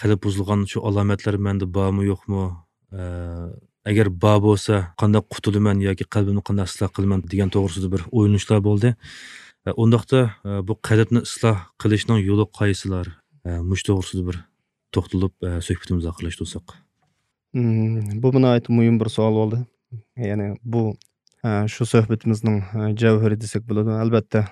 قەلب بۇزۇلغان شۇ ئالامەتلەر مەندە بارمۇ يوقمۇ؟ ئە، ئەگەر بار بولسا، قانداق قۇتۇلىمەن ياكى قەلبىمنى قانداق ئىسلاھ قىلىمەن دېگەن توغرىسىدا بىر ئويلىنىشلار بولدى. ئە، ئۇنداقتا، ئە، بۇ قەلبنى ئىسلاھ قىلىشنىڭ يولى قايسىلار؟ ئە، مۇشۇ توغرىسىدا بىر توختىلىپ، ئە، سۆھبىتىمىزنى ئاخىرلاشتۇرساق. مم، بۇ ناھايىتى مۇھىم بىر سوئال بولدى. يەنى بۇ، ئە، شۇ سۆھبىتىمىزنىڭ، ئە، جەۋھىرى دېسەك بولىدۇ. ئەلبەتتە،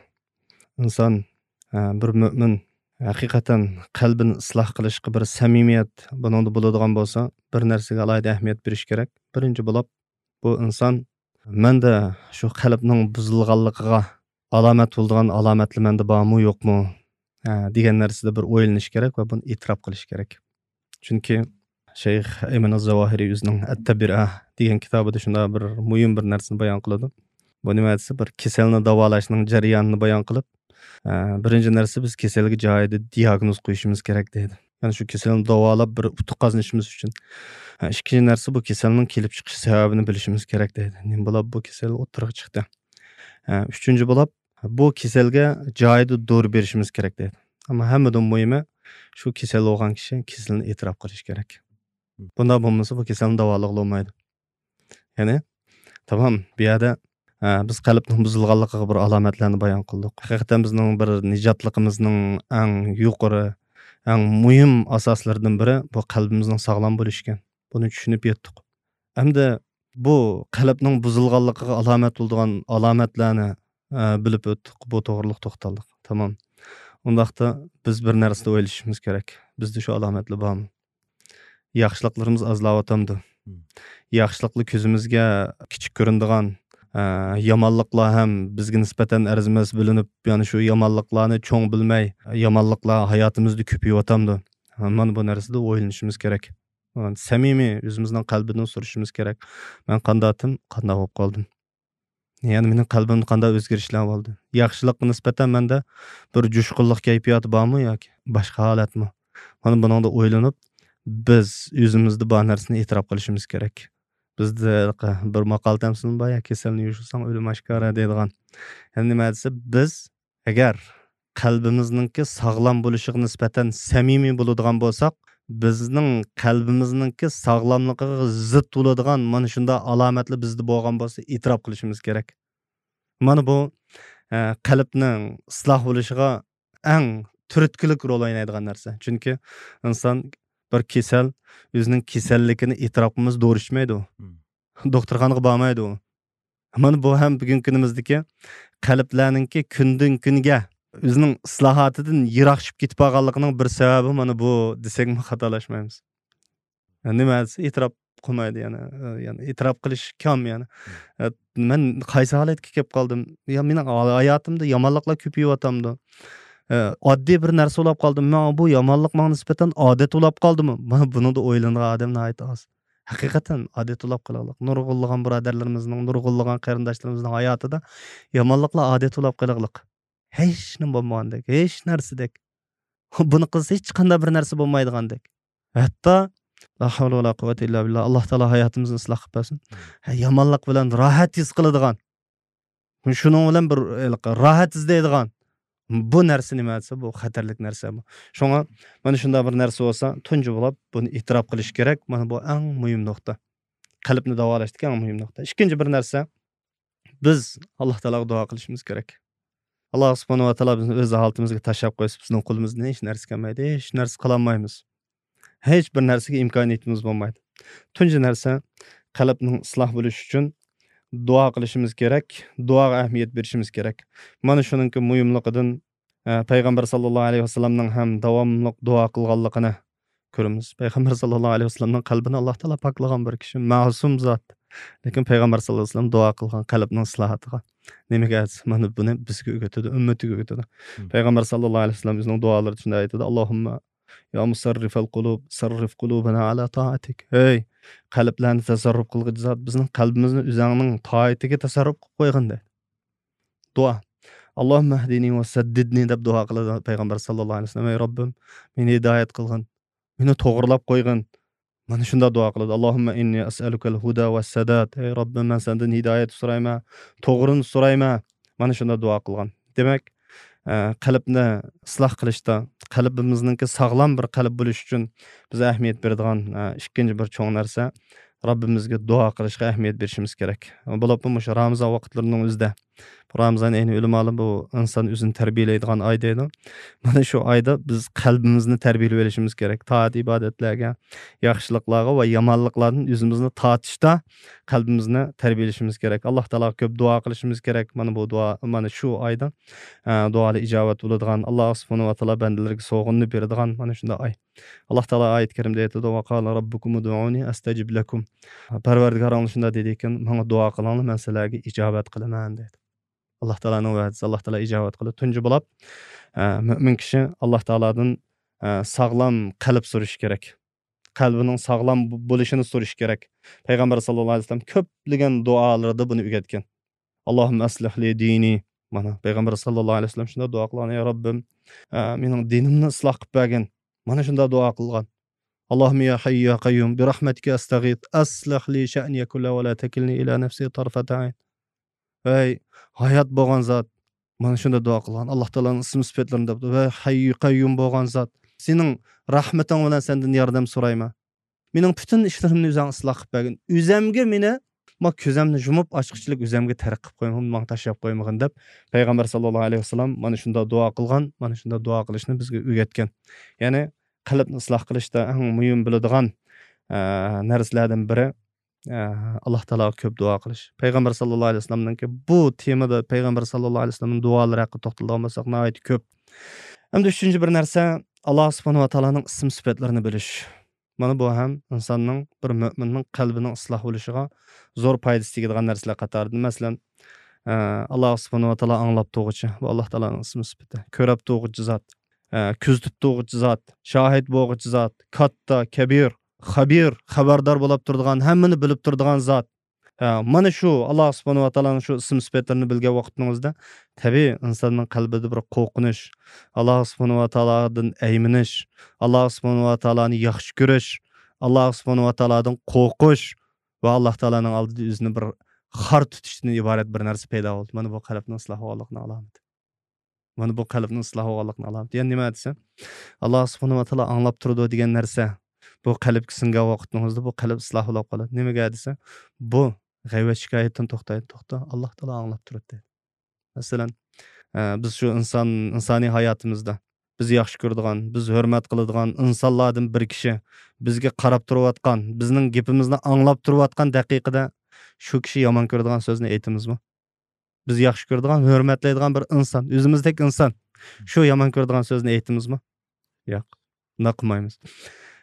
ئىنسان، ئە، بىر مۆمىن ھەقىقەتەن قەلبىنى ئىسلاھ قىلىشقا بىر سەمىمىيەت بۇنىڭدا بولىدىغان بولسا، بىر نەرسىگە ئالاھىدە ئەھمىيەت بېرىش كېرەك. بىرىنچى بولۇپ، بۇ ئىنسان، مەندە شۇ قەلبنىڭ بۇزۇلغانلىقىغا ئالامەت بولىدىغان ئالامەتلەر مەندە بارمۇ يوقمۇ، ئە، دېگەن نەرسىدە بىر ئويلىنىش كېرەك ۋە بۇنى ئېتىراپ قىلىش كېرەك. چۈنكى شەيخ ئەيمەن ئەز-زاۋاھىرى ئۆزىنىڭ ئەت-تەبرىئە دېگەن كىتابىدا شۇنداق بىر مۇھىم بىر نەرسىنى بايان قىلىدۇ. بۇ نېمە دېسە، بىر كېسەلنى داۋالاشنىڭ جەريانىنى بايان قىلىپ، ئە، بىرىنچى نەرسە، بىز كېسەلگە جايىدا دىياگنوز قويۇشىمىز كېرەك دەيدۇ. يەنى شۇ كېسەلنى داۋالاپ بىر ئۇتۇق قازىنىشىمىز ئۈچۈن. ئە، ئىككىنچى نەرسە، بۇ كېسەلنىڭ كېلىپ چىقىش سەۋەبىنى بىلىشىمىز كېرەك دەيدۇ. نېمە بولاپ بۇ كېسەل ئوتتۇرىغا چىقتى؟ ئە، ئۈچىنچى بولاپ، بۇ كېسەلگە جايىدا دورا بېرىشىمىز كېرەك دەيدۇ. ئەمما ھەممىدىن مۇھىمى، شۇ كېسەل بولغان كىشى كېسىلىنى ئېتىراپ قىلىشى كېرەك. بۇنداق بولمىسا، بۇ كېسەلنى داۋالىغىلى بولمايدۇ. يەنى، تامام، بۇ يەردە، ئە، بىز قەلبنىڭ بۇزۇلغانلىقىغا بىر ئالامەتلەرنى بايان قىلدۇق. ھەقىقەتەن بىزنىڭ بىر نىجاتلىقىمىزنىڭ ئەڭ يۇقىرى، ئەڭ مۇھىم ئاساسلىرىدىن بىرى بۇ قەلبىمىزنىڭ ساغلام بولۇشى ئىكەن. بۇنى چۈشىنىپ يەتتۇق. ئەمدى بۇ قەلبنىڭ بۇزۇلغانلىقىغا ئالامەت بولىدىغان ئالامەتلەرنى، ئە، بىلىپ ئۆتتۇق، بۇ توغرىلىق توختالدۇق. تامام. ئۇنداقتا بىز بىر نەرسىنى ئويلىشىشىمىز كېرەك. بىزدە شۇ ئالامەتلەر بارمۇ؟ ياخشىلىقلىرىمىز ئازلاۋاتامدۇ؟ مم. ياخشىلىقلار كۆزىمىزگە كىچىك كۆرۈنىدىغان، ئە، يامانلىقلار ھەم بىزگە نىسبەتەن ئەرزىمەس بىلىنىپ، يەنى شۇ يامانلىقلارنى چوڭ بىلمەي، يامانلىقلار ھاياتىمىزدا كۆپىيىۋاتامدۇ؟ مانا بۇ نەرسىدە ئويلىنىشىمىز كېرەك. سەمىمىي ئۆزىمىزنىڭ قەلبىدىن سورىشىمىز كېرەك. مەن قانداقتىم، قانداق بولۇپ قالدىم؟ يەنى مېنىڭ قەلبىمدە قانداق ئۆزگىرىشلەر بولدى؟ ياخشىلىققا نىسبەتەن مەندە بىر جۇشقۇنلۇق كەيپىياتى بارمۇ ياكى باشقا ھالەتمۇ؟ مانا بۇنىڭدا ئويلىنىپ، بىز ئۆزىمىزدە بار نەرسىنى ئېتىراپ قىلىشىمىز كېرەك. بىزدە بىر ماقال تەمسىلمۇ بار يا، كېسەلنى يوشۇرساڭ ئۆلۈم ئاشكارا دەيدىغان. يەنى نېمە دېسە، بىز ئەگەر قەلبىمىزنىڭكى ساغلام بولۇشىغا نىسبەتەن سەمىمىي بولىدىغان بولساق، بىزنىڭ قەلبىمىزنىڭكى ساغلاملىقىغا زىت بولىدىغان مانا شۇنداق ئالامەتلەر بىزدە بولغان بولسا، ئېتىراپ قىلىشىمىز كېرەك. مانا بۇ، ئە، قەلبنىڭ ئىسلاھ بولۇشىغا ئەڭ تۈرتكىلىك رول ئوينايدىغان نەرسە. چۈنكى ئىنسان بىر كېسەل ئۆزىنىڭ كېسەللىكىنى ئېتىراپ قىلمىسا دورا ئىچمەيدۇ. دوختۇرخانىغا بارمايدۇ. مانا بۇ ھەم بۈگۈنكى كۈنىمىزدىكى قەلبلەرنىڭكى كۈندىن كۈنگە ئۆزىنىڭ ئىسلاھاتىدىن يىراقلىشىپ كېتىپ قالغانلىقىنىڭ بىر سەۋەبى مانا بۇ دېسەكمۇ خاتالاشمايمىز. نېمە دېسە ئېتىراپ قىلمايدۇ يەنە. يەنى ئېتىراپ قىلىش كام يەنى. مەن قايسى ھالەتكە كېلىپ قالدىم؟ يا مېنىڭ ھاياتىمدا يامانلىقلار كۆپىيىۋاتامدۇ؟ ئاددىي بىر نەرسە بولاپ قالدىمۇ؟ ماڭا بۇ يامانلىق ماڭا نىسبەتەن ئادەت بولاپ قالدىمۇ؟ مانا بۇنىڭدا ئويلىنىدىغان ئادەم ناھايىتى ئاز. ھەقىقەتەن ئادەت بولاپ قالغانلىق. نۇرغۇنلىغان بۇرادەرلىرىمىزنىڭ، نۇرغۇنلىغان قېرىنداشلىرىمىزنىڭ ھاياتىدا يامانلىقلار ئادەت بولاپ قالغانلىق. ھېچ نېمە بولمىغاندەك، ھېچ نەرسىدەك. بۇنى قىلسا ھېچقانداق بىر نەرسە بولمايدىغاندەك. ھەتتا لا ھەۋلە ۋە لا قۇۋۋەتە ئىللا بىللا، ئاللا تائالا ھاياتىمىزنى ئىسلاھ قىلىپ بەرسۇن. ھە، يامانلىق بىلەن راھەت ھېس قىلىدىغان، شۇنىڭ بىلەن بىر ھېلىقى راھەت ئىزدەيدىغان بۇ نەرسە نېمە دېسە، بۇ خەتەرلىك نەرسە بۇ. شۇڭا مانا شۇنداق بىر نەرسە بولسا، تۇنجى بولۇپ بۇنى ئېتىراپ قىلىش كېرەك. مانا بۇ ئەڭ مۇھىم نۇقتا. قەلبنى داۋالاشتىكى ئەڭ مۇھىم نۇقتا. ئىككىنچى بىر نەرسە، بىز ئاللا تائالاغا دۇئا قىلىشىمىز كېرەك. ئاللا سۇبھانەھۇ ۋە تائالا بىزنى ئۆز ھالىتىمىزگە تاشلاپ قويسا، بىزنىڭ قولىمىزدىن ھېچ نەرسە كەلمەيدۇ، ھېچ نەرسە قىلالمايمىز. ھېچ بىر نەرسىگە ئىمكانىيىتىمىز بولمايدۇ. تۇنجى نەرسە، قەلبنىڭ ئىسلاھ بولۇشى ئۈچۈن دۇئا قىلىشىمىز كېرەك، دۇئاغا ئەھمىيەت بېرىشىمىز كېرەك. مانا شۇنىڭكى مۇھىملىقىدىن، ئە، پەيغەمبەر ساللاللاھۇ ئەلەيھى ۋەسەللەمنىڭ ھەم داۋاملىق دۇئا قىلغانلىقىنى كۆرىمىز. پەيغەمبەر ساللاللاھۇ ئەلەيھى ۋەسەللەمنىڭ قەلبىنى ئاللا تائالا پاكلىغان بىر كىشى، مەسۇم زات. لېكىن پەيغەمبەر ساللاللاھۇ ئەلەيھى ۋەسەللەم دۇئا قىلغان قەلبنىڭ ئىسلاھاتىغا. نېمىگە دېسە، مانا بۇنى بىزگە ئۆگىتىدۇ، ئۈممىتىگە ئۆگىتىدۇ. مم. پەيغەمبەر ساللاللاھۇ ئەلەيھى ۋەسەللەم ئۆزىنىڭ دۇئالىرىدا شۇنداق ئېيتىدۇ، ئاللاھۇمما يا مۇسەررىفەل قۇلۇب، سەررىف قۇلۇبەنا ئەلا تائەتىك. ھەي، قەلبلەرنى تەسەررۇپ قىلغۇچى زات، بىزنىڭ قەلبىمىزنى ئۆزۈڭنىڭ تائىتىگە تەسەررۇپ قىلىپ قويغىن، دەيدۇ. دۇئا. ئاللاھۇمما ئەھدىنى ۋە سەددىدنى دەپ دۇئا قىلىدۇ پەيغەمبەر ساللاللاھۇ ئەلەيھى ۋەسەللەم. ئەي رەببىم، مېنى ھىدايەت قىلغىن، مېنى توغرىلاپ قويغىن. مانا شۇنداق دۇئا قىلىدۇ. ئاللاھۇمما ئىننى ئەسئەلۇكەل ھۇدا ۋە سەداد. ئەي رەببىم، مەن سەندىن ھىدايەت سورايمەن، توغرىنى سورايمەن. مانا شۇنداق دۇئا قىلغان. دېمەك، ئە، قەلبنى ئىسلاھ قىلىشتا، قەلبىمىزنىڭكى ساغلام بىر قەلب بولۇشى ئۈچۈن بىز ئەھمىيەت بېرىدىغان، ئە، ئىككىنچى بىر چوڭ نەرسە، رەببىمىزگە دۇئا قىلىشقا ئەھمىيەت بېرىشىمىز كېرەك. بولۇپمۇ مۇشۇ رامىزان ۋاقىتلىرىنىڭ ئۆزىدە. رامىزان ئېيىنى ئۆلىمالار بۇ ئىنسان ئۆزىنى تەربىيەلەيدىغان ئاي دەيدۇ. مانا شۇ ئايدا بىز قەلبىمىزنى تەربىيەلىۋېلىشىمىز كېرەك. تائەت ئىبادەتلەرگە، ياخشىلىقلارغا ۋە يامانلىقلاردىن ئۆزىمىزنى تارتىشتا قەلبىمىزنى تەربىيەلىشىمىز كېرەك. ئاللا تائالاغا كۆپ دۇئا قىلىشىمىز كېرەك. مانا بۇ دۇئا، مانا شۇ ئايدا، ئە، دۇئالار ئىجابەت بولىدىغان، ئاللا سۇبھانەھۇ ۋە تائالا بەندىلىرىگە سوغۇننى بېرىدىغان مانا شۇنداق ئاي. ئاللا تائالا ئايەت كەرىمدە ئېيتىدۇ، ۋە قالە رەببۇكۇم ئۇدئۇنى ئەستەجىب لەكۇم. پەرۋەردىگارىڭلار شۇنداق دېدىكەن، ماڭا دۇئا قىلىڭلار، مەن سىلەرگە ئىجابەت قىلىمەن، دەيدۇ. ئاللا تائالانىڭ ۋەدىسى، ئاللا تائالا ئىجابەت قىلىدۇ. تۇنجى بولاپ، ئە، مۆمىن كىشى ئاللا تائالادىن، ئە، ساغلام قەلب سورىشى كېرەك. قەلبىنىڭ ساغلام بو-، بولۇشىنى سورىشى كېرەك. پەيغەمبەر ساللاللاھۇ ئەلەيھى ۋەسەللەم كۆپلىگەن دۇئالىرىدا بۇنى ئۆگەتكەن. ئاللاھۇممە ئەسلىھ لى دىنى. مانا، پەيغەمبەر ساللاللاھۇ ئەلەيھى ۋەسەللەم شۇنداق دۇئا قىلغان، يا رەببىم، ئە، مېنىڭ دىنىمنى ئىسلاھ قىلىپ بەرگىن. مانا شۇنداق دۇئا قىلغان. ئاللاھۇممە يا ھەييۇ يا قەييۇم، بىرەھمەتىكە ئەستەغىس، ئەسلىھ لى شەئنىيە كۇللەھۇ ۋە لا تەكىلنى ئىلا نەفسى تارفەتە ئەين. ئەي ھايات بولغان زات، مانا شۇنداق دۇئا قىلغان. ئاللا تائالانىڭ ئىسىم سۈپەتلىرىنى دەپتۇ. ۋەي ھەييۇ قەييۇم بولغان زات، سېنىڭ رەھمىتىڭ بىلەن سەندىن ياردەم سورايمەن. مېنىڭ پۈتۈن ئىشلىرىمنى ئۆزۈڭ ئىسلاھ قىلىپ بەرگىن. ئۆزەمگە مېنى، ما كۆزەمنى يۇمۇپ ئاچقۇچىلىك ئۆزەمگە تەرك قىلىپ قويمىغىن، ماڭا تاشلاپ قويمىغىن دەپ پەيغەمبەر ساللاللاھۇ ئەلەيھى ۋەسەللەم مانا شۇنداق دۇئا قىلغان، مانا شۇنداق دۇئا قىلىشنى بىزگە ئۆگەتكەن. يەنى قەلبنى ئىسلاھ قىلىشتا ئەڭ مۇھىم بىلىدىغان، ئە، نەرسىلەردىن بىرى، ئە، ئاللا تائالاغا كۆپ دۇئا قىلىش. پەيغەمبەر ساللاللاھۇ ئەلەيھى ۋەسەللەمنىڭكى بۇ تېمىدا پەيغەمبەر ساللاللاھۇ ئەلەيھى ۋەسەللەمنىڭ دۇئالىرى ھەققىدە توختىلىدىغان بولساق ناھايىتى كۆپ. ئەمدى ئۈچىنچى بىر نەرسە، ئاللا سۇبھانەھۇ ۋە تائالانىڭ ئىسىم سۈپەتلىرىنى بىلىش. مانا بۇ ھەم ئىنساننىڭ، بىر مۆمىننىڭ قەلبىنىڭ ئىسلاھ بولۇشىغا زور پايدىسى تېگىدىغان نەرسىلەر قاتارىدىن. مەسىلەن، ئە، ئاللا سۇبھانەھۇ ۋە تائالا ئاڭلاپ تۇرغۇچى، بۇ ئاللا تائالانىڭ ئىسمى سۈپىتى. كۆرەپ تۇرغۇچى زات، ئە، كۆزىتىپ تۇرغۇچى زات، شاھىت بولغۇچى زات، كاتتا، كەبىر، خەبىر، خەۋەردار بولاپ تۇرىدىغان، ھەممىنى بىلىپ تۇرىدىغان زات. ھە، مانا شۇ ئاللا سۇبھانەھۇ ۋە تائالانىڭ شۇ ئىسىم سۈپەتلىرىنى بىلگەن ۋاقتىڭىزدا، تەبىئىي ئىنساننىڭ قەلبىدە بىر قورقۇنچ، ئاللا سۇبھانەھۇ ۋە تائالادىن ئەيمىنىش، ئاللا سۇبھانەھۇ ۋە تائالانى ياخشى كۆرۈش، ئاللا سۇبھانەھۇ ۋە تائالادىن قورقۇش ۋە ئاللا تائالانىڭ ئالدىدا ئۆزىنى بىر خار تۇتۇشتىن ئىبارەت بىر نەرسە پەيدا بولدى. مانا بۇ قەلبنىڭ ئىسلاھ بولغانلىقىنىڭ ئالامىتى. مانا بۇ قەلبنىڭ ئىسلاھ بولغانلىقىنىڭ ئالامىتى. يەنى نېمە دېسە، ئاللا سۇبھانەھۇ ۋە تائالا ئاڭلاپ تۇرىدۇ دېگەن نەرسە، بۇ قەلبكە سىڭگەن ۋاقىتىڭىزدا بۇ قەلب ئىسلاھ بولاپ قالىدۇ. نېمىگە دېسە، بۇ غەيۋەت شىكايەتتىن توختايدۇ، توختا، ئاللا تائالا ئاڭلاپ تۇرىدۇ دەيدۇ. مەسىلەن، ئە، بىز شۇ ئىنسان، ئىنسانىي ھاياتىمىزدا بىز ياخشى كۆرىدىغان، بىز ھۆرمەت قىلىدىغان ئىنسانلاردىن بىر كىشى بىزگە قاراپ تۇرۇۋاتقان، بىزنىڭ گېپىمىزنى ئاڭلاپ تۇرۇۋاتقان دەقىقىدە شۇ كىشى يامان كۆرىدىغان سۆزنى ئېيتىمىزمۇ؟ بىز ياخشى كۆرىدىغان، ھۆرمەتلەيدىغان بىر ئىنسان، ئۆزىمىزدەك ئىنسان، شۇ يامان كۆرىدىغان سۆزنى ئېيتىمىزمۇ؟ ياق، ئۇنداق قىلمايمىز.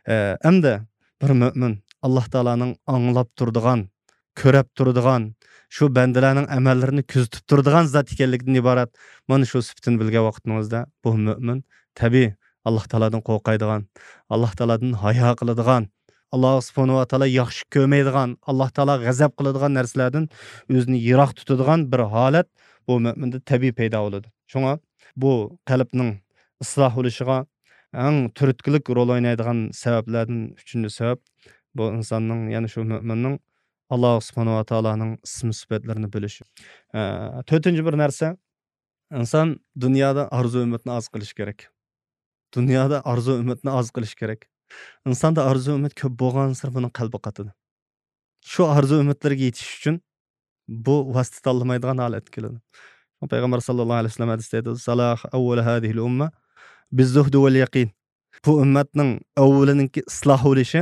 ئە، ئەمدى بىر مۆمىن ئاللاھ تائالانىڭ ئاڭلاپ تۇرىدىغان، كۆرەپ تۇرىدىغان، شۇ بەندىلەرنىڭ ئەمەللىرىنى كۆزىتىپ تۇرىدىغان زات ئىكەنلىكىدىن ئىبارەت. مانا شۇ سۈپىتىنى بىلگەن ۋاقتىڭىزدا بۇ مۆمىن تەبىئىي ئاللاھ تائالادىن قورقايدىغان، ئاللاھ تائالادىن ھايا قىلىدىغان، ئاللاھ سۇبھانەھۇ ۋە تائالا ياخشى كۆرمەيدىغان، ئاللاھ تائالا غەزەپ قىلىدىغان نەرسىلەردىن ئۆزىنى يىراق تۇتىدىغان بىر ھالەت بۇ مۆمىندە تەبىئىي پەيدا بولىدۇ. شۇڭا بۇ قەلبنىڭ ئىسلاھ بولۇشىغا ئەڭ تۈرتكىلىك رول ئوينايدىغان سەۋەبلەردىن ئۈچىنچى سەۋەب، بۇ ئىنساننىڭ، يەنى شۇ مۆمىننىڭ ئاللاھ سۇبھانەھۇ ۋە تائالانىڭ ئىسىم سۈپەتلىرىنى بىلىشى. ئە، تۆتىنچى بىر نەرسە، ئىنسان دۇنيادا ئارزۇ ئۈمىدنى ئاز قىلىش كېرەك. دۇنيادا ئارزۇ ئۈمىدنى ئاز قىلىش كېرەك. ئىنساندا ئارزۇ ئۈمىد كۆپ بولغانسېرى بۇنىڭ قەلبى قاتىدۇ. شۇ ئارزۇ ئۈمىدلىرىگە يېتىش ئۈچۈن بۇ ۋاسىتە تاللىمايدىغان ھالەتكە كېلىدۇ. پەيغەمبەر ساللاللاھۇ ئەلەيھى ۋەسەللەم ھەدىستە ئېيتىدۇ، سالاھ ئەۋۋەلى ھازىھىل ئۇممە بىززۇھدى ۋەل يەقىن. بۇ ئۈممەتنىڭ ئەۋۋىلىنىڭكى ئىسلاھ بولۇشى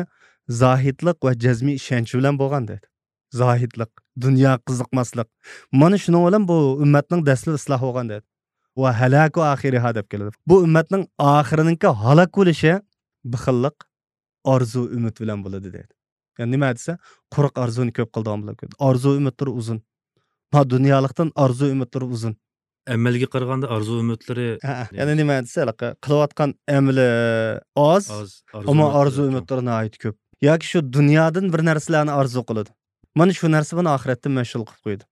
زاھىدلىق ۋە جەزمىي ئىشەنچ بىلەن بولغان دەيدۇ. زاھىدلىق، دۇنياغا قىزىقماسلىق. مانا شۇنىڭ بىلەن بۇ ئۈممەتنىڭ دەسلىپى ئىسلاھ بولغان دەيدۇ. ۋە ھالاكۇ ئاخىرىھا دەپ كېلىدۇ. بۇ ئۈممەتنىڭ ئاخىرىنىڭكى ھالاك بولۇشى بېخىللىق، ئارزۇ ئۈمىد بىلەن بولىدۇ دەيدۇ. يەنى نېمە دېسە، قۇرۇق ئارزۇنى كۆپ قىلىدىغان بولىدۇ. ئارزۇ ئۈمىدلىرى ئۇزۇن. ما دۇنيالىقتىن ئارزۇ ئۈمىدلىرى ئۇزۇن. ئەمەلگە قارىغاندا ئارزۇ ئۈمىدلىرى ھە، يەنى نېمە دېسە، ھېلىقى قىلىۋاتقان ئەمىلى ئاز، ئاز، ئارزۇ ئەمما ئارزۇ ئۈمىدلىرى ئۈمىدلىرى ناھايىتى كۆپ. ياكى شۇ دۇنيادىن بىر نەرسىلەرنى ئارزۇ قىلىدۇ. مانا شۇ نەرسە بۇنى ئاخىرەتتىن مەشغۇل قىلىپ قويىدۇ.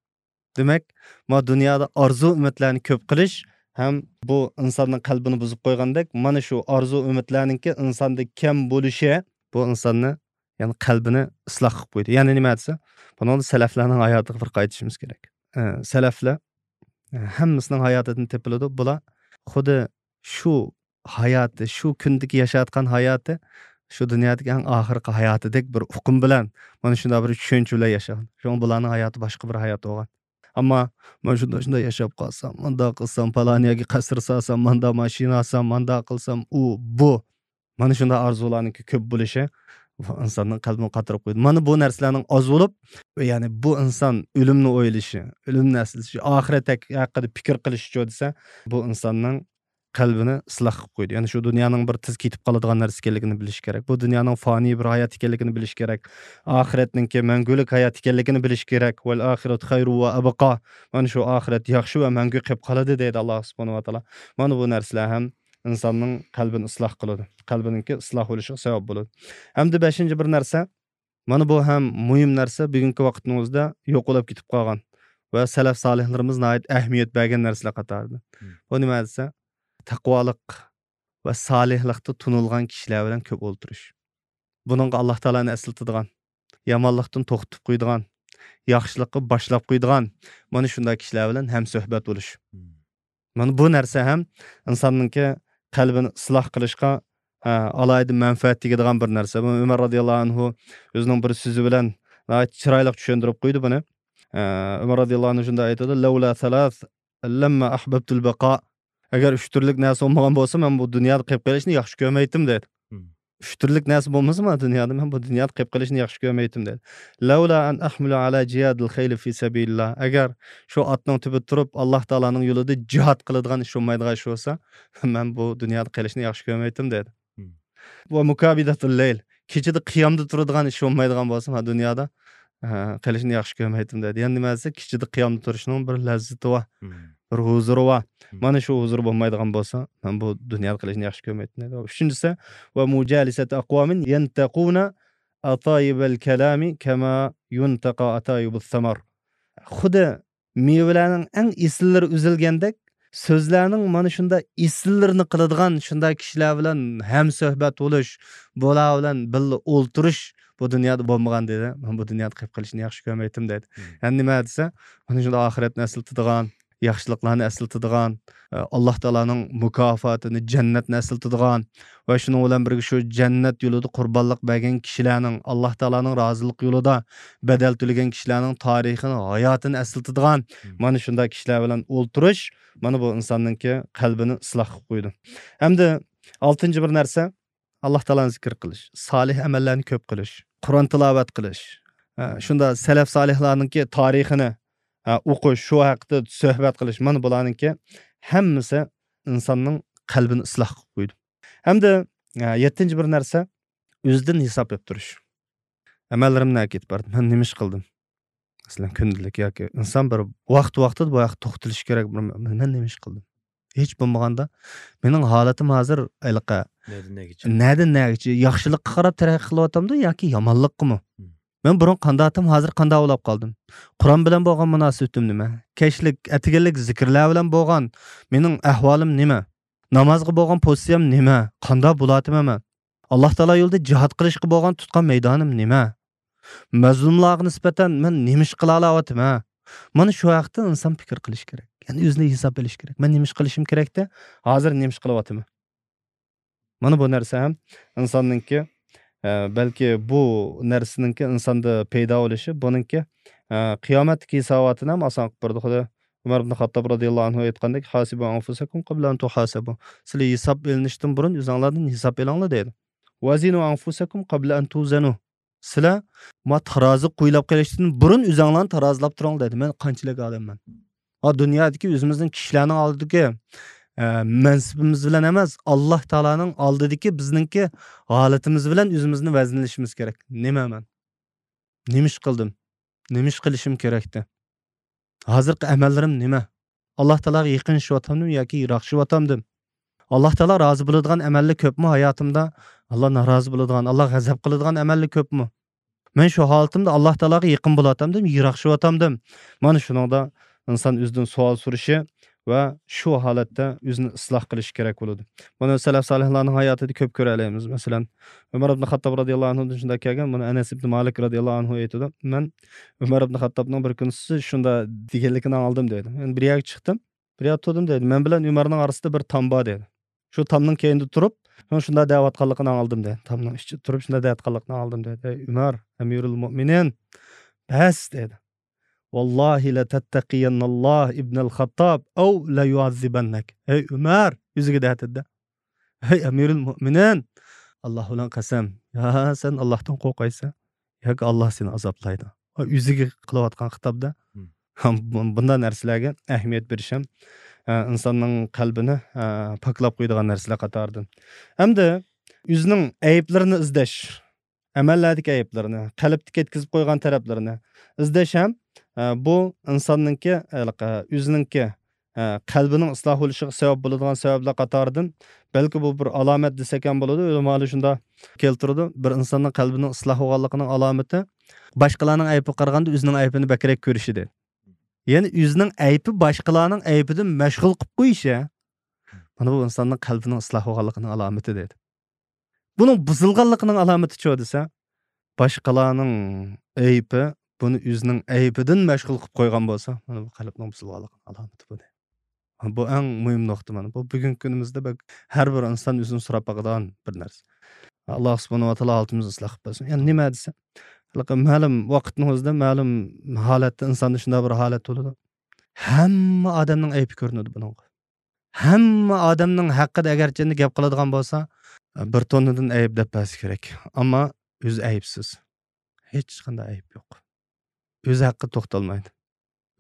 دېمەك، ما دۇنيادا ئارزۇ ئۈمىدلەرنى كۆپ قىلىش ھەم بۇ ئىنساننىڭ قەلبىنى بۇزۇپ قويغاندەك، مانا شۇ ئارزۇ ئۈمىدلەرنىڭكى ئىنساندا كەم بولۇشى بۇ ئىنساننى، يەنى قەلبىنى ئىسلاھ قىلىپ قويدى. يەنى نېمە دېسە، بۇنىڭدا سەلەفلەرنىڭ ھاياتىغا بىر قايتىشىمىز كېرەك. ئە، سەلەفلەر، ئە، ھەممىسىنىڭ ھاياتىدىن تېپىلىدۇ. بۇلار خۇددى شۇ ھاياتى، شۇ كۈندىكى ياشاۋاتقان ھاياتى شۇ دۇنيادىكى ئەڭ ئاخىرقى ھاياتىدەك بىر ئۇقۇم بىلەن، مانا شۇنداق بىر چۈشەنچە بىلەن ياشىغان. شۇڭا بۇلارنىڭ ھاياتى باشقا بىر ھايات بولغان. ئەمما مانا شۇنداق، شۇنداق ياشاپ قالسام، مۇنداق قىلسام، پالان يەرگە قەسىر سالسام، ماندا ماشىنا ئالسام، ماندا قىلسام، ئۇ، بۇ. مانا شۇنداق ئارزۇلارنىڭكى كۆپ بولۇشى بۇ ئىنساننىڭ قەلبىنى قاتۇرۇپ قويىدۇ. مانا بۇ نەرسىلەرنىڭ ئاز بولۇپ، يەنى بۇ ئىنسان ئۆلۈمنى ئويلىشى، ئۆلۈمنى ئەسلىشى، ئاخىرەت ھەق-، ھەققىدە پىكىر قىلىشىچۇ دېسە، بۇ ئىنساننىڭ قەلبىنى ئىسلاھ قىلىپ قويىدۇ. يەنى شۇ دۇنيانىڭ بىر تېز كېتىپ قالىدىغان نەرسە ئىكەنلىكىنى بىلىش كېرەك. بۇ دۇنيانىڭ فانىي بىر ھايات ئىكەنلىكىنى بىلىش كېرەك. ئاخىرەتنىڭكى مەڭگۈلۈك ھايات ئىكەنلىكىنى بىلىش كېرەك. ۋەل ئاخىرەتۇ خەيرۇ ۋە ئەبقا. مانا شۇ ئاخىرەت ياخشى ۋە مەڭگۈ قېلىپ قالىدۇ دەيدۇ ئاللاھ سۇبھانەھۇ ۋە تائالا. مانا بۇ نەرسىلەر ھەم ئىنساننىڭ قەلبىنى ئىسلاھ قىلىدۇ. قەلبىنىڭكى ئىسلاھ بولۇشىغا سەۋەب بولىدۇ. ھەمدە بەشىنچى بىر نەرسە، مانا بۇ ھەم مۇھىم نەرسە، بۈگۈنكى ۋاقىتنىڭ ئۆزىدە يوقىلىپ كېتىپ قالغان ۋە سەلەف سالىھلىرىمىز ناھايىتى ئەھمىيەت بەرگەن نەرسىلەر قاتارىدىن. مم. بۇ نېمە دېسە، تەقۋالىق ۋە سالىھلىقتا تونۇلغان كىشىلەر بىلەن كۆپ ئولتۇرۇش. بۇنىڭغا ئاللاھ تائالانى ئەسلىتىدىغان، يامانلىقتىن توختىتىپ قويىدىغان، ياخشىلىققا باشلاپ قويىدىغان، مانا شۇنداق كىشىلەر بىلەن ھەمسۆھبەت بولۇش. مم. مانا بۇ نەرسە ھەم ئىنساننىڭكى قەلبىنى ئىسلاھ قىلىشقا، ھە، ئالاھىدە مەنپەئەت تېگىدىغان بىر نەرسە. بۇ ئۆمەر رازىياللاھۇ ئەنھۇ ئۆزىنىڭ بىر سۆزى بىلەن ناھايىتى چىرايلىق چۈشەندۈرۈپ قويدى بۇنى. ئە، ئۆمەر رازىياللاھۇ ئەنھۇ شۇنداق ئېيتىدۇ، لەۋلا سالاس لەمما ئەھبەبتۇل بەقا. ئەگەر ئۈچ تۈرلۈك نەرسە بولمىغان بولسا، مەن بۇ دۇنيادا قېلىپ قېلىشنى ياخشى كۆرمەيتتىم، دەيدۇ. مم. ئۈچ تۈرلۈك نەرسە بولمىسىمۇ دۇنيادا، مەن بۇ دۇنيادا قېلىپ قېلىشنى ياخشى كۆرمەيتتىم، دەيدۇ. لەۋلا ئەن ئەھمىلە ئەلا جىيادىل خەيلى فى سەبىلىللا. ئەگەر شۇ ئاتنىڭ تۈپىدە تۇرۇپ، ئاللاھ تائالانىڭ يولىدا جىھاد قىلىدىغان ئىش بولمايدىغان ئىش بولسا، مەن بۇ دۇنيادا قېلىشنى ياخشى كۆرمەيتتىم، دەيدۇ. مم. ۋە مۇكابىدەتۇل لەيل. كېچىدە قىيامدا تۇرىدىغان ئىش بولمايدىغان بولسا، مەن دۇنيادا، ھە، قېلىشنى ياخشى كۆرمەيتتىم، دەيدۇ. يەنى نېمە دېسە، كېچىدە قىيامدا تۇرۇشنىڭ بىر لەززىتى بار، مم. بىر ھۇزۇرى بار. مم. مانا شۇ ھۇزۇر بولمايدىغان بولسا، مەن بۇ دۇنيادا قېلىشنى ياخشى كۆرمەيتتىم، دەيدۇ. ئۈچىنچىسى، ۋە مۇجالىسەتۇ ئەقۋامىن يەنتەقۇنە ئاتايىبەل كەلامى كەما يۇنتەقا ئاتايىبۇس سەمەر. خۇددى مېۋىلەرنىڭ ئەڭ ئېسىللىرى ئۈزۈلگەندەك، سۆزلەرنىڭ مانا شۇنداق ئېسىللىرىنى قىلىدىغان شۇنداق كىشىلەر بىلەن ھەمسۆھبەت بولۇش، بۇلار بىلەن بىللە ئولتۇرۇش بۇ دۇنيادا بولمىغان، دېدى. مەن بۇ دۇنيادا قېلىپ قېلىشنى ياخشى كۆرمەيتتىم، دېدى. مم. يەنى نېمە دېسە، مانا شۇنداق ئاخىرەتنى ئەسلىتىدىغان، ياخشىلىقلارنى ئەسلىتىدىغان، ئاللا تائالانىڭ مۇكاپاتىنى، جەننەتنى ئەسلىتىدىغان ۋە شۇنىڭ بىلەن بىرگە شۇ جەننەت يولىدا قۇربانلىق بەرگەن كىشىلەرنىڭ، ئاللا تائالانىڭ رازىلىقى يولىدا بەدەل تۆلىگەن كىشىلەرنىڭ تارىخىنى، ھاياتىنى ئەسلىتىدىغان مانا شۇنداق كىشىلەر بىلەن ئولتۇرۇش، مانا بۇ ئىنساننىڭكى قەلبىنى ئىسلاھ قىلىپ قويىدۇ. ئەمدى ئالتىنچى بىر نەرسە، ئاللا تائالانى زىكىر قىلىش، سالىھ ئەمەللەرنى كۆپ قىلىش، قۇرئان تىلاۋەت قىلىش، ھە، شۇنداق سەلەف سالىھلارنىڭكى تارىخىنى، ھە، ئوقۇش، شۇ ھەقتە سۆھبەت قىلىش، مانا بۇلارنىڭكى ھەممىسى ئىنساننىڭ قەلبىنى ئىسلاھ قىلىپ قويىدۇ. ھەمدە، ھە، يەتتىنچى بىر نەرسە، ئۆزىدىن ھېساب بېرىپ تۇرۇش. ئەمەللىرىم نەگە كېتىپ باردى؟ مەن نېمە ئىش قىلدىم؟ مەسىلەن، كۈندىلىك ياكى ئىنسان بىر ۋاقىت-ۋاقتىدا بۇ ھەقتە توختىلىشى كېرەك، بىر مەن نېمە ئىش قىلدىم؟ ھېچ بولمىغاندا مېنىڭ ھالىتىم ھازىر ھېلىقى نەدىن نەگىچە؟ نەدىن نەگىچە؟ ياخشىلىققا قاراپ تەرەققىي قىلىۋاتامدۇ ياكى يامانلىققىمۇ؟ مم. مەن بۇرۇن قانداق ئىدىم، ھازىر قانداق بولاپ قالدىم؟ قۇرئان بىلەن بولغان مۇناسىۋىتىم نېمە؟ كەچلىك، ئەتىگەنلىك زىكىرلەر بىلەن بولغان مېنىڭ ئەھۋالىم نېمە؟ نامازغا بولغان پوزىتسىيەم نېمە؟ قانداق بولاتىمەن مەن؟ ئاللا تائالا يولىدا جىھاد قىلىشقا بولغان تۇتقان مەيدانىم نېمە؟ مەزلۇملارغا نىسبەتەن مەن نېمە ئىش قىلالاۋاتىمەن؟ مانا شۇ ھەقتە ئىنسان پىكىر قىلىشى كېرەك. يەنى ئۆزىنى ھېساب بېرىشى كېرەك. مەن نېمە ئىش قىلىشىم كېرەكتى؟ ھازىر نېمە ئىش قىلىۋاتىمەن؟ مانا بۇ نەرسە ھەم ئىنساننىڭكى، ئە، بەلكى بۇ نەرسىنىڭكى ئىنساندا پەيدا بولۇشى، بۇنىڭكى، ئە، قىيامەتتىكى ھېساباتىنى ھەم ئاسان قىلىپ بېرىدۇ. خۇددى ئۆمەر ئىبن خاتتاب رازىياللاھۇ ئەنھۇ ئېيتقاندەك، «حاسبوا أنفسكم قبل أن تحاسبوا.» سىلەر ھېساب ئېلىنىشتىن بۇرۇن ئۆزۈڭلاردىن ھېساب ئېلىڭلار دەيدۇ. «وزنوا أنفسكم قبل أن توزنوا.» سىلەر ما تارازىغا قويۇلاپ قېلىشتىن بۇرۇن ئۆزۈڭلارنى تارازىلاپ تۇرۇڭلار دەيدۇ. مەن قانچىلىك ئادەممەن؟ ھا، دۇنيادىكى ئۆزىمىزنىڭ كىشىلەرنىڭ ئالدىدىكى، ئە، مەنسىپىمىز بىلەن ئەمەس، ئاللا تائالانىڭ ئالدىدىكى بىزنىڭكى ھالىتىمىز بىلەن ئۆزىمىزنى ۋەزىنلىشىمىز كېرەك. نېمە مەن؟ نېمە ئىش قىلدىم؟ نېمە ئىش قىلىشىم كېرەكتى؟ ھازىرقى ئەمەللىرىم نېمە؟ ئاللا تائالاغا يېقىنلىشىۋاتامدىم ياكى يىراقلىشىۋاتامدىم؟ ئاللا تائالا رازى بولىدىغان ئەمەللەر كۆپمۇ ھاياتىمدا؟ ئاللا نارازى بولىدىغان، ئاللا غەزەپ قىلىدىغان ئەمەللەر كۆپمۇ؟ مەن شۇ ھالىتىمدا ئاللا تائالاغا يېقىن بولاتامدىم، يىراقلىشىۋاتامدىم؟ مانا شۇنىڭدا ئىنسان ئۆزىدىن سوئال سورىشى ۋە شۇ ھالەتتە ئۆزىنى ئىسلاھ قىلىشى كېرەك بولىدۇ. بۇنى سەلەف سالىھلارنىڭ ھاياتىدا كۆپ كۆرەلەيمىز. مەسىلەن، ئۆمەر ئىبن خاتتاب رازىياللاھۇ ئەنھۇدىن شۇنداق كەلگەن، بۇنى ئەنەس ئىبن مالىك رازىياللاھۇ ئەنھۇ ئېيتىدۇ، مەن ئۆمەر ئىبن خاتتابنىڭ بىر كۈنى شۇنداق دېگەنلىكىنى ئاڭلىدىم دەيدۇ. يەنى بىر يەرگە چىقتىم، بىر يەردە تۇردۇم دەيدۇ. مەن بىلەن ئۆمەرنىڭ ئارىسىدا بىر تام بار دەيدۇ. شۇ تامنىڭ كەينىدە تۇرۇپ، شۇ شۇنداق دەۋاتقانلىقىنى ئاڭلىدىم دەيدۇ. تامنىڭ ئىچىدە تۇرۇپ شۇنداق دەۋاتقانلىقىنى ئاڭلىدىم دەيدۇ. ئەي ئۆمەر، ئەمىرۇل مۆمىنىن، بەس دەيدۇ. «ۋاللاھى لەتەتتەقىيەننەللاھ ئىبنەل خاتتاب ئەۋ لەيۇئەززىبەننەك.» ئەي ئۆمەر، ئۆزىگە دەتىدە. «ئەي ئەمىرۇل مۆمىنىن، ئاللا بىلەن قەسەم، يا سەن ئاللاھتىن قورقايسەن ياكى ئاللا سېنى ئازابلايدۇ.» ئۆزىگە قىلىۋاتقان خىتابدا. مم. بۇ-، بۇنداق نەرسىلەرگە ئەھمىيەت بېرىش ھەم، ئە، ئىنساننىڭ قەلبىنى، ئە، پاكلاپ قويىدىغان نەرسىلەر قاتارىدىن. ھەمدە ئۆزىنىڭ ئەيىبلىرىنى ئىزدەش، ئەمەللەردىكى ئەيىبلىرىنى، قەلبتە كەتكۈزۈپ قويغان تەرەپلىرىنى ئىزدەش ھەم، ئە، بۇ ئىنساننىڭكى، ھېلىقى، ئۆزىنىڭكى، ئە، قەلبىنىڭ ئىسلاھ بولۇشىغا سەۋەب بولىدىغان سەۋەبلەر قاتارىدىن، بەلكى بۇ بىر ئالامەت دېسەك ھەم بولىدۇ. ئۆلىمالار شۇنداق كەلتۈرىدۇ، بىر ئىنساننىڭ قەلبىنىڭ ئىسلاھ بولغانلىقىنىڭ ئالامىتى باشقىلارنىڭ ئەيىبىگە قارىغاندا ئۆزىنىڭ ئەيىبىنى بەكرەك كۆرۈشى دەيدۇ. يەنى ئۆزىنىڭ ئەيىبى باشقىلارنىڭ ئەيىبىدىن مەشغۇل قىلىپ قويۇشى، مانا بۇ ئىنساننىڭ قەلبىنىڭ ئىسلاھ بولغانلىقىنىڭ ئالامىتى دەيدۇ. بۇنىڭ بۇزۇلغانلىقىنىڭ ئالامىتىچۇ دېسە، باشقىلارنىڭ ئەيىبى بۇنى ئۆزىنىڭ ئەيىبىدىن مەشغۇل قىلىپ قويغان بولسا، مانا بۇ قەلبنىڭ بۇزۇلغانلىقىنىڭ ئالامىتى بۇ دەيدۇ. بۇ ئەڭ مۇھىم نۇقتا مانا. بۇ بۈگۈنكى كۈنىمىزدە بەك ھەر بىر ئىنسان ئۆزىنى سوراپ باقىدىغان بىر نەرسە. ئاللا سۇبھانەھۇ ۋە تائالا ھالىتىمىزنى ئىسلاھ قىلىپ بەرسۇن. يەنى نېمە دېسە، ھېلىقى مەلۇم ۋاقىتنىڭ ئۆزىدە مەلۇم ھالەتتە ئىنساندا شۇنداق بىر ھالەت بولىدۇ. ھەممە ئادەمنىڭ ئەيىبى كۆرۈنىدۇ بۇنىڭغا. ھەممە ئادەمنىڭ ھەققىدە ئەگەرچە ئەمدى گەپ قىلىدىغان بولسا، بىر توننىدىن ئەيىب دەپ بەرسە كېرەك. ئەمما ئۆزى ئەيىبسىز. ھېچقانداق ئەيىب يوق. ئۆزى ھەققىدە توختالمايدۇ.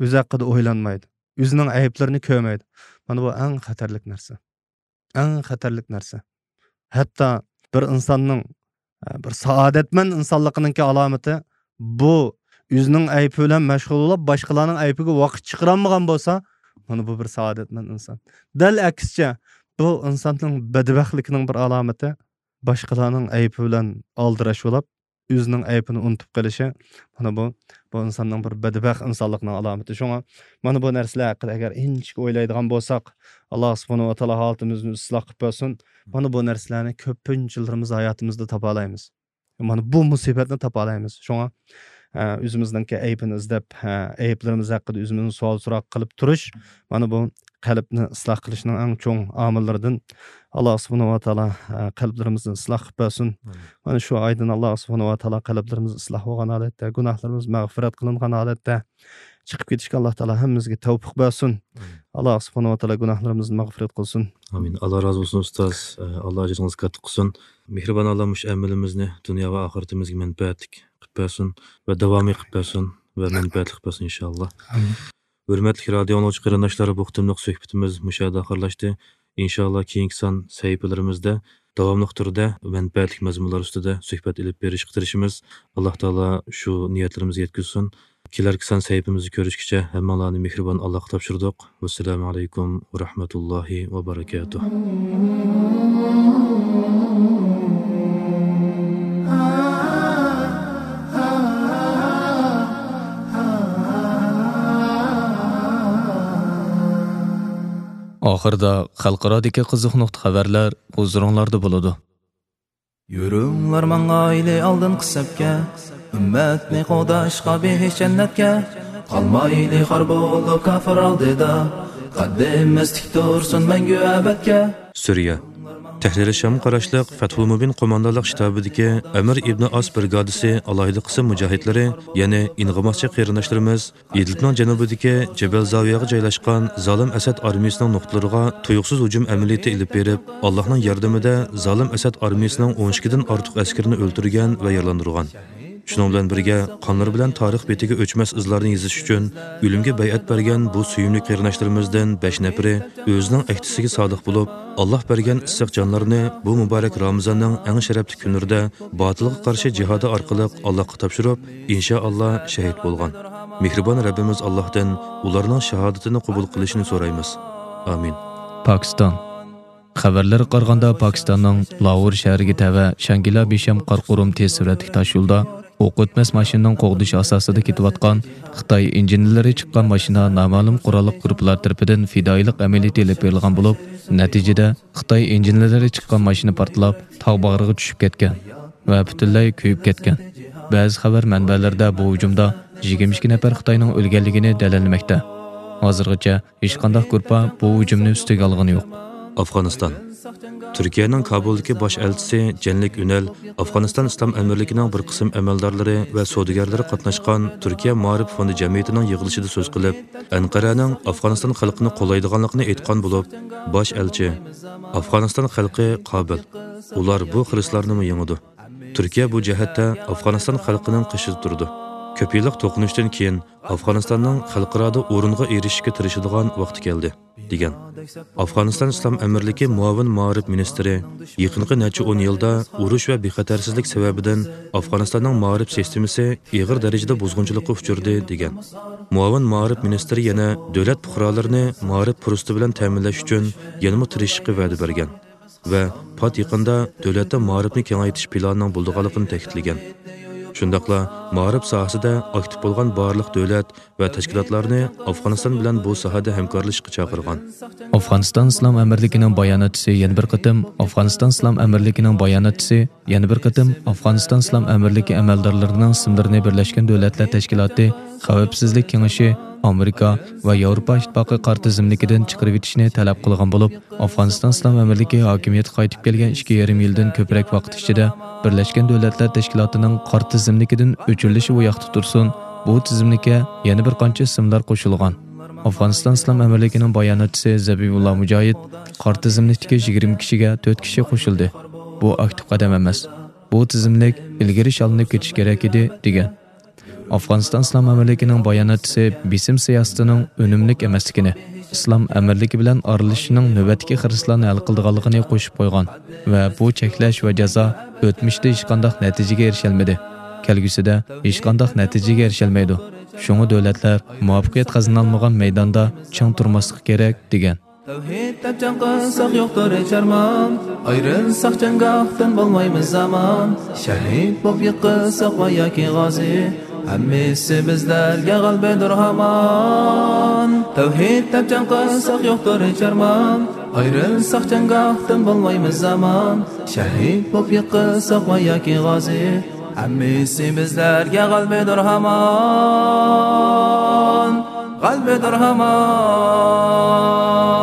ئۆزى ھەققىدە ئويلانمايدۇ. ئۆزىنىڭ ئەيىبلىرىنى كۆرمەيدۇ. مانا بۇ ئەڭ خەتەرلىك نەرسە. ئەڭ خەتەرلىك نەرسە. ھەتتا بىر ئىنساننىڭ، ئە، بىر سائادەتمەن ئىنسانلىقىنىڭكى ئالامىتى، بۇ ئۆزىنىڭ ئەيىبى بىلەن مەشغۇل بولۇپ، باشقىلارنىڭ ئەيىبىگە ۋاقىت چىقىرالمىغان بولسا، مانا بۇ بىر سائادەتمەن ئىنسان. دەل ئەكسىچە، بۇ ئىنساننىڭ بەدبەختلىكىنىڭ بىر ئالامىتى، باشقىلارنىڭ ئەيىبى بىلەن ئالدىراش بولۇپ، ئۆزىنىڭ ئەيىبىنى ئۇنتۇپ قېلىشى، مانا بۇ، بۇ ئىنساننىڭ بىر بەدبەخت ئىنسانلىقنىڭ ئالامىتى. شۇڭا مانا بۇ نەرسىلەر ھەققىدە ئەگەر ئىنچىكە ئويلايدىغان بولساق، ئاللا سۇبھانەھۇ ۋە تائالا ھالىتىمىزنى ئىسلاھ قىلىپ بەرسۇن. مانا بۇ نەرسىلەرنى كۆپىنچىلىرىمىز ھاياتىمىزدا تاپالايمىز. مانا بۇ مۇسىبەتنى تاپالايمىز. شۇڭا ئە، ئۆزىمىزنىڭكى ئەيىبىنى ئىزدەپ، ئە، ئەيىبلىرىمىز ھەققىدە ئۆزىمىزنى سوئال سوراق قىلىپ تۇرۇش، مانا بۇ قەلبنى ئىسلاھ قىلىشنىڭ ئەڭ چوڭ ئامىللىرىدىن. ئاللا سۇبھانەھۇ ۋە تائالا، ئە، قەلبلىرىمىزنى ئىسلاھ قىلىپ بەرسۇن. ئامىن. مانا شۇ ئايدىن ئاللا سۇبھانەھۇ ۋە تائالا قەلبلىرىمىز ئىسلاھ بولغان ھالەتتە، گۇناھلىرىمىز مەغپىرەت قىلىنغان ھالەتتە چىقىپ كېتىشكە ئاللا تائالا ھەممىمىزگە تەۋپىق بەرسۇن. ئامىن. ئاللا سۇبھانەھۇ ۋە تائالا گۇناھلىرىمىزنى مەغپىرەت قىلسۇن. ئامىن. ئاللا رازى بولسۇن، ئۇستاز. ئە، ئاللا ئەجرىڭىزنى كاتتا قىلسۇن. مېھرىبان ئاللا مۇشۇ ئەمىلىمىزنى دۇنيا ۋە ئاخىرىتىمىزگە مەنپەئەتلىك قىلىپ بەرسۇن ۋە داۋامىي قىلىپ بەرسۇن ۋە مەنپەئەتلىك قىلىپ بەرسۇن، ئىنشاللا. ئامىن. ھۆرمەتلىك رادىئو ئاڭلىغۇچى قېرىنداشلار، بۇ قېتىملىق سۆھبىتىمىز مۇشۇ يەردە ئاخىرلاشتى. ئىنشاللا كېيىنكى سان سەھىپىلىرىمىزدە داۋاملىق تۈردە مەنپەئەتلىك مەزمۇنلار ئۈستىدە سۆھبەت ئېلىپ بېرىشقا تىرىشىمىز. ئاللا تائالا شۇ نىيەتلىرىمىزگە يەتكۈزسۇن. كېلەركى سان سەھىپىمىزدە كۆرۈشكىچە ھەممىڭلارنى مېھرىبان ئاللاغا تاپشۇردۇق. ۋەسسالامۇ ئەلەيكۇم ۋە رەھمەتۇللاھى ۋە بەرەكاتۇھ. ئاخىرىدا خەلقئارادىكى قىزىق نۇقتا خەۋەرلەر ھۇزۇرۇڭلاردا بولىدۇ. يۈرۈڭلار ماڭايلى ئالدىنقى سەپكە، ئۈممەتنى قوغداشقا بېھىش جەننەتكە. قالمايلى خار بولۇپ كاپىر ئالدىدا، قەددىمىز تىك تۇرسۇن مەڭگۈ ئەبەدكە. سۈرىيە. تەھرىرى شامغا قاراشلىق فەتھۇل مۇبىن قوماندانلىق شتابىدىكى ئەمىر ئىبنى ئاس برىگادىسى ئالاھىدە قىسىم مۇجاھىدلىرى، يەنى ئىنغىماسچى قېرىنداشلىرىمىز ئىدلىبنىڭ جەنۇبىدىكى جەبەل زاۋىيەغا جايلاشقان زالىم ئەسەد ئارمىيىسىنىڭ نۇقتىلىرىغا تۇيۇقسىز ھۇجۇم ئەمەلىيىتى ئېلىپ بېرىپ، ئاللاھنىڭ ياردىمىدە زالىم ئەسەد ئارمىيىسىنىڭ ئون ئىككىدىن ئارتۇق ئەسكىرىنى ئۆلتۈرگەن ۋە يارىلاندۇرغان. شۇنىڭ بىلەن بىرگە، قانلىرى بىلەن تارىخ بېتىگە ئۆچمەس ئىزلارنى يېزىش ئۈچۈن ئۆلۈمگە بەيئەت بەرگەن بۇ سۆيۈملۈك قېرىنداشلىرىمىزدىن بەش نەپىرى ئۆزىنىڭ ئەھدىسىگە سادىق بولۇپ، ئاللاھ بەرگەن ئىسسىق جانلىرىنى بۇ مۇبارەك رامىزاننىڭ ئەڭ شەرەپلىك كۈنلىرىدە باتىلغا قارشى جىھادى ئارقىلىق ئاللاھقا تاپشۇرۇپ، ئىنشائاللا شەھىد بولغان. مېھرىبان رەببىمىز ئاللاھتىن ئۇلارنىڭ شاھادىتىنى قوبۇل قىلىشىنى سورايمىز. ئامىن. پاكىستان. خەۋەرلەرگە قارىغاندا، پاكىستاننىڭ لاھور شەھىرىگە تەۋە شانگىلا بىشەم قاراقۇرۇم تېز سۈرئەتلىك تاشيولدا ئوق ئۆتمەس ماشىنىنىڭ قوغدىشى ئاساسىدا كېتىۋاتقان خىتاي ئىنژېنېرلىرى چىققان ماشىنا نامەلۇم قوراللىق گۇرۇپپىلار تەرىپىدىن پىدائىيلىق ئەمەلىيىتى ئېلىپ بېرىلغان بولۇپ، نەتىجىدە خىتاي ئىنژېنېرلىرى چىققان ماشىنا پارتلاپ، تاغ باغرىغا چۈشۈپ كەتكەن ۋە پۈتۈنلەي كۆيۈپ كەتكەن. بەزى خەۋەر مەنبەلىرىدە بۇ ھۇجۇمدا يىگىرمە ئىككى نەپەر خىتاينىڭ ئۆلگەنلىكىنى دەلىللىمەكتە. ھازىرغىچە ھېچقانداق گۇرۇپپا بۇ ھۇجۇمنى ئۈستىگە ئالغىنى يوق. ئافغانىستان. تۈركىيەنىڭ كابۇلدىكى باش ئەلچىسى جەنلىك ئۈنەل ئافغانىستان ئىسلام ئەمىرلىكىنىڭ بىر قىسىم ئەمەلدارلىرى ۋە سودىگەرلىرى قاتناشقان تۈركىيە مائارىپ فوندى جەمئىيىتىنىڭ يىغىلىشىدا سۆز قىلىپ، ئەنقەرەنىڭ ئافغانىستان خەلقىنى قوللايدىغانلىقىنى ئېيتقان بولۇپ، باش ئەلچى، ئافغانىستان خەلقى قابىل، ئۇلار بۇ خىرىسلارنىمۇ يېڭىدۇ. تۈركىيە بۇ جەھەتتە ئافغانىستان خەلقىنىڭ قېشىدا تۇرىدۇ. كۆپ يىللىق توقۇنۇشتىن كېيىن ئافغانىستاننىڭ خەلقئارادا ئورۇنغا ئېرىشىشكە تىرىشىدىغان ۋاقتى كەلدى، دېگەن. ئافغانىستان ئىسلام ئەمىرلىكى مۇئاۋىن مائارىپ مىنىستىرى يېقىنقى نەچچە ئون يىلدا ئۇرۇش ۋە بىخەتەرسىزلىك سەۋەبىدىن ئافغانىستاننىڭ مائارىپ سىستېمىسى ئېغىر دەرىجىدە بۇزغۇنچىلىققا ئۇچرىدى، دېگەن. مۇئاۋىن مائارىپ مىنىستىرى يەنە دۆلەت پۇقرالىرىنى مائارىپ پۇرسىتى بىلەن تەمىنلەش ئۈچۈن يەنىمۇ تىرىشىشقا ۋەدە بەرگەن. ۋە پات يېقىندا دۆلەتتە مائارىپنى كېڭەيتىش پىلانىنىڭ بولىدىغانلىقىنى تەكىتلىگەن. شۇنداقلا مائارىپ ساھەسىدە ئاكتىپ بولغان بارلىق دۆلەت ۋە تەشكىلاتلارنى ئافغانىستان بىلەن بۇ ساھەدە ھەمكارلىشىشقا چاقىرغان. ئافغانىستان ئىسلام ئەمىرلىكىنىڭ باياناتچىسى يەنە بىر قېتىم ئافغانىستان ئىسلام ئەمىرلىكىنىڭ باياناتچىسى يەنە بىر قېتىم ئافغانىستان ئىسلام ئەمىرلىكى ئەمەلدارلىرىنىڭ ئىسىملىرىنى بىرلەشكەن دۆلەتلەر تەشكىلاتى خەۋپسىزلىك كېڭىشى، ئامېرىكا ۋە ياۋروپا ئىتتىپاقى قارا تىزىملىكىدىن چىقىرىۋېتىشنى تەلەپ قىلغان بولۇپ، ئافغانىستان ئىسلام ئەمىرلىكى ھاكىمىيەتكە قايتىپ كەلگەن ئىككى يېرىم يىلدىن كۆپرەك ۋاقىت ئىچىدە بىرلەشكەن دۆلەتلەر تەشكىلاتىنىڭ قارا تىزىملىكىدىن ئۆچۈرۈلۈشى بۇ ياقتا تۇرسۇن، بۇ تىزىملىككە يەنە بىر قانچە ئىسىملار قوشۇلغان. ئافغانىستان ئىسلام ئەمىرلىكىنىڭ باياناتچىسى زەبىھۇللا مۇجاھىد قارا تىزىملىكتىكى يىگىرمە كىشىگە تۆت كىشى قوشۇلدى. بۇ ئاكتىپ قەدەم ئەمەس. بۇ تىزىملىك ئىلگىرى شاللىنىپ كېتىشى كېرەك ئىدى، دېگەن. ئافغانىستان ئىسلام ئەمىرلىكىنىڭ باياناتچىسى بېسىم سىياسىتىنىڭ ئۈنۈملۈك ئەمەسلىكىنى، ئىسلام ئەمىرلىكى بىلەن ئارىلىشىشنىڭ نۆۋەتتىكى خىرىسلارنى ھەل قىلىدىغانلىقىنى قوشۇپ قويغان ۋە بۇ چەكلەش ۋە جازا ئۆتمۈشتە ھېچقانداق نەتىجىگە ئېرىشەلمىدى، كەلگۈسىدە ھېچقانداق نەتىجىگە ئېرىشەلمەيدۇ. شۇڭا دۆلەتلەر مۇۋەپپەقىيەت قازىنالمىغان مەيداندا چىڭ تۇرماسلىقى كېرەك، دېگەن. تەۋھىد دەپ جەڭ قىلساق يوقتۇر ھېچ ئارمان، ئايرىلساق جەڭگاھتىن بولمايمىز ئامان، شەھىد بولۇپ يىقىلساق ۋە ياكى غازى، ھەممىسى بىزلەرگە غەلىبىدۇر ھامان. تەۋھىد دەپ جەڭ قىلساق يوقتۇر ھېچ ئارمان، ئايرىلساق جەڭگاھتىن بولمايمىز ئامان، شەھىد بولۇپ يىقىلساق ۋە ياكى غازى، ھەممىسى بىزلەرگە غەلىبىدۇر ھامان، غەلىبىدۇر ھامان.